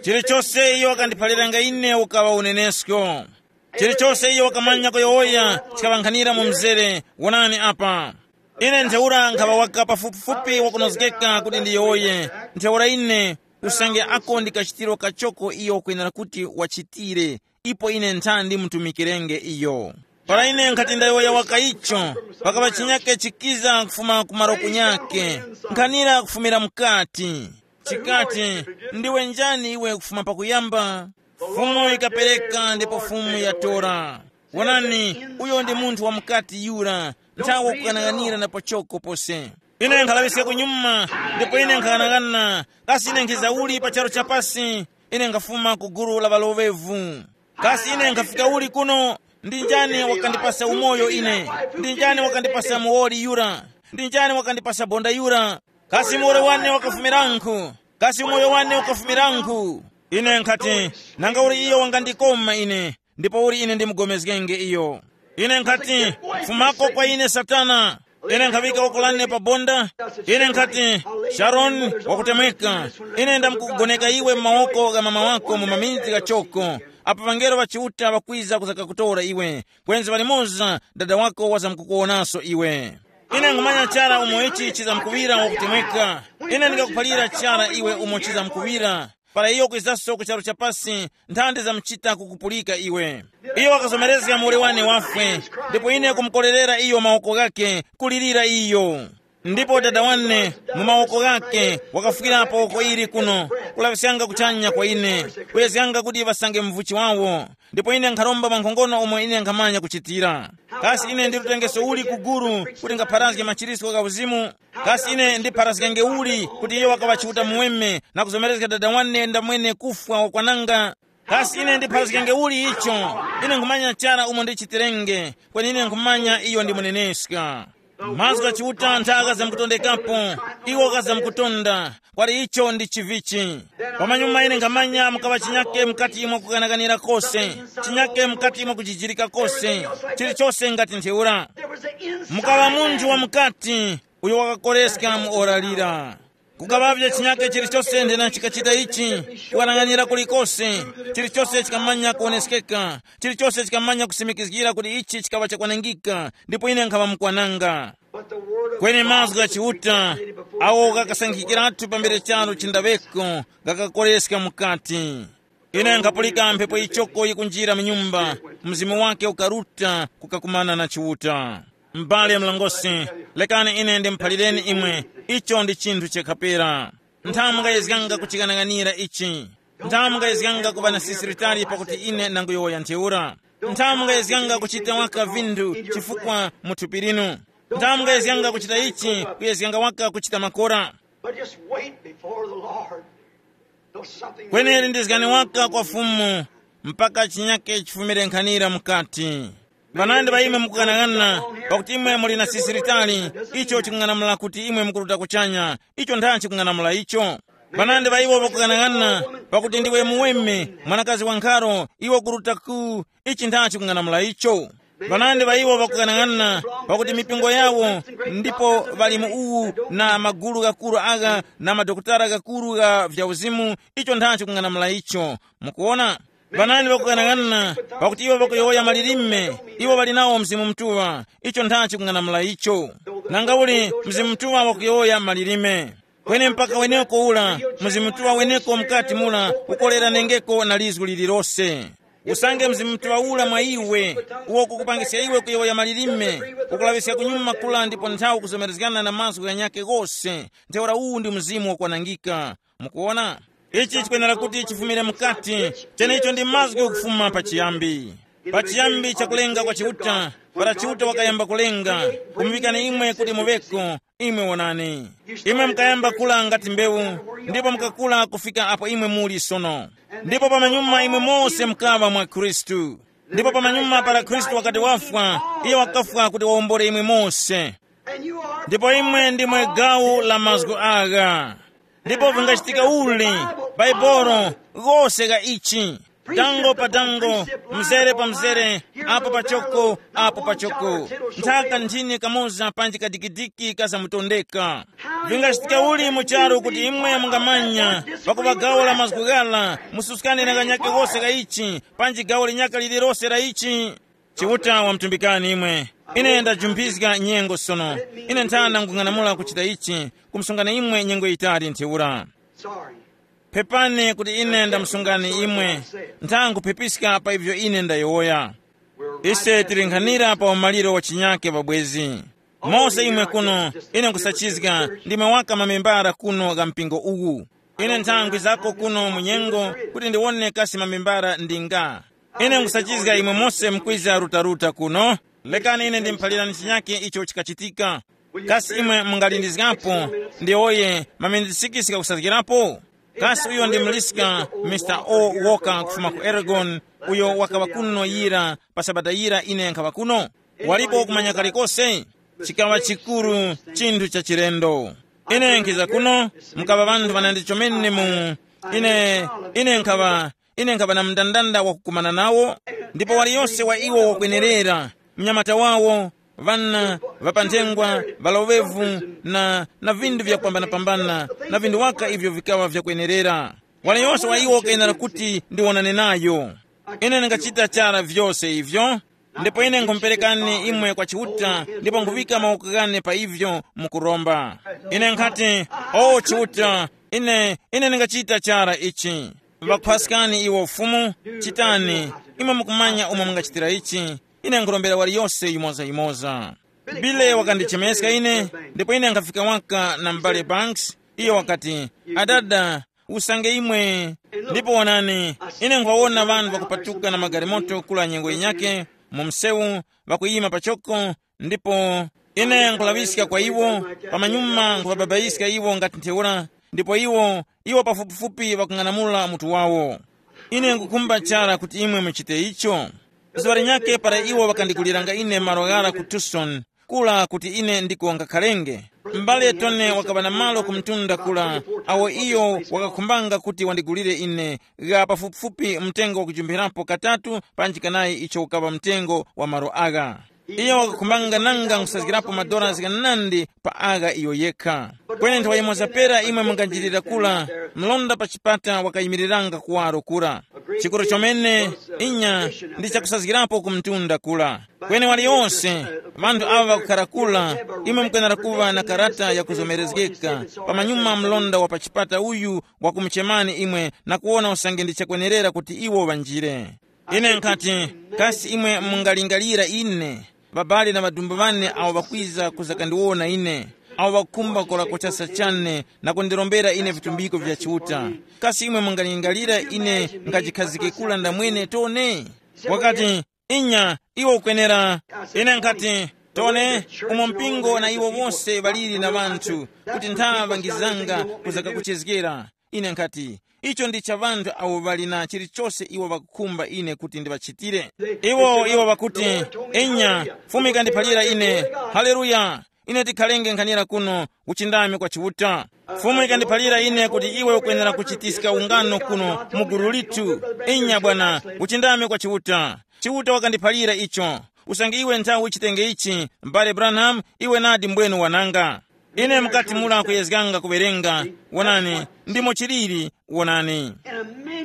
Chilichose iyo wakandiphaliranga ine ukaŵa unenesko. Chilichose iyo wakamanya kuyowoya chikaŵankhanira mu mzere. Wonani apa. Ine ntheura nkhaŵa waka pafupifupi wakunozgeka kuti ndiyowoye. Ntheura ine, usange ako ndi kachitiro kachoko iyo wakwenera kuti wachitire, ipo ine nthandi mutumikirenge iyo. Para ine nkhati ndayowoya waka icho, pakaŵa chinyake chikiza kufuma ku malo kunyake, nkhanira kufumira mukati. Chikati, ndiwe njani iwe kufuma pakuyamba? Fumu ikapereka ndipo Fumu yatora. Wonani, uyo ndi munthu wa mukati yura, nthawi wakukanang'anira na pachoko pose. Ine nkhalaŵiska kunyuma, ndipo ine nkhaghanaghana, kasi ine nkhiza uli pa charu cha pasi? Ine nkhafuma ku gulu la ŵaloŵevu. Kasi ine nkhafika uli kuno? Ndi njani wakandipasa umoyo ine? Ndi njani wakandipasa muwoli yura? Ndi njani wakandipasa bonda yura? Kasi muwoli wane wakafumirankhu? Kasi umoyo wane ukafumirankhu? Ine nkhati, nanga uli iyo wangandikoma ine, ndipo uli ine ndimugomezgenge iyo. Ine nkhati, fumako kwa ine Satana. Ine nkhaŵika woko lane pa bonda. Ine nkhati, Sharoni, wakutemweka. Ine ndamkukugoneka iwe mu mawoko gha mama wako mu maminiti ghachoko. Apo ŵangelo ŵa Chiuta ŵakwiza kuzakakutora iwe, kwenzi palimoza dada wako wazamkukuwonaso iwe. Ine nkhumanya chara umo ichi chizamkuŵira wakutemweka. Ine ndingakuphalira chara iwe umo chizamkuŵira. Para iyo kwizaso ku charu cha pasi, nthandi zamuchita kukupulika iwe. Iyo wakazomerezga muwoli wane wafwe, ndipo ine kumukorerera iyo mawoko ghakhe, kulirira iyo. Ndipo dada wane, mu mawoko ghake wakafukirapo woko ili kuno, kulaŵiskanga kuchanya kwa ine, kuyezganga kuti ŵasange mvuchi wawo. Ndipo ine nkharomba mwankhongono umo ine nkhamanya kuchitira. Kasi ine ndili utengeso uli ku gulu kuti ngapharazge machiritso gha uzimu? Kasi ine ndipharazgenge uli kuti iyo wakaŵa Chiuta muweme na kuzomerezga dada wane ndamwene kufwa wakwananga? Kasi ine ndipharazgenge uli icho? Ine nkhumanya chara umo ndichitirenge, kweni ine nkhumanya iyo ndi muneneska. Mazgu gha Chiuta ntha ghazamkutondekapo, iwo ghazamkutonda. Kwali icho ndi chivichi. Pamanyuma ine nkhamanya mukaŵa chinyake mukati mwa kukanakanira kose, chinyake mukati mwa kujijirika kose, chilichose ngati ntheura. Mukaŵa munthu wa mukati uyo wakakoreska mu ora lira. Kukaŵavye chinyake chilichose nthena chikachita ichi, kukwanang'anira kulikose, chilichose chikamanya kuoneskeka, chilichose chikamanya kusimikizgira kuti ichi chikaŵa chakwanangika, ndipo ine nkhaŵa mukwananga. Kweni mazgu gha Chiuta, awo ghakasankhikiratu pambere charo chindaweko, ghakakoreska mukati. Ine nkhapulika mphepo yichoko yikunjira mu nyumba, mzimu wake ukaruta kukakumana na Chiuta. M'bale mlongosi, lekani ine ndimuphalireni imwe, icho ndi chinthu chakhapera. Nthamu mungayezganga kuchikanakanira ichi. Nthamu mungayezganga kuŵa na sisiritali pakuti ine ndanguyowoya ntheura. Nthamu mungayezganga kuchita waka vinthu chifukwa mu thupi linu. Nthamu mungayezganga kuchita ichi, kuyezganga waka kuchita makora. But just wait before the Lord till something. Kweneri ndizgani waka kwa Fumu mpaka chinyake chifumire nkhanira mukati. Vanandi va imwe mukughanaghanana, pakuti imwe muli na sisi litali, icho chikung'anamula kuti imwe mukuruta kuchanya. Icho nthachi chikung'anamula icho. Vanandi va iwo vakughanaghanana, pakuti ndiwe muweme, mwanakazi wa nkharo, iwe ukuruta ku, ichi nthachi chikung'anamula icho. Vanandi va iwo vakughanaghanana, pakuti mipingo yawo, ndipo ŵali mu uwu na magulu ghakuru agha na madokotala ghakuru gha vya uzimu, icho nthachi kung'anamula icho. Mukuona? Vanani ŵakughanaghanana, pakuti iwo ŵakuyowoya malilime, iwo ŵali nawo Mzimu Mutuŵa, icho nthachi kung'anamula icho. Nanga uli Mzimu Mutuŵa wakuyowoya malilime. Kweni mpaka weneko ula, Mzimu Mutuŵa weneko mukati mula, ukoleranengeko na lizgu lililose. Usange Mzimu Mutuŵa ula mwa iwe, uwo ukukupangiska iwe kuyowoya malilime, ukulaŵiska kunyuma kula ndipo nthawi kuzomerezgana na mazgu ghanyakhe ghose, ntheura uwu ndi Mzimu wakwanangika. Mukuwona? Ichi chikwenera kuti chifumire mukati, chenecho ndi mazgu kufuma pachiyambi. Pachiyambi cha kulenga kwa Chiuta, para Chiuta wakayamba kulenga, kumuŵikani imwe kuti muŵeko, imwe wonani. Imwe mukayamba kula ngati mbewu, ndipo mukakula kufika apo imwe muli sono. Ndipo pamanyuma imwe mose mukaŵa mwa Khristu. Ndipo pamanyuma para Khristu wakati wafwa, iye wakafwa kuti wawombole imwe mose. Ndipo imwe ndimwe gawo la mazgu agha. Ndipo vingachitika uli, Baibolo, ghose gha ichi, dango pa dango, mzere pa mzere, apo pachoko, apo pachoko, nthaka nthini kamoza panji kadikidiki kazamutondeka. Vingachitika uli mu charu kuti imwe mungamanya pakupa gawo la mazgu ghala, mususkane na kanyake wose ka ichi, panji gawo linyaka lililose la ichi? Chiuta wamutumbikani imwe. Ine ndajumphiska nyengo sono. Ine nthana nkung'anamula kuchita ichi, kumusungani imwe nyengo yitali ntheura. Sorry. Phepani kuti ine ndamusungani imwe. Nthanguphepiska pa ivyo ine ndayowoya. Ise tili nkhanira pa umaliro wa chinyake pabwezi. Mose imwe kuno, ine nkusachizga, ndimwe waka mamembara kuno gha mpingo uwu. Ine nthangwi zako kuno mu nyengo kuti ndiwone kasi mamembara ndi nga. Ine nkusachizga imwe mose mukwiza rutaruta kuno. Lekani ine ndimuphalirani chinyake icho chikachitika. Kasi imwe mungalindizgapo? Ndiwoye, maminiti sikisi ghakusazgirapo. Kasi uyo ndi Mliska, Mister O Walker kufuma ku Oregon, uyo wakaŵa kuno yira pa sabata yira ine nkhaŵa kuno? Walipo kumanya kalikose? Chikaŵa chikuru, chinthu cha chilendo. Ine nkhiza kuno, mukaŵa ŵanthu ŵanandi chomene mu, ine, ine nkhaŵa, ine nkhaŵa na mndandanda wakukumana nawo, ndipo waliyose wa iwo wakwenerera, mnyamata wawo, ŵana, ŵapanthengwa, ŵaloŵevu, na, na vinthu vyakupambanapambana, na vinthu waka ivyo vikaŵa vyakwenerera. Waliyose wa iwo kayenera kuti ndiwonane nayo. Ine ndingachita chara vyose ivyo, ndipo ine nkumuperekani imwe kwa Chiuta, ndipo nkhuŵika mawoko ghane pa ivyo mukuromba. Ine nkhati, “O Chiuta, ine, ine ndingachita chara ichi.” Ŵakuphwaskani iwo Fumu, chitani, imwe mukumanya umo mungachitira ichi. Ine nkhurombera waliyose yimozayimoza. Bile wakandichemeska ine, ndipo ine nkhafika waka na m'bale Banks. Iyo wakati, "Adada, usange imwe." Ndipo wonani, ine nkhwawona ŵanthu ŵakupatuka na magalimoto kula nyengo yinyake mu msewu, ŵakuyima pachoko, ndipo ine nkhulaŵiska kwa iwo, pamanyuma nkhuŵababayiska iwo ngati ntheura, ndipo iwo, iwo pafupifupi ŵakung'anamula mutu wawo. Ine nkukhumba chara kuti imwe muchite icho. Zuŵa linyakhe para iwo ŵakandiguliranga ine malo ghara ku Tucson, kula kuti ine ndiko ngakhalenge. M'bale Tone wakaŵa na malo ku mtunda kula, awo iyo wakakhumbanga kuti wandigulire ine, gha pafupifupi mtengo wakujumpirapo katatu panji kanayi icho ukaŵa mtengo wa malo agha. Iyo wakakhumbanga nanga nkhusazgirapo madolasi ghanandi pa agha iyo yekha. Kweni nthawa yimoza pera imwe munganjirira kula, mlonda pa chipata wakayimiriranga kuwaro kura. Chikuru chomene, inya, ndi chakusazgirapo ku mtunda kula. Kweni waliyose, ŵanthu aŵa ŵakukhara kula, imwe mukwenera kuŵa na karata yakuzomerezgeka. Pamanyuma mlonda wa pa chipata uyu wakumuchemani imwe na kuwona usange ndi chakwenerera kuti iwo ŵanjire. Ine nkhati, kasi imwe mungalingalira ine, ŵabali na ŵadumbu ŵane awo ŵakwiza kuzakandiwona ine, awo ŵakukhumba kora kuchasa chane na kundirombera ine vitumbiko vya Chiuta. Kasi imwe mungalingalira ine ngajikhazike kula ndamwene Tone? Wakati, "Inya, iwe ukwenera." Ine nkhati, "Tone, umo mpingo na iwo wose ŵaliri na ŵanthu, kuti nthaŵa ngizanga kuzakakuchezgera." Ine nkhati, "Icho ndi cha ŵanthu awo ŵali na chilichose iwo ŵakukhumba ine kuti ndiŵachitire." Iwo, iwo ŵakuti, "Enya, Fumu ikandiphalira ine." Haleluya! Ine tikhalenge nkhanira kuno, uchindami kwa Chiuta. Fumu ikandiphalira ine kuti iwe ukwenera kuchitiska ungano kuno mu gulu lithu. Enya bwana, uchindami kwa Chiuta. Chiuta wakandiphalira icho. Usange iwe nthawi uchitenge ichi, m'bale Branham, iwe nadi mbwenu wananga. Ine mukati mura kuyezganga kuwerenga, wonani, ndimo chiliri, wonani.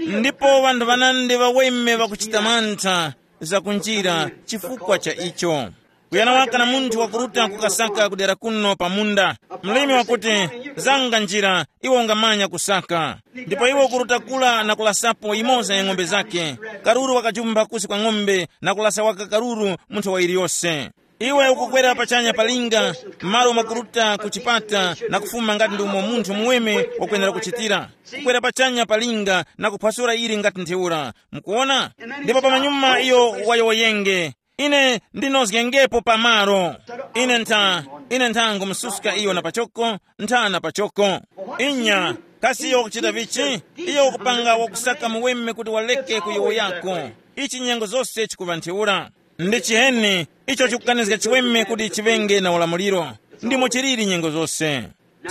Ndipo ŵanthu ŵanandi ŵaweme ŵakuchita mantha zakunjira chifukwa cha icho. Kuyana waka na munthu wakuruta kukasaka kudera kuno pa munda. Mlimi wakuti, "Zanga njira, iwe ungamanya kusaka." Ndipo iwe ukuruta kula na kulasapo yimoza ya ng'ombe zake. Karuru wakajumba kusi kwa ng'ombe na kulasa waka karuru munthu wa iliyose. Iwe ukukwera pachanya pa linga, malo makuruta ku chipata na kufuma ngati ndi umo munthu muweme wakwenera kuchitira. Kukwera pachanya pa linga na kuphwasula ili ngati ntheura. Mukuona? Ndipo pamanyuma iyo wayowoyenge. Ine ndinozgengepo pamaro. Ine ntha, ine ntha ngumususka iyo na pachoko, ntha na pachoko. Inya, kasi iyo wakuchita vichi? Iyo wakupanga wakusaka muweme kuti waleke kuyowoyako. Ichi nyengo zose chikuŵa ntheura. Ndi chiheni icho chikukanizga chiweme kuti chiŵenge na ulamuliro? Ndimo chiliri nyengo zose.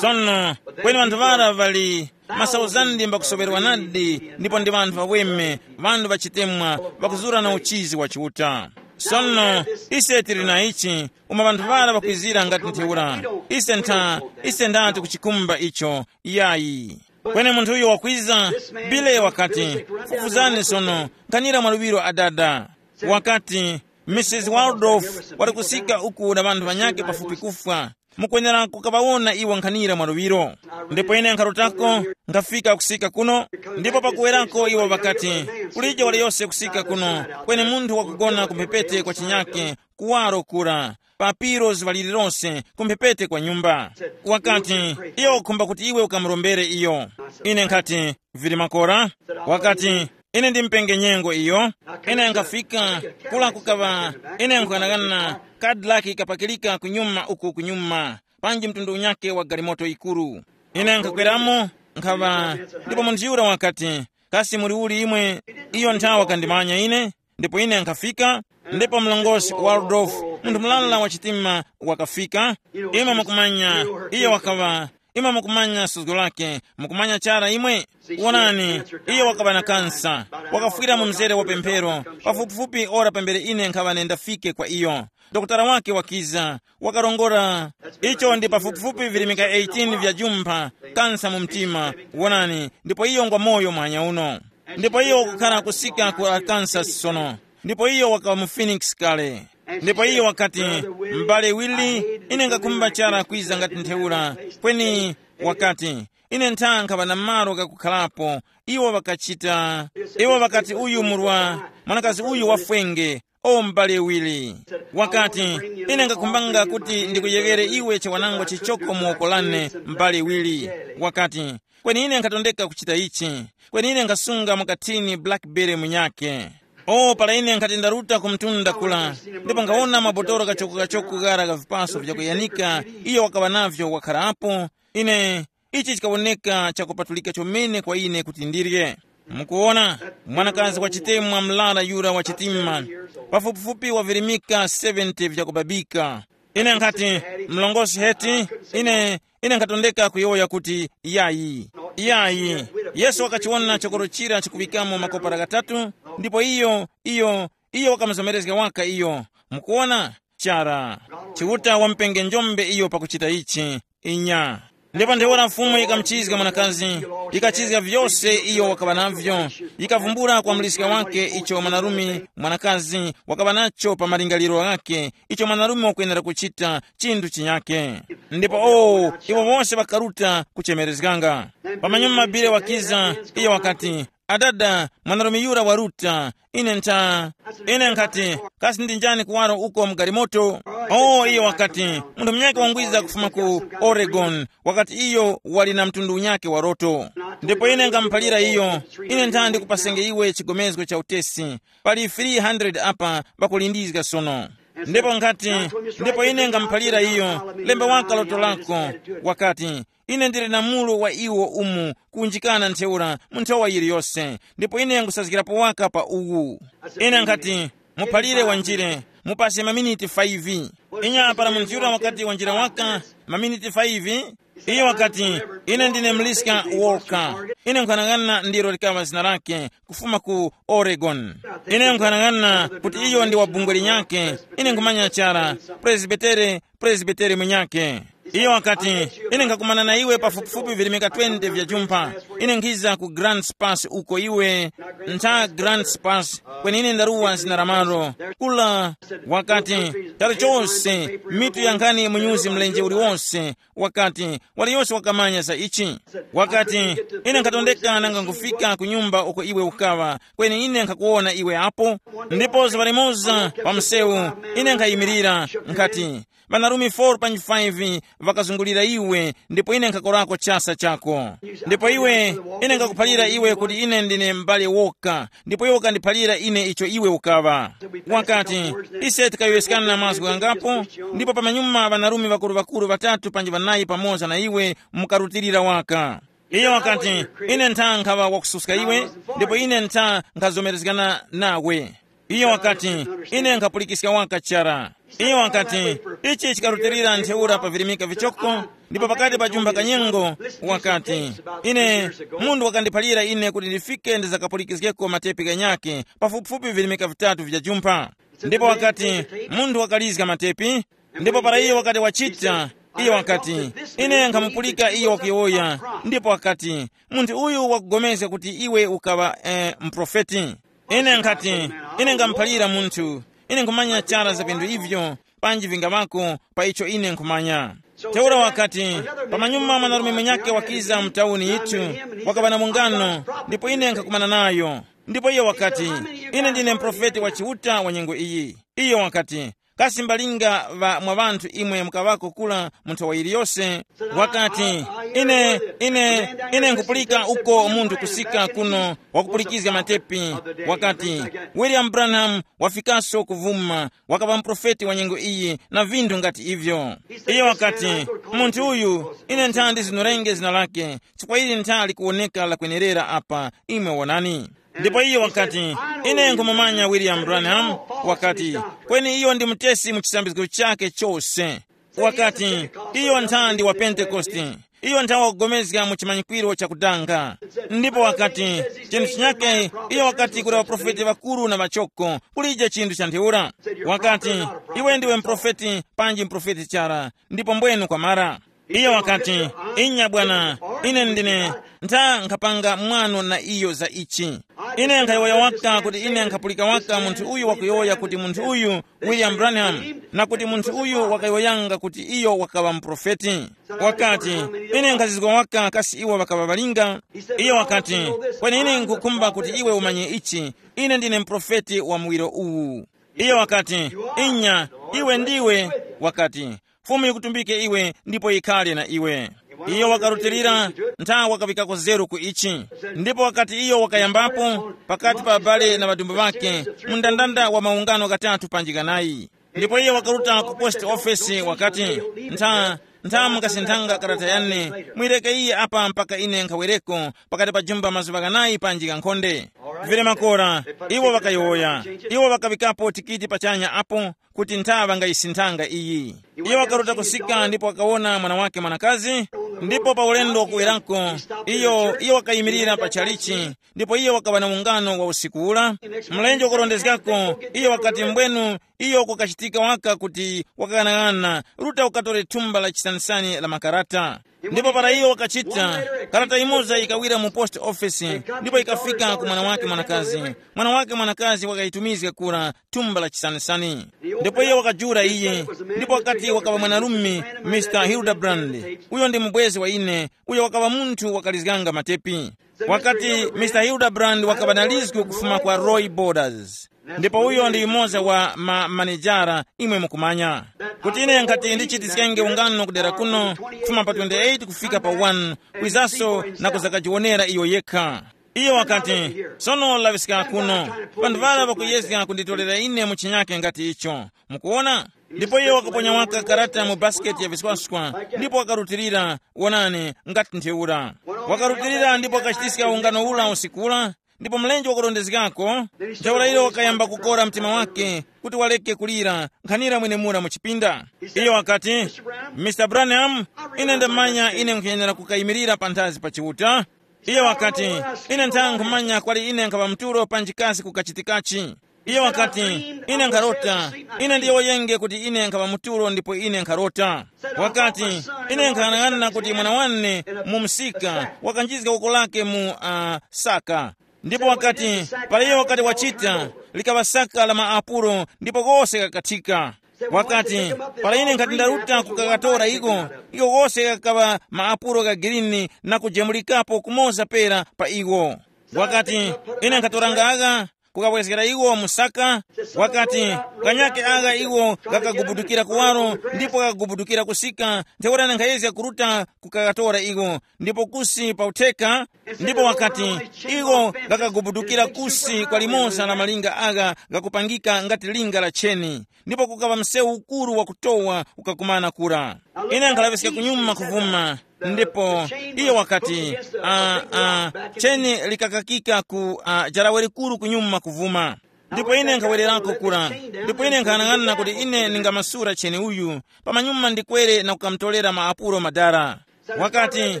Sono, kweni ŵanthu ŵara ŵali masauzandi mbakusoŵerwa nadi, ndipo ndi ŵanthu ŵaweme, ŵanthu ŵachitemwa, ŵakuzura na uchizi wa Chiuta. Sono, ise tili na ichi, uma ŵanthu ŵara ŵakwizira ngati ntheura. Ise ntha, ise ndati kuchikumba icho, yayi. Kweni munthu uyo wakwiza, Bile wakati, "Fufuzani sono, nkhanira mwaluŵiro adada." Wakati, "Misisi Waldorf wali kusika uku na ŵanthu ŵanyakhe pafupi kufwa. Mukwenera kukaŵawona iwo nkhanira mwaluŵiro." Ndipo ine nkharutako, nkhafika kusika kuno, ndipo pakuwerako iwo ŵakati, "Kulije waliyose kusika kuno, kweni munthu wakugona kumphepete kwa chinyakhe, kuwaro kura, pa piros ŵaliri lose, kumphepete kwa nyumba." Wakati, "Iyo wakukhumba kuti iwe ukamurombere iyo." Ine nkhati, "Vili makora?" Wakati, "Ine ndimupenge nyengo iyo." Ine nkhafika, kula kukaŵa, ine nkuyang'ana Cadillac kapakilika kunyuma uku kunyuma, panji mtundu unyakhe wa galimoto yikuru. Ine nkhakweramo, nkhaŵa, ndipo munthu yura wakati, "Kasi muli uli imwe?" Iyo nthawa wakandimanya ine, ndipo ine nkhafika, ndipo mlongosi Waldorf, munthu mulala wa chitima, wakafika. Imwe mukumanya, iyo wakaŵa, imwe mukumanya suzgo lake, mukumanya chara imwe? Wonani, iyo wakaŵa na kansa, wakafwira mu mzere wa pemphero, pafupifupi ora pambere ine nkhaŵa nendafike kwa iyo. Dokotala wake wakiza, wakarongora. Icho ndi pafupifupi virimika eighteen vya jumpha, kansa mu mtima, wonani, ndipo iyo ngwa moyo muhanya uno. Ndipo iyo wakukhala kusika ku Arkansas sono. Ndipo iyo wakaŵa mu Phoenix kale. Ndipo iyo wakati, "M'bale Willie, ine ngakhumba chara kwiza ngati ntheura." Kweni wakati, "Ine ntha nkhaŵa na malo ghakukhalapo." Iwo ŵakachita, iwo ŵakati, "Uyu murwa, mwanakazi uyu wafwenge." o m'bale Willy. Wakati, ine ngakhumbanga kuti ndikuyeŵere iwe chiwanangwa chichoko mu woko lane, m'bale Willy. Wakati, kweni ine nkhatondeka kuchita ichi. Kweni ine nkhasunga mukathini blackberry munyake. O, para ine nkhati ndaruta ku mtunda kula, ndipo nkhawona mabotolo kachoko-kachoko ghara gha vipaso vyakuyanika, iyo wakaŵa navyo wakharapo, ine, ichi chikawoneka chakupatulika chomene kwa ine kuti ndirye. Mukuwona, mwanakazi wa chitemwa mlara yura wa chitima, pafupifupi wavirimika seventy vyakubabika. Ine nkhati, mlongosi Heti, ine, ine nkhatondeka kuyowoya kuti, yayi, yayi. Yesu wakachiwona chokoro chira chikuŵikamo makopara ghatatu, ndipo iyo, iyo, iyo wakamuzomerezga waka iyo. Mukuwona? Chara. Chiuta wamupenge njombe iyo pakuchita ichi. Inya. Ndipo ntheura Fumu yikamuchizga mwanakazi, yikachizga vyose iyo wakaŵa navyo, yikavumbula kwa muliska wake icho mwanarume mwanakazi wakaŵa nacho pa malingaliro ghake, icho mwanarume wakwenera kuchita chinthu chinyake. Ndipo o, iwo wose ŵakaruta kuchemerezganga. Pamanyuma mabire wakiza, iyo wakati, adada, mwanarume yura waruta. Ine ntha, ine nkhati, kasi ndi njani kuwaro uko mu galimoto? O, iyo wakati, munthu munyakhe wangwiza kufuma ku Oregon, wakati iyo wali na mtundu unyakhe wa loto. Ndipo ine ngamuphalira iyo, ine ntha ndikupasenge iwe chigomezgo cha utesi. Pali three hundred apa pakulindizga sono. Ndipo nkhati, ndipo ine ngamuphalira iyo, lemba waka loto lako. Wakati, ine ndili na mulu wa iwo umu kunjikana ntheura mu nthowa yiliyose, ndipo ine nkhusazgirapo waka pa uwu. Ine nkhati, muphalire wanjire, mupase maminiti five. Inya para munthu yura wakati wanjira waka maminiti five, iyo wakati, ine ndine Mliska Walker. Ine nkhanang'ana ndiro likaŵa zina lake, kufuma ku Oregon. Ine nkhanang'ana kuti iyo ndi wa bungwe linyake. Ine nkhumanya chara, presbitere, presbitere mwenyake. Iyo wakati, ine nkhakumana na iwe pafupifupi virimika twenty vya jumpha. Ine nkhiza ku Grants Pass uko iwe, ntha Grants Pass, kweni ine ndaruwa zina la malo. Kula, wakati, charo chose, mitu ya nkhani munyuzi mlenje uliwonse. Wakati, waliyose wakamanya za ichi. Wakati, ine nkhatondeka nanga nkufika ku nyumba uko iwe ukaŵa, kweni ine nkhakuwona iwe apo. Ndipo zuŵa limoza pa msewu, ine nkhayimirira, nkhati, ŵanarume four panji five ŵakazungulira iwe, ndipo ine nkhakorako chasa chako. Ndipo iwe, ine nkakuphalira iwe kuti ine ndine m'bale woka, ndipo iwe ukandiphalira ine icho iwe ukaŵa. Wakati, ise tikayowoyeskana mazgu ghangapo, ndipo pamanyuma ŵanarume ŵakuru-ŵakuru ŵatatu panji ŵanayi pamoza na iwe mukarutilira waka. Iyo wakati, ine ntha nkhaŵa wakususka iwe, ndipo ine ntha nkhazomerezgana nawe. Iyo wakati, ine nkhapulikiska waka chara. Iyo wakati, ichi chikarutilira ntheura pa virimika vichoko, ndipo pakati pa jumba kanyengo, wakati, ine, munthu wakandiphalira ine kuti ndifike ndizakapulikiskeko matepi ghanyakhe, pafupifupi virimika vitatu vya jumpa. Ndipo wakati, munthu wakalizga matepi, ndipo para iyo wakati wachita, iyo wakati, ine nkhamupulika iyo wakuyowoya, ndipo wakati, munthu uyu wakugomezga kuti iwe ukaŵa eh, mprofeti. Ine nkhati, ine ngamuphalira munthu, ine nkhumanya chara za vinthu ivyo, panji vingaŵako pa icho ine nkhumanya. Ntheura wakati, pamanyuma mwanarume mwenyake wakiza mu tawuni yithu, wakaŵa na mungano, ndipo ine nkhakumana nayo. Ndipo iyo wakati, ine ndine mprofeti wa Chiuta wa nyengo iyi. Iyo wakati, kasi mbalinga ŵa mwa ŵanthu imwe mukaŵako kula mu nthowa yiliyose? Wakati, ine, ine, ine nkupulika uko munthu kusika kuno wakupulikizga matepi. Wakati, William Branham wafikaso kuvuma, wakaŵa muprofeti wa nyengo iyi na vinthu ngati ivyo. Iyo wakati, munthu uyu, ine nthandi zinurenge zina lake, chifukwa ili nthali kuwoneka lakwenerera apa, imwe wonani. Ndipo iyo wakati, ine nkhumumanya William Branham. Wakati, kweni iyo ndi mutesi mu chisambizgo chake chose. Wakati, iyo nthandi wa Pentekoste. Iyo nthawa wakugomezga mu chimanyikwiro chakudanga. Ndipo wakati, chinthu chinyake, iyo wakati kuli ŵaprofeti ŵakuru na ŵachoko, kulije chinthu cha ntheura. Wakati, iwe ndiwe mprofeti, panji mprofeti chara, ndipo mbwenu kwamara. Iyo wakati, inya bwana, ine ndine, ntha nkhapanga mwano na iyo za ichi. Ine nkhayowoya waka kuti ine nkhapulika waka munthu uyu wakuyowoya kuti munthu uyu William Branham, na kuti munthu uyu wakayowoyanga kuti iyo wakaŵa muprofeti. Wakati, ine nkhazizwa waka kasi iwo ŵakaŵa ŵalinga. Iyo wakati, kweni ine nkhukhumba kuti iwe umanye ichi, ine ndine muprofeti wa muwiro uwu. Iyo wakati, "Inya, iwe ndiwe," wakati, "Fumu yikutumbike iwe ndipo yikhale na iwe." Iyo wakarutilira, ntha wakaŵikako zeru ku ichi. Ndipo wakati iyo wakayambapo pakati pa abale na ŵadumbu ŵakhe, mu ndandanda wa maungano ghatatu panji ghanayi. Ndipo iyo wakaruta ku post office wakati, "Ntha, ntha mungasinthanga karata yane, mwireke iye apa mpaka ine nkhawereko pakati pa jumba mazuŵa ghanayi panji ghankhonde." Vile makora, iwo ŵakayowoya. Iwo ŵakaŵikapo tikiti pachanya apo, kuti ntha ŵangayisinthanga iyi. Iyo wakaruta kusika ndipo wakawona mwana wake mwanakazi, ndipo pa ulendo wakuwerako, iyo iyo wakayimirira pa chalichi, ndipo iyo wakaŵa na ungano wa usiku ula. Mlenje wakurondezgako, iyo wakati mbwenu iyo kukachitika waka kuti wakaghanaghanana, ruta ukatore thumba la chisanisani la makarata. Ndipo para iyo wakachita, karata imoza yikawira mu post office ndipo yikafika ku mwana wake mwanakazi. Mwana wake mwanakazi wakayitumizga kura thumba la chisanisani. Ndipo iye wakajula iye, ndipo wakati wakaŵa mwanarume, Mr Hildebrand, uyo ndi mubwezi wa ine, uyo wakaŵa munthu wakalizganga matepi. Wakati Mr Hildebrand wakaŵa na lizgu kufuma kwa Roy Borders. Ndipo uyo ndi yumoza wa ma manejara, imwe mukumanya, kuti ine nkhati ndichitiskenge ungano kudera kuno, kufuma pa twenty-eight kufika pa one, kwizaso na kuzakajiwonera iyo yekha. Iyo wakati, "Sono laŵiska kuno, panthu ŵara ŵakuyezga kunditorera ine mu chinyake ngati icho. Mukuwona?" Ndipo iyo wakaponya waka karata mu basiketi ya viswaswa, ndipo wakarutilira, wonani, ngati ntheura. Wakarutilira ndipo wakachitiska ungano ula usiku ula, ndipo mlenje wakurondezgako, ntheura iyo wakayamba kukora mtima wake kuti waleke kulira, nkhanira mwenemura mu chipinda. Iyo wakati, "Mr Branham, ine ndamanya ine nkhuyenera kukayimirira panthazi pa Chiuta." Iyo wakati, "Ine ntha nkhumanya kwali ine nkhaŵa mtulo panji kasi kukachitikachi." Iyo wakati, "Ine nkharota, ine ndiyowoyenge kuti ine nkhaŵa mtulo ndipo ine nkharota." Wakati, "Ine nkhanang'ana kuti mwana wane mu msika wakanjizga uko lake mu uh, saka." Ndipo wakati, para iyo wakati wachita, likaŵa saka la maapulo ndipo kose kakathika. Wakati, para ine nkhati ndaruta kukakatora iko, iko kose kakaŵa maapulo gha girini na kujemulikapo kumoza pera pa iwo. Wakati, ine nkhatoranga agha, kukawezgera iwo mu saka. Wakati, kanyake agha iwo ghakagubudukira kuwaro, ndipo ghakagubudukira kusika, ntheura ine nkhayezga kuruta kukakatora iwo, ndipo kusi pa utheka. Ndipo wakati, iwo ghakagubudukira kusi kwa limoza la malinga agha ghakupangika ngati linga la cheni, ndipo kukaŵa msewu ukuru wakutowa ukakumana kura. Ine nkhalaŵiska kunyuma kuvuma, ndipo iyo wakati, uh, uh, cheni likakakika ku uh, jarawe likuru kunyuma kuvuma. Ndipo ine nkhawererako kura, ndipo ine nkhanang'ana kuti ine ndingamasura cheni uyu, pamanyuma ndikwere na kukamutolera maapulo madara. Wakati,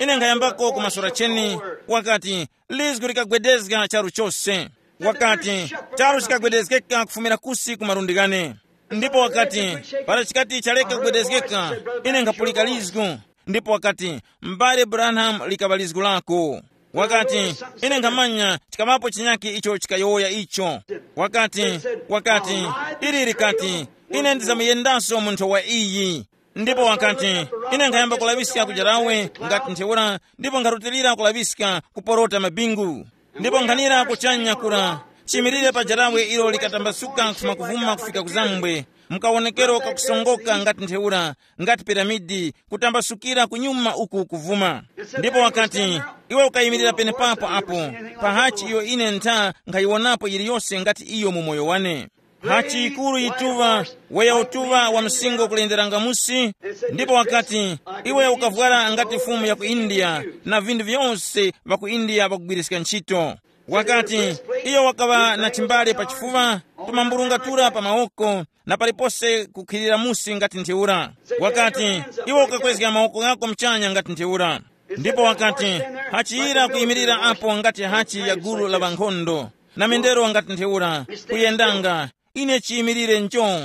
ine nkhayambako kumasura cheni. Wakati, lizgu likagwedezga charu chose. Wakati, charu chikagwedezgeka kufumira kusi ku malundi ghane. Ndipo wakati, para chikati chaleka kugwedezgeka, ine nkhapulika lizgu. Ndipo wakati, m'bale Branham, likaŵa lizgu lako. Wakati, ine nkhamanya chikaŵapo chinyakhe icho chikayowoya icho. Wakati, wakati, ili likati, ine ndizamuyendasyo munthu wa iyi. Ndipo wakati, ine nkhayamba kulaŵiska ku jarawe ngati ntheura, ndipo nkharutilira kulaŵiska kuporota mabingu. Ndipo nkhanira kuchanya kura, chimirire pa jarawe ilo likatambasuka kufuma kuvuma kufika kuzambwe, mkawonekero kakusongoka ngati ntheura, ngati piramidi, kutambasukira kunyuma uku kuvuma. Ndipo wakati, iwe ukayimirira penepapo apo, pa hachi iyo ine ntha nkhayiwonapo yiliyose ngati iyo mu moyo wane. Hachi yikuru yituŵa, weya utuŵa wa msingo kulenderanga musi. Ndipo wakati, iwe ukavwara ngati fumu ya ku India, na vinthu vyose ŵa ku India ŵakugwiriska ntchito. Wakati, iyo wakaŵa na chimbale pa chifuŵa, tumambulunga tura pa mawoko, na palipose kukhilira musi ngati ntheura. Wakati, iwe ukakwezga mawoko ghako mchanya ngati ntheura. Ndipo wakati, hachiyira kuyimirira apo ngati hachi ya gulu la ŵankhondo, na mendero ngati ntheura, kuyendanga, ine chiyimirire ncho.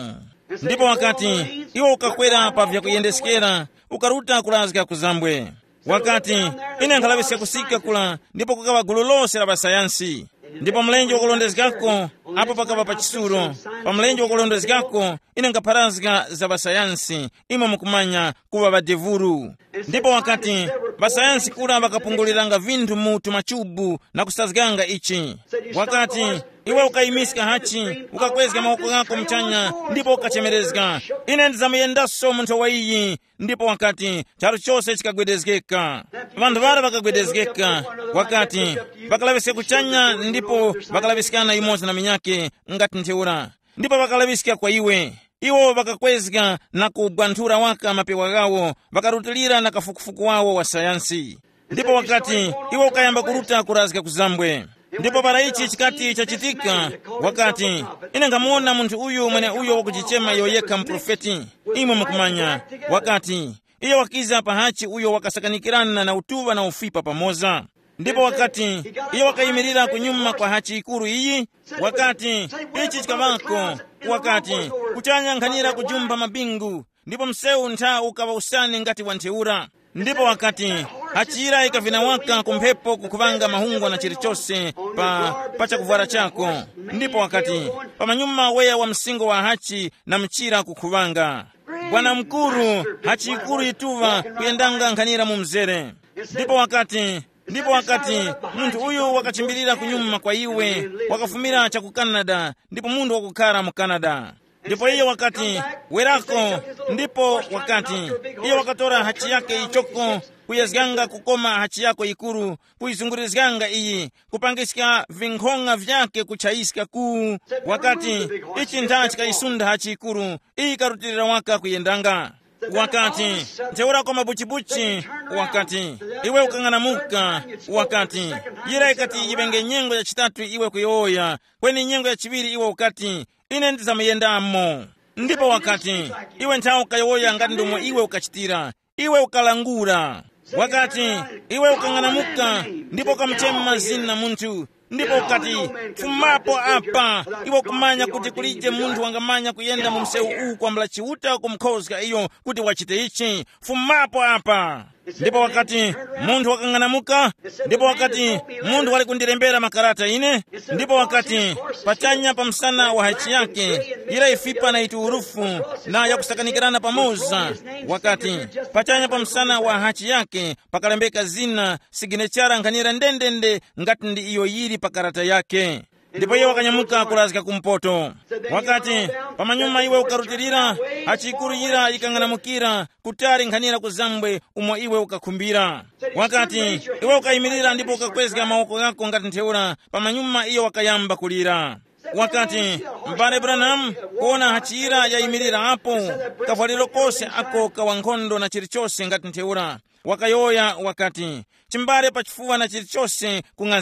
Ndipo wakati, iwe ukakwera pa vyakuyendeskera, ukaruta kurazga ku zambwe. Wakati, ine nkhalaŵiska kusika kula, ndipo kukaŵa gulu lose la ŵasayansi. Ndipo mlenje wakulondezgako, apo pakaŵa pa chisuro, Pa mlenje wakulondezgako, ine nkapharazga za ŵasayansi, imwe mukumanya, kuŵa ŵadevuru. Ndipo wakati, ŵasayansi kura ŵakapunguliranga vinthu mu tumachubu na kusazganga ichi. Wakati, iwe ukayimiska hachi, ukakwezga mawoko ghako muchanya, ndipo ukachemerezga, ine ndizamuyendaswa mu nthowa iyi. Ndipo wakati, charu chose chikagwedezgeka. Vanthu ŵara ŵakagwedezgeka. Wakati, ŵakalaŵiska kuchanya ndipo ŵakalaŵiskana yumoza na minyake, ngati ntheura. Ndipo ŵakalaŵiska kwa iwe. Iwo ŵakakwezga na kubwanthura waka mapewa ghawo, ŵakarutilira na kafukufuku wawo wa sayansi. Ndipo wakati, iwe ukayamba kuruta kurazga ku zambwe. Ndipo para ichi chikati chachitika, wakati, ine nkhamuwona munthu uyu mweneuyo wakuchichema iyo yekha muprofeti. Imwe mukumanya, wakati, iyo wakiza pa hachi uyo wakasakanikirana na utuŵa na ufipa pamoza. Ndipo wakati, iyo wakayimirira kunyuma kwa hachi yikuru iyi, wakati, ichi chikaŵako, wakati, kuchanya nkhanira kujumpha mabingu, ndipo msewu ntha ukaŵa usani ngati wa ntheura. Ndipo wakati, hachira yikavina waka ku mphepo kukhuŵanga mahungwa na chilichose pa, pa chakuvwara chako. Ndipo wakati, pamanyuma weya wa msingo wa hachi na mchira kukhuŵanga. Bwana mukuru, hachi yikuru yituŵa kuyendanga nkhanira mu mzere. Ndipo wakati, ndipo wakati, munthu uyu wakachimbirira kunyuma kwa iwe, wakafumira cha ku Canada, ndipo munthu wakukhara mu Canada. Ndipo iye wakati, werako. Ndipo wakati, iye wakatora hachi yake ichoko, kuyezganga kukoma hachi yako yikuru, kuyizungurizganga iyi, kupangiska vinkhong'a vyake kuchayiska ku. Wakati, ichi ntha chikayisunda hachi yikuru, iyi karutilira waka kuyendanga. Wakati, ntheura kwa mabuchibuchi. Wakati, iwe ukang'anamuka. Wakati, yira ikati yiŵenge nyengo ya chitatu iwe kuyowoya, kweni nyengo ya chiŵiri iwe ukati, ine ndizamuyendamo. Ndipo wakati, iwe nthawi ukayowoya ngati ndomwe iwe ukachitira, iwe ukalangula. Wakati, iwe ukang'anamuka, ndipo ukamuchema zina munthu, ndipo ukati, fumapo apa. Iwe kumanya kuti kulije munthu wangamanya kuyenda mu msewu uwu kwambula Chiuta kumkhozga iyo kuti wachite ichi. Fumapo apa. Ndipo wakati, munthu wakang'anamuka. Ndipo wakati, munthu wali kundirembera makarata ine. Ndipo wakati, pachanya pa msana wa hachi yake, yira ifipa na ituwurufu na yakusakanikirana pamoza. Wakati, pachanya pa msana wa hachi yake pakalembeka zina, siginechara nkhanira ndendende ngati ndi iyo yiri pa karata yake. Ndipo iye wakanyamuka kurazga kumpoto. Wakati, pamanyuma iwe ukarutilira, hachi yikuru yira yikang'anamukira kutali nkhanira ku zambwe umo iwe ukakhumbira. Wakati, iwe ukayimirira ndipo ukakwezga mawoko ghako ngati ntheura, pamanyuma iyo wakayamba kulira. Wakati, m'bale Branham, kuona hachi yira yayimirira apo, kavwaliro kose ako ka wankhondo na chilichose ngati ntheura. Wakayowoya wakati, chimbale pa chifuwa na chilichose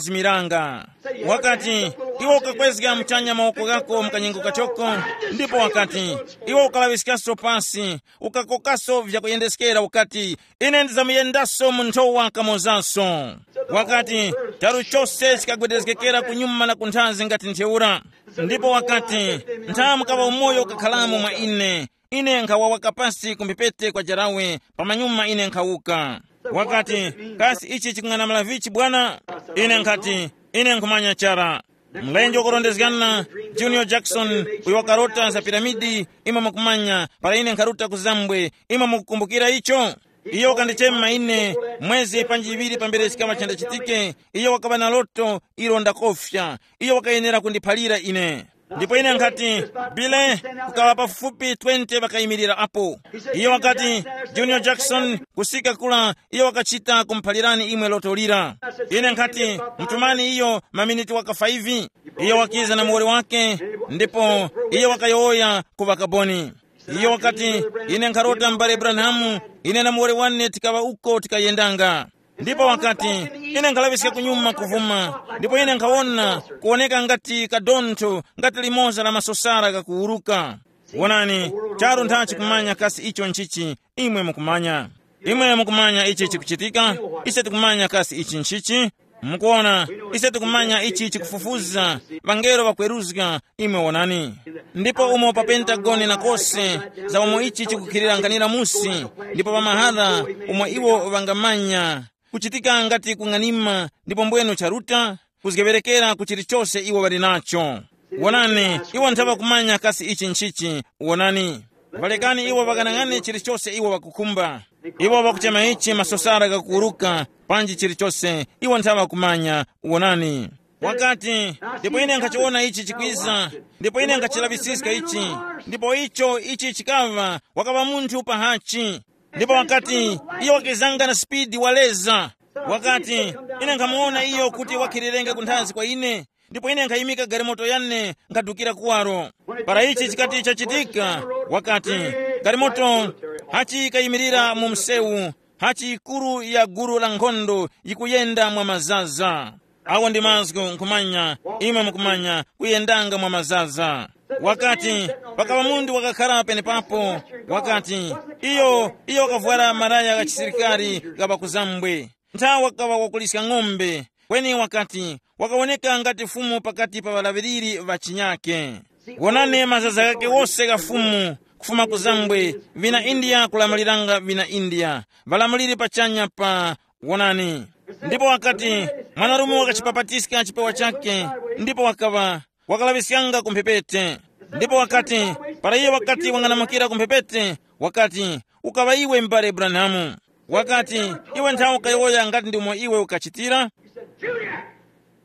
kung'azimiranga. Wakati, iwe ukakwezga muchanya mawoko ghako mu kanyengo kachoko, ndipo wakati, iwe ukalaŵiskaso pasi, ukakokaso vyakuyendeskera ukati, ine ndizamuyendasyo mu nthowa kamozaso. Wakati, charu chose chikagwedezgekera kunyuma na kunthazi ngati ntheura. Ndipo wakati, nthamu kaŵa umoyo ukakhalamo mwa ine. Ine nkhawawa kapasi ku mphepete kwa jarawe, pamanyuma ine nkhawuka. Wakati, kasi ichi chikung'anamula vichi bwana? Ine nkhati, ine nkhumanya chara. Mlenje wakurondezgana, Junior Jackson, uyo wakarota za piramidi, imwe mukumanya, para ine nkharuta ku zambwe, imwe mukukumbukira icho? Iyo wakandichema ine, mwezi panji iŵiri pambere chikaŵa chandachitike, iyo wakaŵa na loto ilo ndakofya. Iyo wakayenera kundiphalira ine. Ndipo ine nkhati, bile, kukaŵa pafupi twenty ŵakayimirira apo. Iyo wakati, Junior Jackson, kusika kula, iyo wakachita kumuphalirani imwe loto lira. Ine nkhati, mutumani iyo maminiti waka five. Iyo wakiza na muwoli wake, ndipo iyo wakayowoya ku ŵakaboni. Iyo wakati, ine nkharota m'bale Branham, ine na muwoli wane tikaŵa uko tikayendanga. Ndipo wakati, ine nkhalaŵiska kunyuma kuvuma, ndipo ine nkhawona kuwoneka ngati kadontho, ngati limoza la masosara kakuwuruka. Wonani, charu nthachi kumanya kasi icho nchichi, imwe mukumanya. Imwe mukumanya ichi chikuchitika, ise tikumanya kasi ichi nchichi. Mukuona, ise tikumanya ichi chikufufuza, ŵangelo ŵakweruzga, imwe wonani. Ndipo umo pa Pentagoni na kose, za umo ichi chikukhilira nkhanira musi, ndipo pa mahara umo iwo ŵangamanya, kuchitika ngati kung'anima, ndipo mbwenu charuta, kuzgeŵerekera ku chilichose iwo ŵali nacho. Wonani, iwo nthaŵa kumanya kasi ichi nchichi. Wonani, ŵalekani iwo ŵakanang'ane chilichose iwo ŵakukhumba. Iwo ŵakuchema ichi masosara ghakuwuruka, panji chilichose, iwo nthaŵa kumanya. Wonani, wakati, ndipo ine nkhachiwona ichi chikwiza, ndipo ine nkhachilaŵisiska ichi, ndipo icho ichi chikaŵa, wakaŵa munthu pahachi. Ndipo wakati, iyo wakizanga na sipidi waleza. Wakati, ine nkhamuwona iyo kuti wakhirirenge kunthazi kwa ine, ndipo ine nkhayimika galimoto yane, nkadukira kuwaro. Para ichi chikati chachitika, wakati, galimoto hachi kayimirira mu msewu, hachi ikuru ya gulu la nkhondo yikuyenda mwa mazaza. Awo ndi mazgu nkhumanya, imwe mukumanya, kuyendanga mwa mazaza. Wakati, pakaŵa munthu wakakhara penepapo, wakati, iyo iyo wakavwara malaya gha chisilikari gha pakuzambwe, nthawi wakaŵa wakuliska ng'ombe, kweni wakati, wakawoneka ngati fumu pakati pa ŵalaŵiriri ŵa chinyake. Wonani mazaza ghake wose gha fumu, kufuma kuzambwe, vina India kulamuliranga vina India, ŵalamuliri pachanya pa, wonani. Ndipo wakati, mwanarume wakachipapatiska chipewa chake, ndipo wakaŵa, wakalaŵiskanga ku mphepete. Ndipo wakati, para iye wakati wang'anamukira ku mphepete, wakati, ukaŵa iwe m'bale Branhamu. Wakati, iwe nthawi ukayowoya ngati ndimo iwe ukachitira.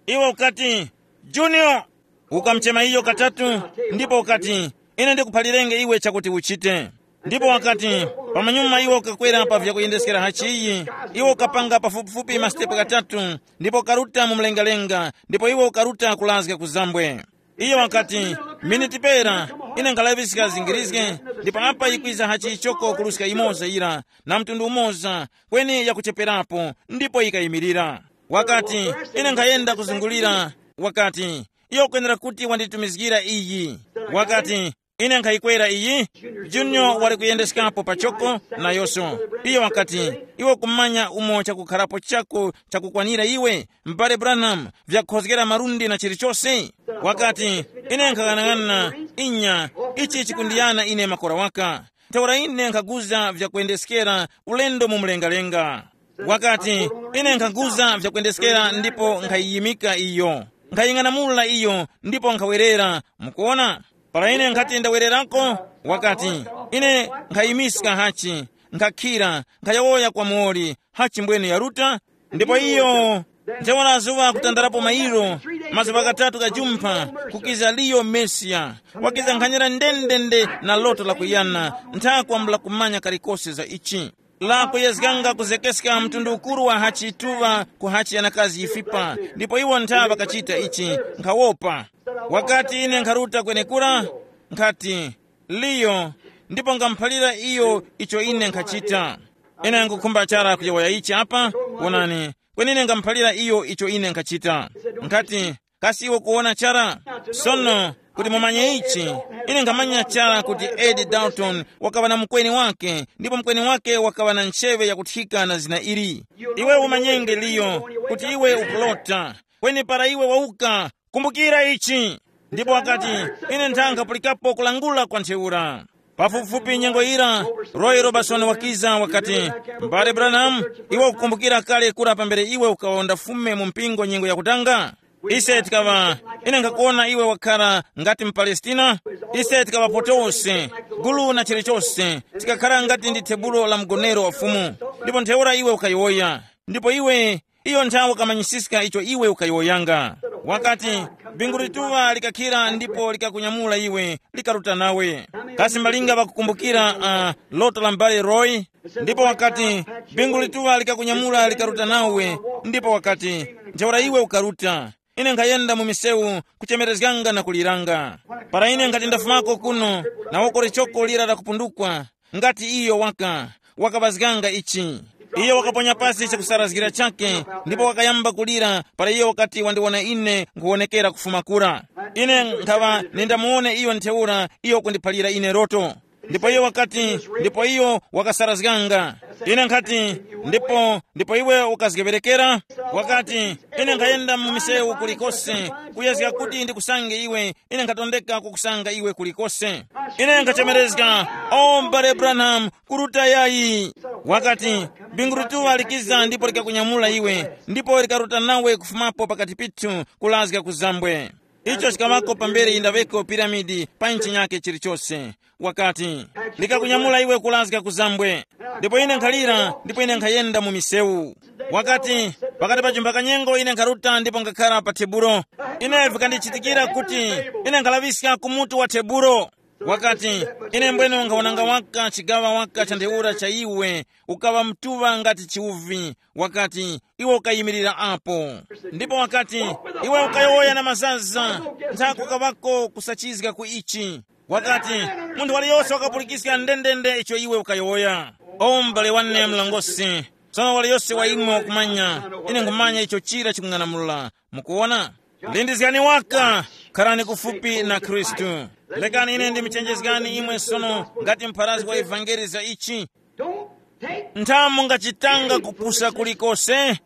Iwe ukati, Junior, ukamuchema iyo katatu, ndipo ukati, ine ndikuphalirenge iwe chakuti uchite. Ndipo wakati, pamanyuma iwe ukakwera pa vyakuyendeskera hachiyi, iwe ukapanga pafupifupi masitepo katatu, ndipo ukaruta mu mlengalenga, ndipo iwe ukaruta kulazga ku zambwe. Iyo wakati, miniti pera, ine nkhalaŵiska zingirizge, ndipo apa yikwiza hachichoko kuluska imoza yira, na mtundu umoza, kweni yakucheperapo, ndipo yikayimirira. Wakati, ine nkhayenda kuzungulira. Wakati, iyo ukwenera kuti wanditumizgira iyi. Wakati, ine nkhayikwera iyi. Junior wali kuyendeskapo pachoko, nayonso. Iyo wakati, iwe kumanya umo chakukharapo chako chakukwanira iwe, m'bale Branham, vyakukhozgera malundi na chilichose? Wakati, ine nkhang'anang'ana, inya, ichi chikundiyana ine makora waka. Ntheura ine nkhaguza vyakuyendeskera ulendo mu mlengalenga. Wakati, ine nkhaguza vyakuyendeskera ndipo nkhayiyimika iyo, nkhaying'anamula iyo ndipo nkhawerera. Mukuona, para ine nkhati ndawererako, wakati, ine nkhayimiska hachi, nkhakhira, nkhayowoya kwa muwoli, hachi mbwene yaruta. Ndipo iyo, ntheura zuŵa kutandarapo mairo, mazuŵa ghatatu gha jumpha, kukiza liyo Mesiya, wakiza nkhanyira ndendende na loto lakuyana, ntha kwambula kumanya kalikose za ichi. La kuyezganga kuzekeska mtundu ukuru wa hachi ituŵa ku hachi yanakazi yifipa, ndipo iwo ntha ŵakachita ichi, nkhawopa. Wakati ine nkharuta kwenekura, nkhati, liyo, ndipo ngamuphalira iyo icho ine nkhachita. Ine nkukhumba chara kuyowoya ichi apa, wonani, kweni ine ngamuphalira iyo icho ine nkhachita. Nkhati, kasi iwe kuwona chara? Sono, kuti mumanye ichi, ine nkhamanya chara kuti Ed Dalton wakaŵa na mukweni wake, ndipo mukweni wake wakaŵa na ncheŵe yakuthika na zina ili. Iwe umanyenge liyo, kuti iwe ukulota, kweni para iwe wauka, kumbukira ichi. Ndipo wakati, ine ntha nkhapulikapo kulangula kwa ntheura. Pafupifupi nyengo yira, Roy Robertson wakiza wakati, m'bale Branham, iwe ukukumbukira kale kura pambere iwe ukawonda fume mu mpingo nyengo yakutanga? Ise tikaŵa, ine nkhakuwona iwe wakhara ngati mu Palestina. Ise tikaŵapo tose, gulu na chilichose, tikakhara ngati ndi thebulo la mgonero wa Fumu. Ndipo ntheura iwe ukayowoya, ndipo iwe, iyo nthawe ukamanyisiska icho iwe ukayowoyanga. Wakati, bingu lituŵa likakhira ndipo likakunyamula iwe, likaruta nawe. Kasi malinga ŵakukumbukira uh, loto la m'bale Roy? Ndipo wakati, bingu lituŵa likakunyamula likaruta nawe, ndipo wakati, ntheura iwe ukaruta. Ine nkhayenda mu misewu kuchemerezganga na kuliranga. Para ine nkhati ndafumako kuno, na woko lichoko lira lakupundukwa, ngati iyo waka, wakaŵazganga ichi. Iyo wakaponya pasi chakusarazgira chake, ndipo wakayamba kulira para iyo wakati wandiwona ine nkhuwonekera kufuma kura. Ine nkhaŵa nindamuwone iyo ntheura iyo kundiphalira ine loto. Ndipo iyo wakati, ndipo iyo wakasarazganga. Ine nkhati, ndipo ndipo iwe ukazgeŵerekera? Wakati, ine nkhayenda mu misewu kulikose, kuyezga kuti ndikusange iwe. Ine nkhatondeka kukusanga iwe kulikose. Ine nkhachemerezga, o m'bale Branham, kuruta yayi. Wakati, bingu lituŵa likiza ndipo likakunyamula iwe, ndipo likaruta nawe kufumapo pakati pithu, kulazga ku zambwe. Icho chikaŵako pambere yindaŵeko piramidi pa nchinyake chilichose. Wakati, ndikakunyamula iwe kulazga ku zambwe. Ndipo ine nkhalira, ndipo ine nkhayenda mu misewu. Wakati, pakati pa chumba kanyengo ine nkharuta ndipo ngakhara pa tebulo. Ine vikandichitikira kuti ine nkhalaŵiska ku mutu wa tebulo. Wakati, ine mbwene nkhaonanga waka chigaŵa waka cha ntheura cha iwe, ukaŵa mtuŵa ngati chiuvi. Wakati, iwe ukayimirira apo. Ndipo wakati, iwe ukayowoya na mazaza, ntha kukaŵako kusachizga ku ichi. Wakati, munthu waliyose wakapulikiska ndendende icho iwe ukayowoya. O m'bale wane mlongosi, tsono waliyose wa imwe wakumanya, ine nkhumanya icho chira chikung'anamula. Mukuwona? Lindizgani waka, kharani kufupi na Khristu. Lekani ine ndimchenjezgani imwe sono ngati mpharazi wa ivangeli za ichi. Don't take ntha mungachitanga kupusa kulikose,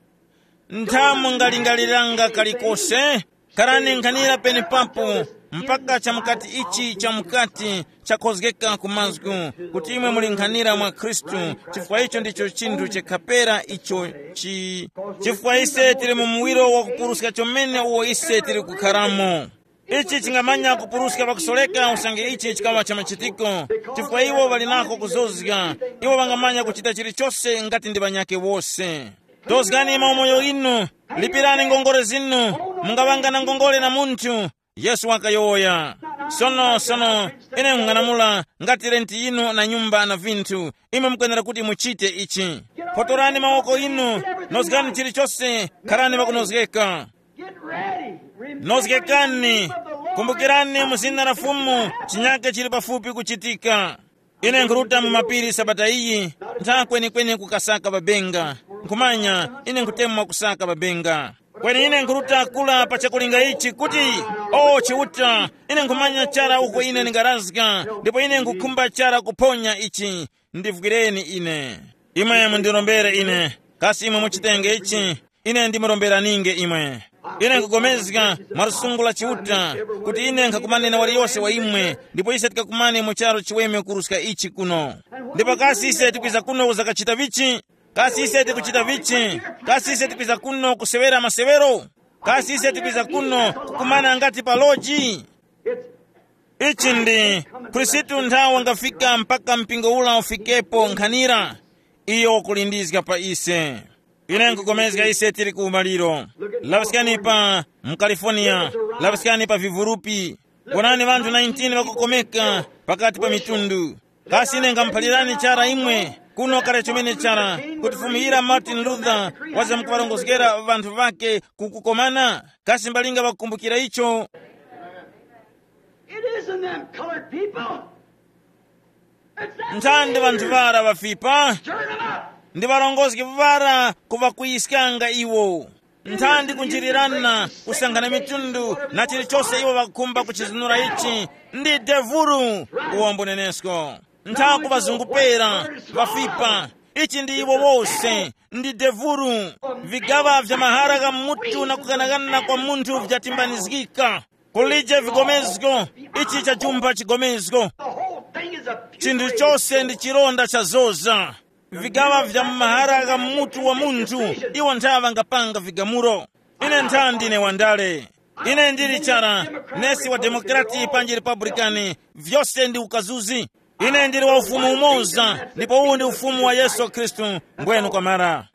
ntha mungalingaliranga kalikose. Kharani nkhanira penepapo mpaka chamukati ichi chamukati chakhozgeka ku mazgu, kuti imwe muli nkhanira mwa Khristu. Chifukwa icho ndicho chinthu chikhapera icho chi chifukwa ise tili mu muwiro wa kupuruska chomene uwo ise tili kukharamo. Ichi chingamanya kupuruska pakusoreka usange ichi chikaŵa cha machitiko, chifukwa iwo ŵali nako kuzozga. Iwo ŵangamanya kuchita chilichose ngati ndi ŵanyakhe wose. Tozgani maumoyo inu, lipirani ngongole zinu, mungaŵanga na ngongole na munthu. Yesu wakayowoya, sono sono, ine nkhung'anamula ngati renti yinu na nyumba na vinthu, imwe mukwenera kuti muchite ichi. Photorani mawoko inu, nozgani chilichose, kharani ŵakunozgeka. Get ready. Remember nozgekani. Kumbukirani mu zina la Fumu, chinyake chili pafupi kuchitika. Ine nkhuruta mu mapiri sabata iyi, ntha kwenikweni kukasaka babenga. Nkhumanya ine nkhutemwa kusaka babenga. Kweni ine nkhuruta kula pa chakulinga ichi kuti, o Chiuta, ine nkhumanya chara uko ine ndingarazga, ndipo ine nkhukhumba chara kuphonya ichi. Ndivwireni ine. Imwe mundirombere ine. Kasi imwe muchitenge ichi? Ine ndimuromberanenge imwe. Ine nkugomezga mwa lusungu la Chiuta kuti ine nkhakumane na waliyose wa imwe, ndipo ise tikakumane mu charu chiweme kuruska ichi kuno. Ndipo kasi ise tikwiza kuno kuzakachita vichi? Kasi ise tikuchita vichi? Kasi ise tikwiza kuno kusewera masewero? Kasi ise tikwiza kuno kukumana ngati pa loji? Ichi ndi Khristu nthawi wangafika mpaka mpingo ula ufikepo nkhanira. Iyo wakulindizga pa ise. Ine nkukomezga ise tili ku umaliro. Laŵiskani pa mu California, laŵiskani pa vivurupi. Wonani ŵanthu nineteen ŵakukomeka pakati pa mitundu. Kasi ine ngamuphalirani chara imwe kuno kale chomene chara kuti fumiyira Martin Luther waza mukuŵarongozgera ŵanthu ŵake kukukomana? Kasi mbalinga ŵakukumbukira icho? It isn't them colored people. It's that nthandi ŵanthu ŵara ŵafipa. Stirring them up. Ndi ŵarongozgi ŵara kuŵakuyiskanga iwo. Nthandi kunjirirana kusankhana mitundu na chilichose iwo ŵakukhumba kuchizunura ichi. Ndi devuru. Uwombo nenesko. Ntha kuŵazungupera ŵafipa. Ichi ndi iwo wose. Ndi devuru. Vigaŵa vya mahara gha mutu na kukanakana kwa munthu vyatimbanizgika. Kulije vigomezgo. Ichi chajumpha chigomezgo. The whole thing is a chinthu chose ndi chilonda chazoza. Vigaŵa vya mahara gha mutu wa munthu. Iwo nthaŵa ngapanga vigamulo. Ine ntha ndine wandale. Ine ndili chara, nesi wa demokrati panji republican, vyose ndi ukazuzi. Ine ndili wa ufumu umoza ndipo uwu ndi ufumu wa Yesu Khristu. Mbwenu kwamara.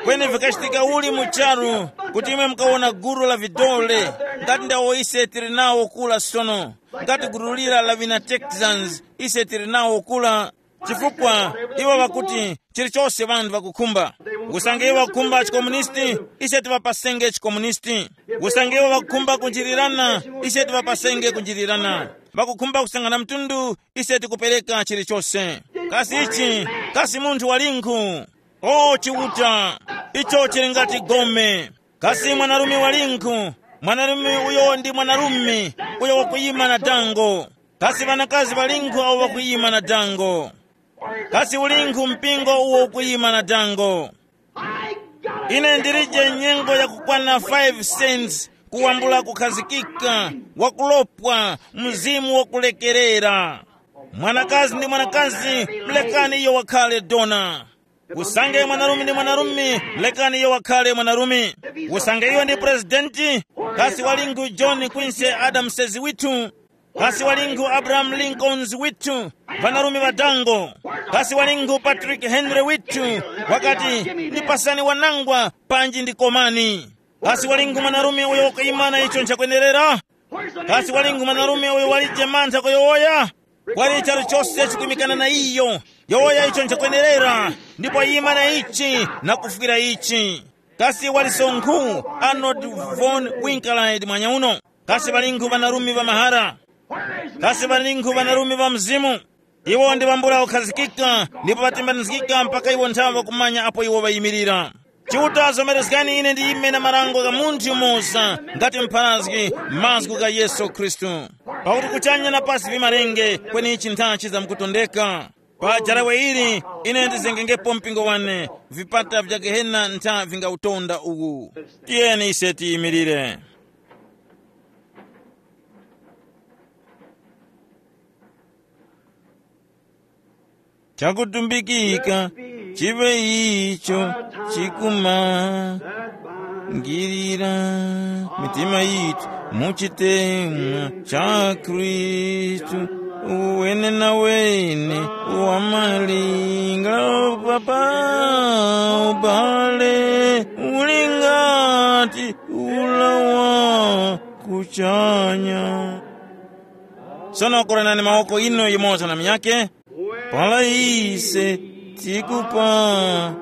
Kweni vikachitika uli mu charu kuti imwe mukawona gulu la vidole ngati ndawo ise tili nawo kula sono, ngati gulu lira la vina Texans ise tili nawo kula. Chifukwa iwo ŵakuti chilichose ŵanthu ŵakukhumba. Usange iwo ŵakukhumba chikomunisti, ise tiŵapasenge chikomunisti. Usange iwo ŵakukhumba kunjirirana, ise tiŵapasenge kunjirirana. Ŵakukhumba kusangana mtundu, ise tikupereka chilichose. Kasi ichi, kasi munthu walinkhu? O Chiuta, icho chili ngati gome. Kasi mwanarume walinkhu? Mwanarume uyo ndi mwanarume uyo wakuyima na dango. Kasi ŵanakazi ŵalinkhu awo ŵakuyima na dango? Kasi ulinkhu mpingo uwo ukuyima na dango? Ine ndilije nyengo yakukwana five cents kuwambula kukhazikika, wakulopwa, mzimu wakulekerera. Mwanakazi ndi mwanakazi, mlekani iyo wakhale dona. Usange mwanarume ndi mwanarume, lekani iyo wakhale mwanarume. Usange iyo ndi presidenti, kasi walingu John Quincy Adams withu? Kasi walingu Abraham Lincolns withu? Vanarume ŵadango. Kasi walingu Patrick Henry withu? Wakati, ndipasani wanangwa, panji ndikomani. Kasi walingu mwanarume uyo wakuyimana icho nchakwenerera? Kasi walingu mwanarume uyo walije mantha kuyowoya? Kwali charu chose chikwimikana na iyo. Yowoya icho nchakwenerera, ndipo yima na ichi na kufwira ichi. Kasi wali sonkhu Arnold von Winkelried mwanya uno? Kasi ŵalinkhu ŵanarume ŵa mahara? Kasi ŵalinkhu ŵanarume ŵa mzimu? Iwo ndi ŵambula kukhazikika, ndipo ŵatembanizgika mpaka iwo nthawe ŵakumanya apo iwo ŵayimirira. Chiuta, zomerezgani ine ndiyime na marango gha munthu yumoza ngati mpharazgi, mazgu gha Yesu Khristu. Pakuti kuchanya na pasi vimarenge, kweni ichi nthachi zamkutondeka. Pa jarawe ili, ine ndizengengepo mpingo wane, vipata vya Gehena ntha vingautonda uwu. Tiyeni ise tiyimirire. Chakutumbikika chive icho chikumangirira mitima yitu mu chitemwa cha Khristu, uwene na wene wa malinga papa ubale uli ngati ulawa kuchanya. Sono koranani mawoko inu yumoza na munyakhe. Para ise tikupatuka,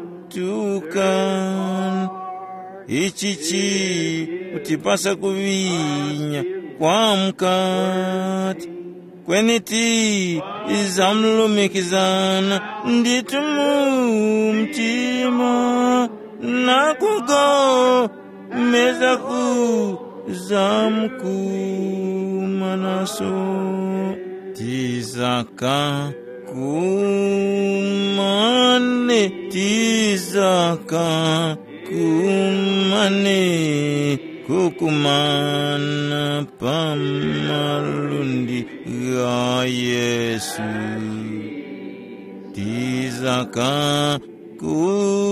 ichichi kutipasa kuŵinya kwa mukati, kweni tizamlumikizana ndithu mu mtima na kuga meza ku zamkumanaso. Tizaka kumane, tizaka kumane, kukumana pa malundi gha Yesu. Tizaka kumane,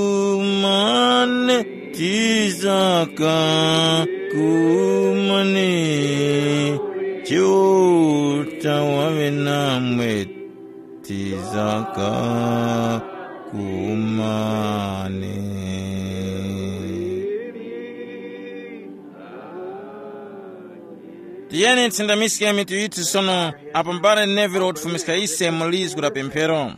tizaka kumane, Chiuta waŵe namwe, tizaka kumane. Tiyeni tisindamiske mitu yithu sono, apo m'bale Neville watifumiska ise mu lizgu la pemphero.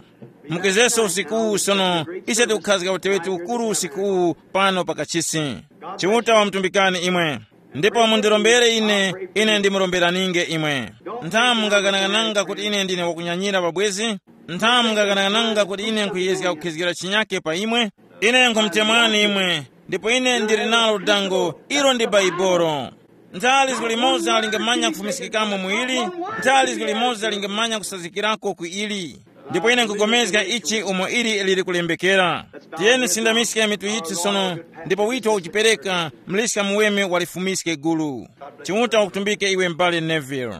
Mukezeso usiku uwu sono, ise tikukhazga uteŵeti ukuru usiku uwu pano pa kachisi. Chiuta wamutumbikani imwe. Ndipo mundirombere ine, ine ndimuromberaninge imwe. Ntha mungaghanaghananga kuti ine ndine wakunyanyira pabwezi? Ntha mungaghanaghananga kuti ine nkhuyezga kukhizgira chinyake pa imwe? Ine nkhumutemwani imwe, ndipo ine ndili nalo dango, ilo ndi Baibolo. Ntha lizgu limoza lingamanya kufumiskikamo mu ili, ntha lizgu limoza lingamanya kusazikirako ku ili. Ndipo ine nkupulikana ichi umo ili lili kulembekera. Tiyeni tisindamiske mitu yithu sono, ndipo wito wakuchipereka, muliska muweme walifumiske gulu. Chiuta wakutumbike iwe m'bale Neville.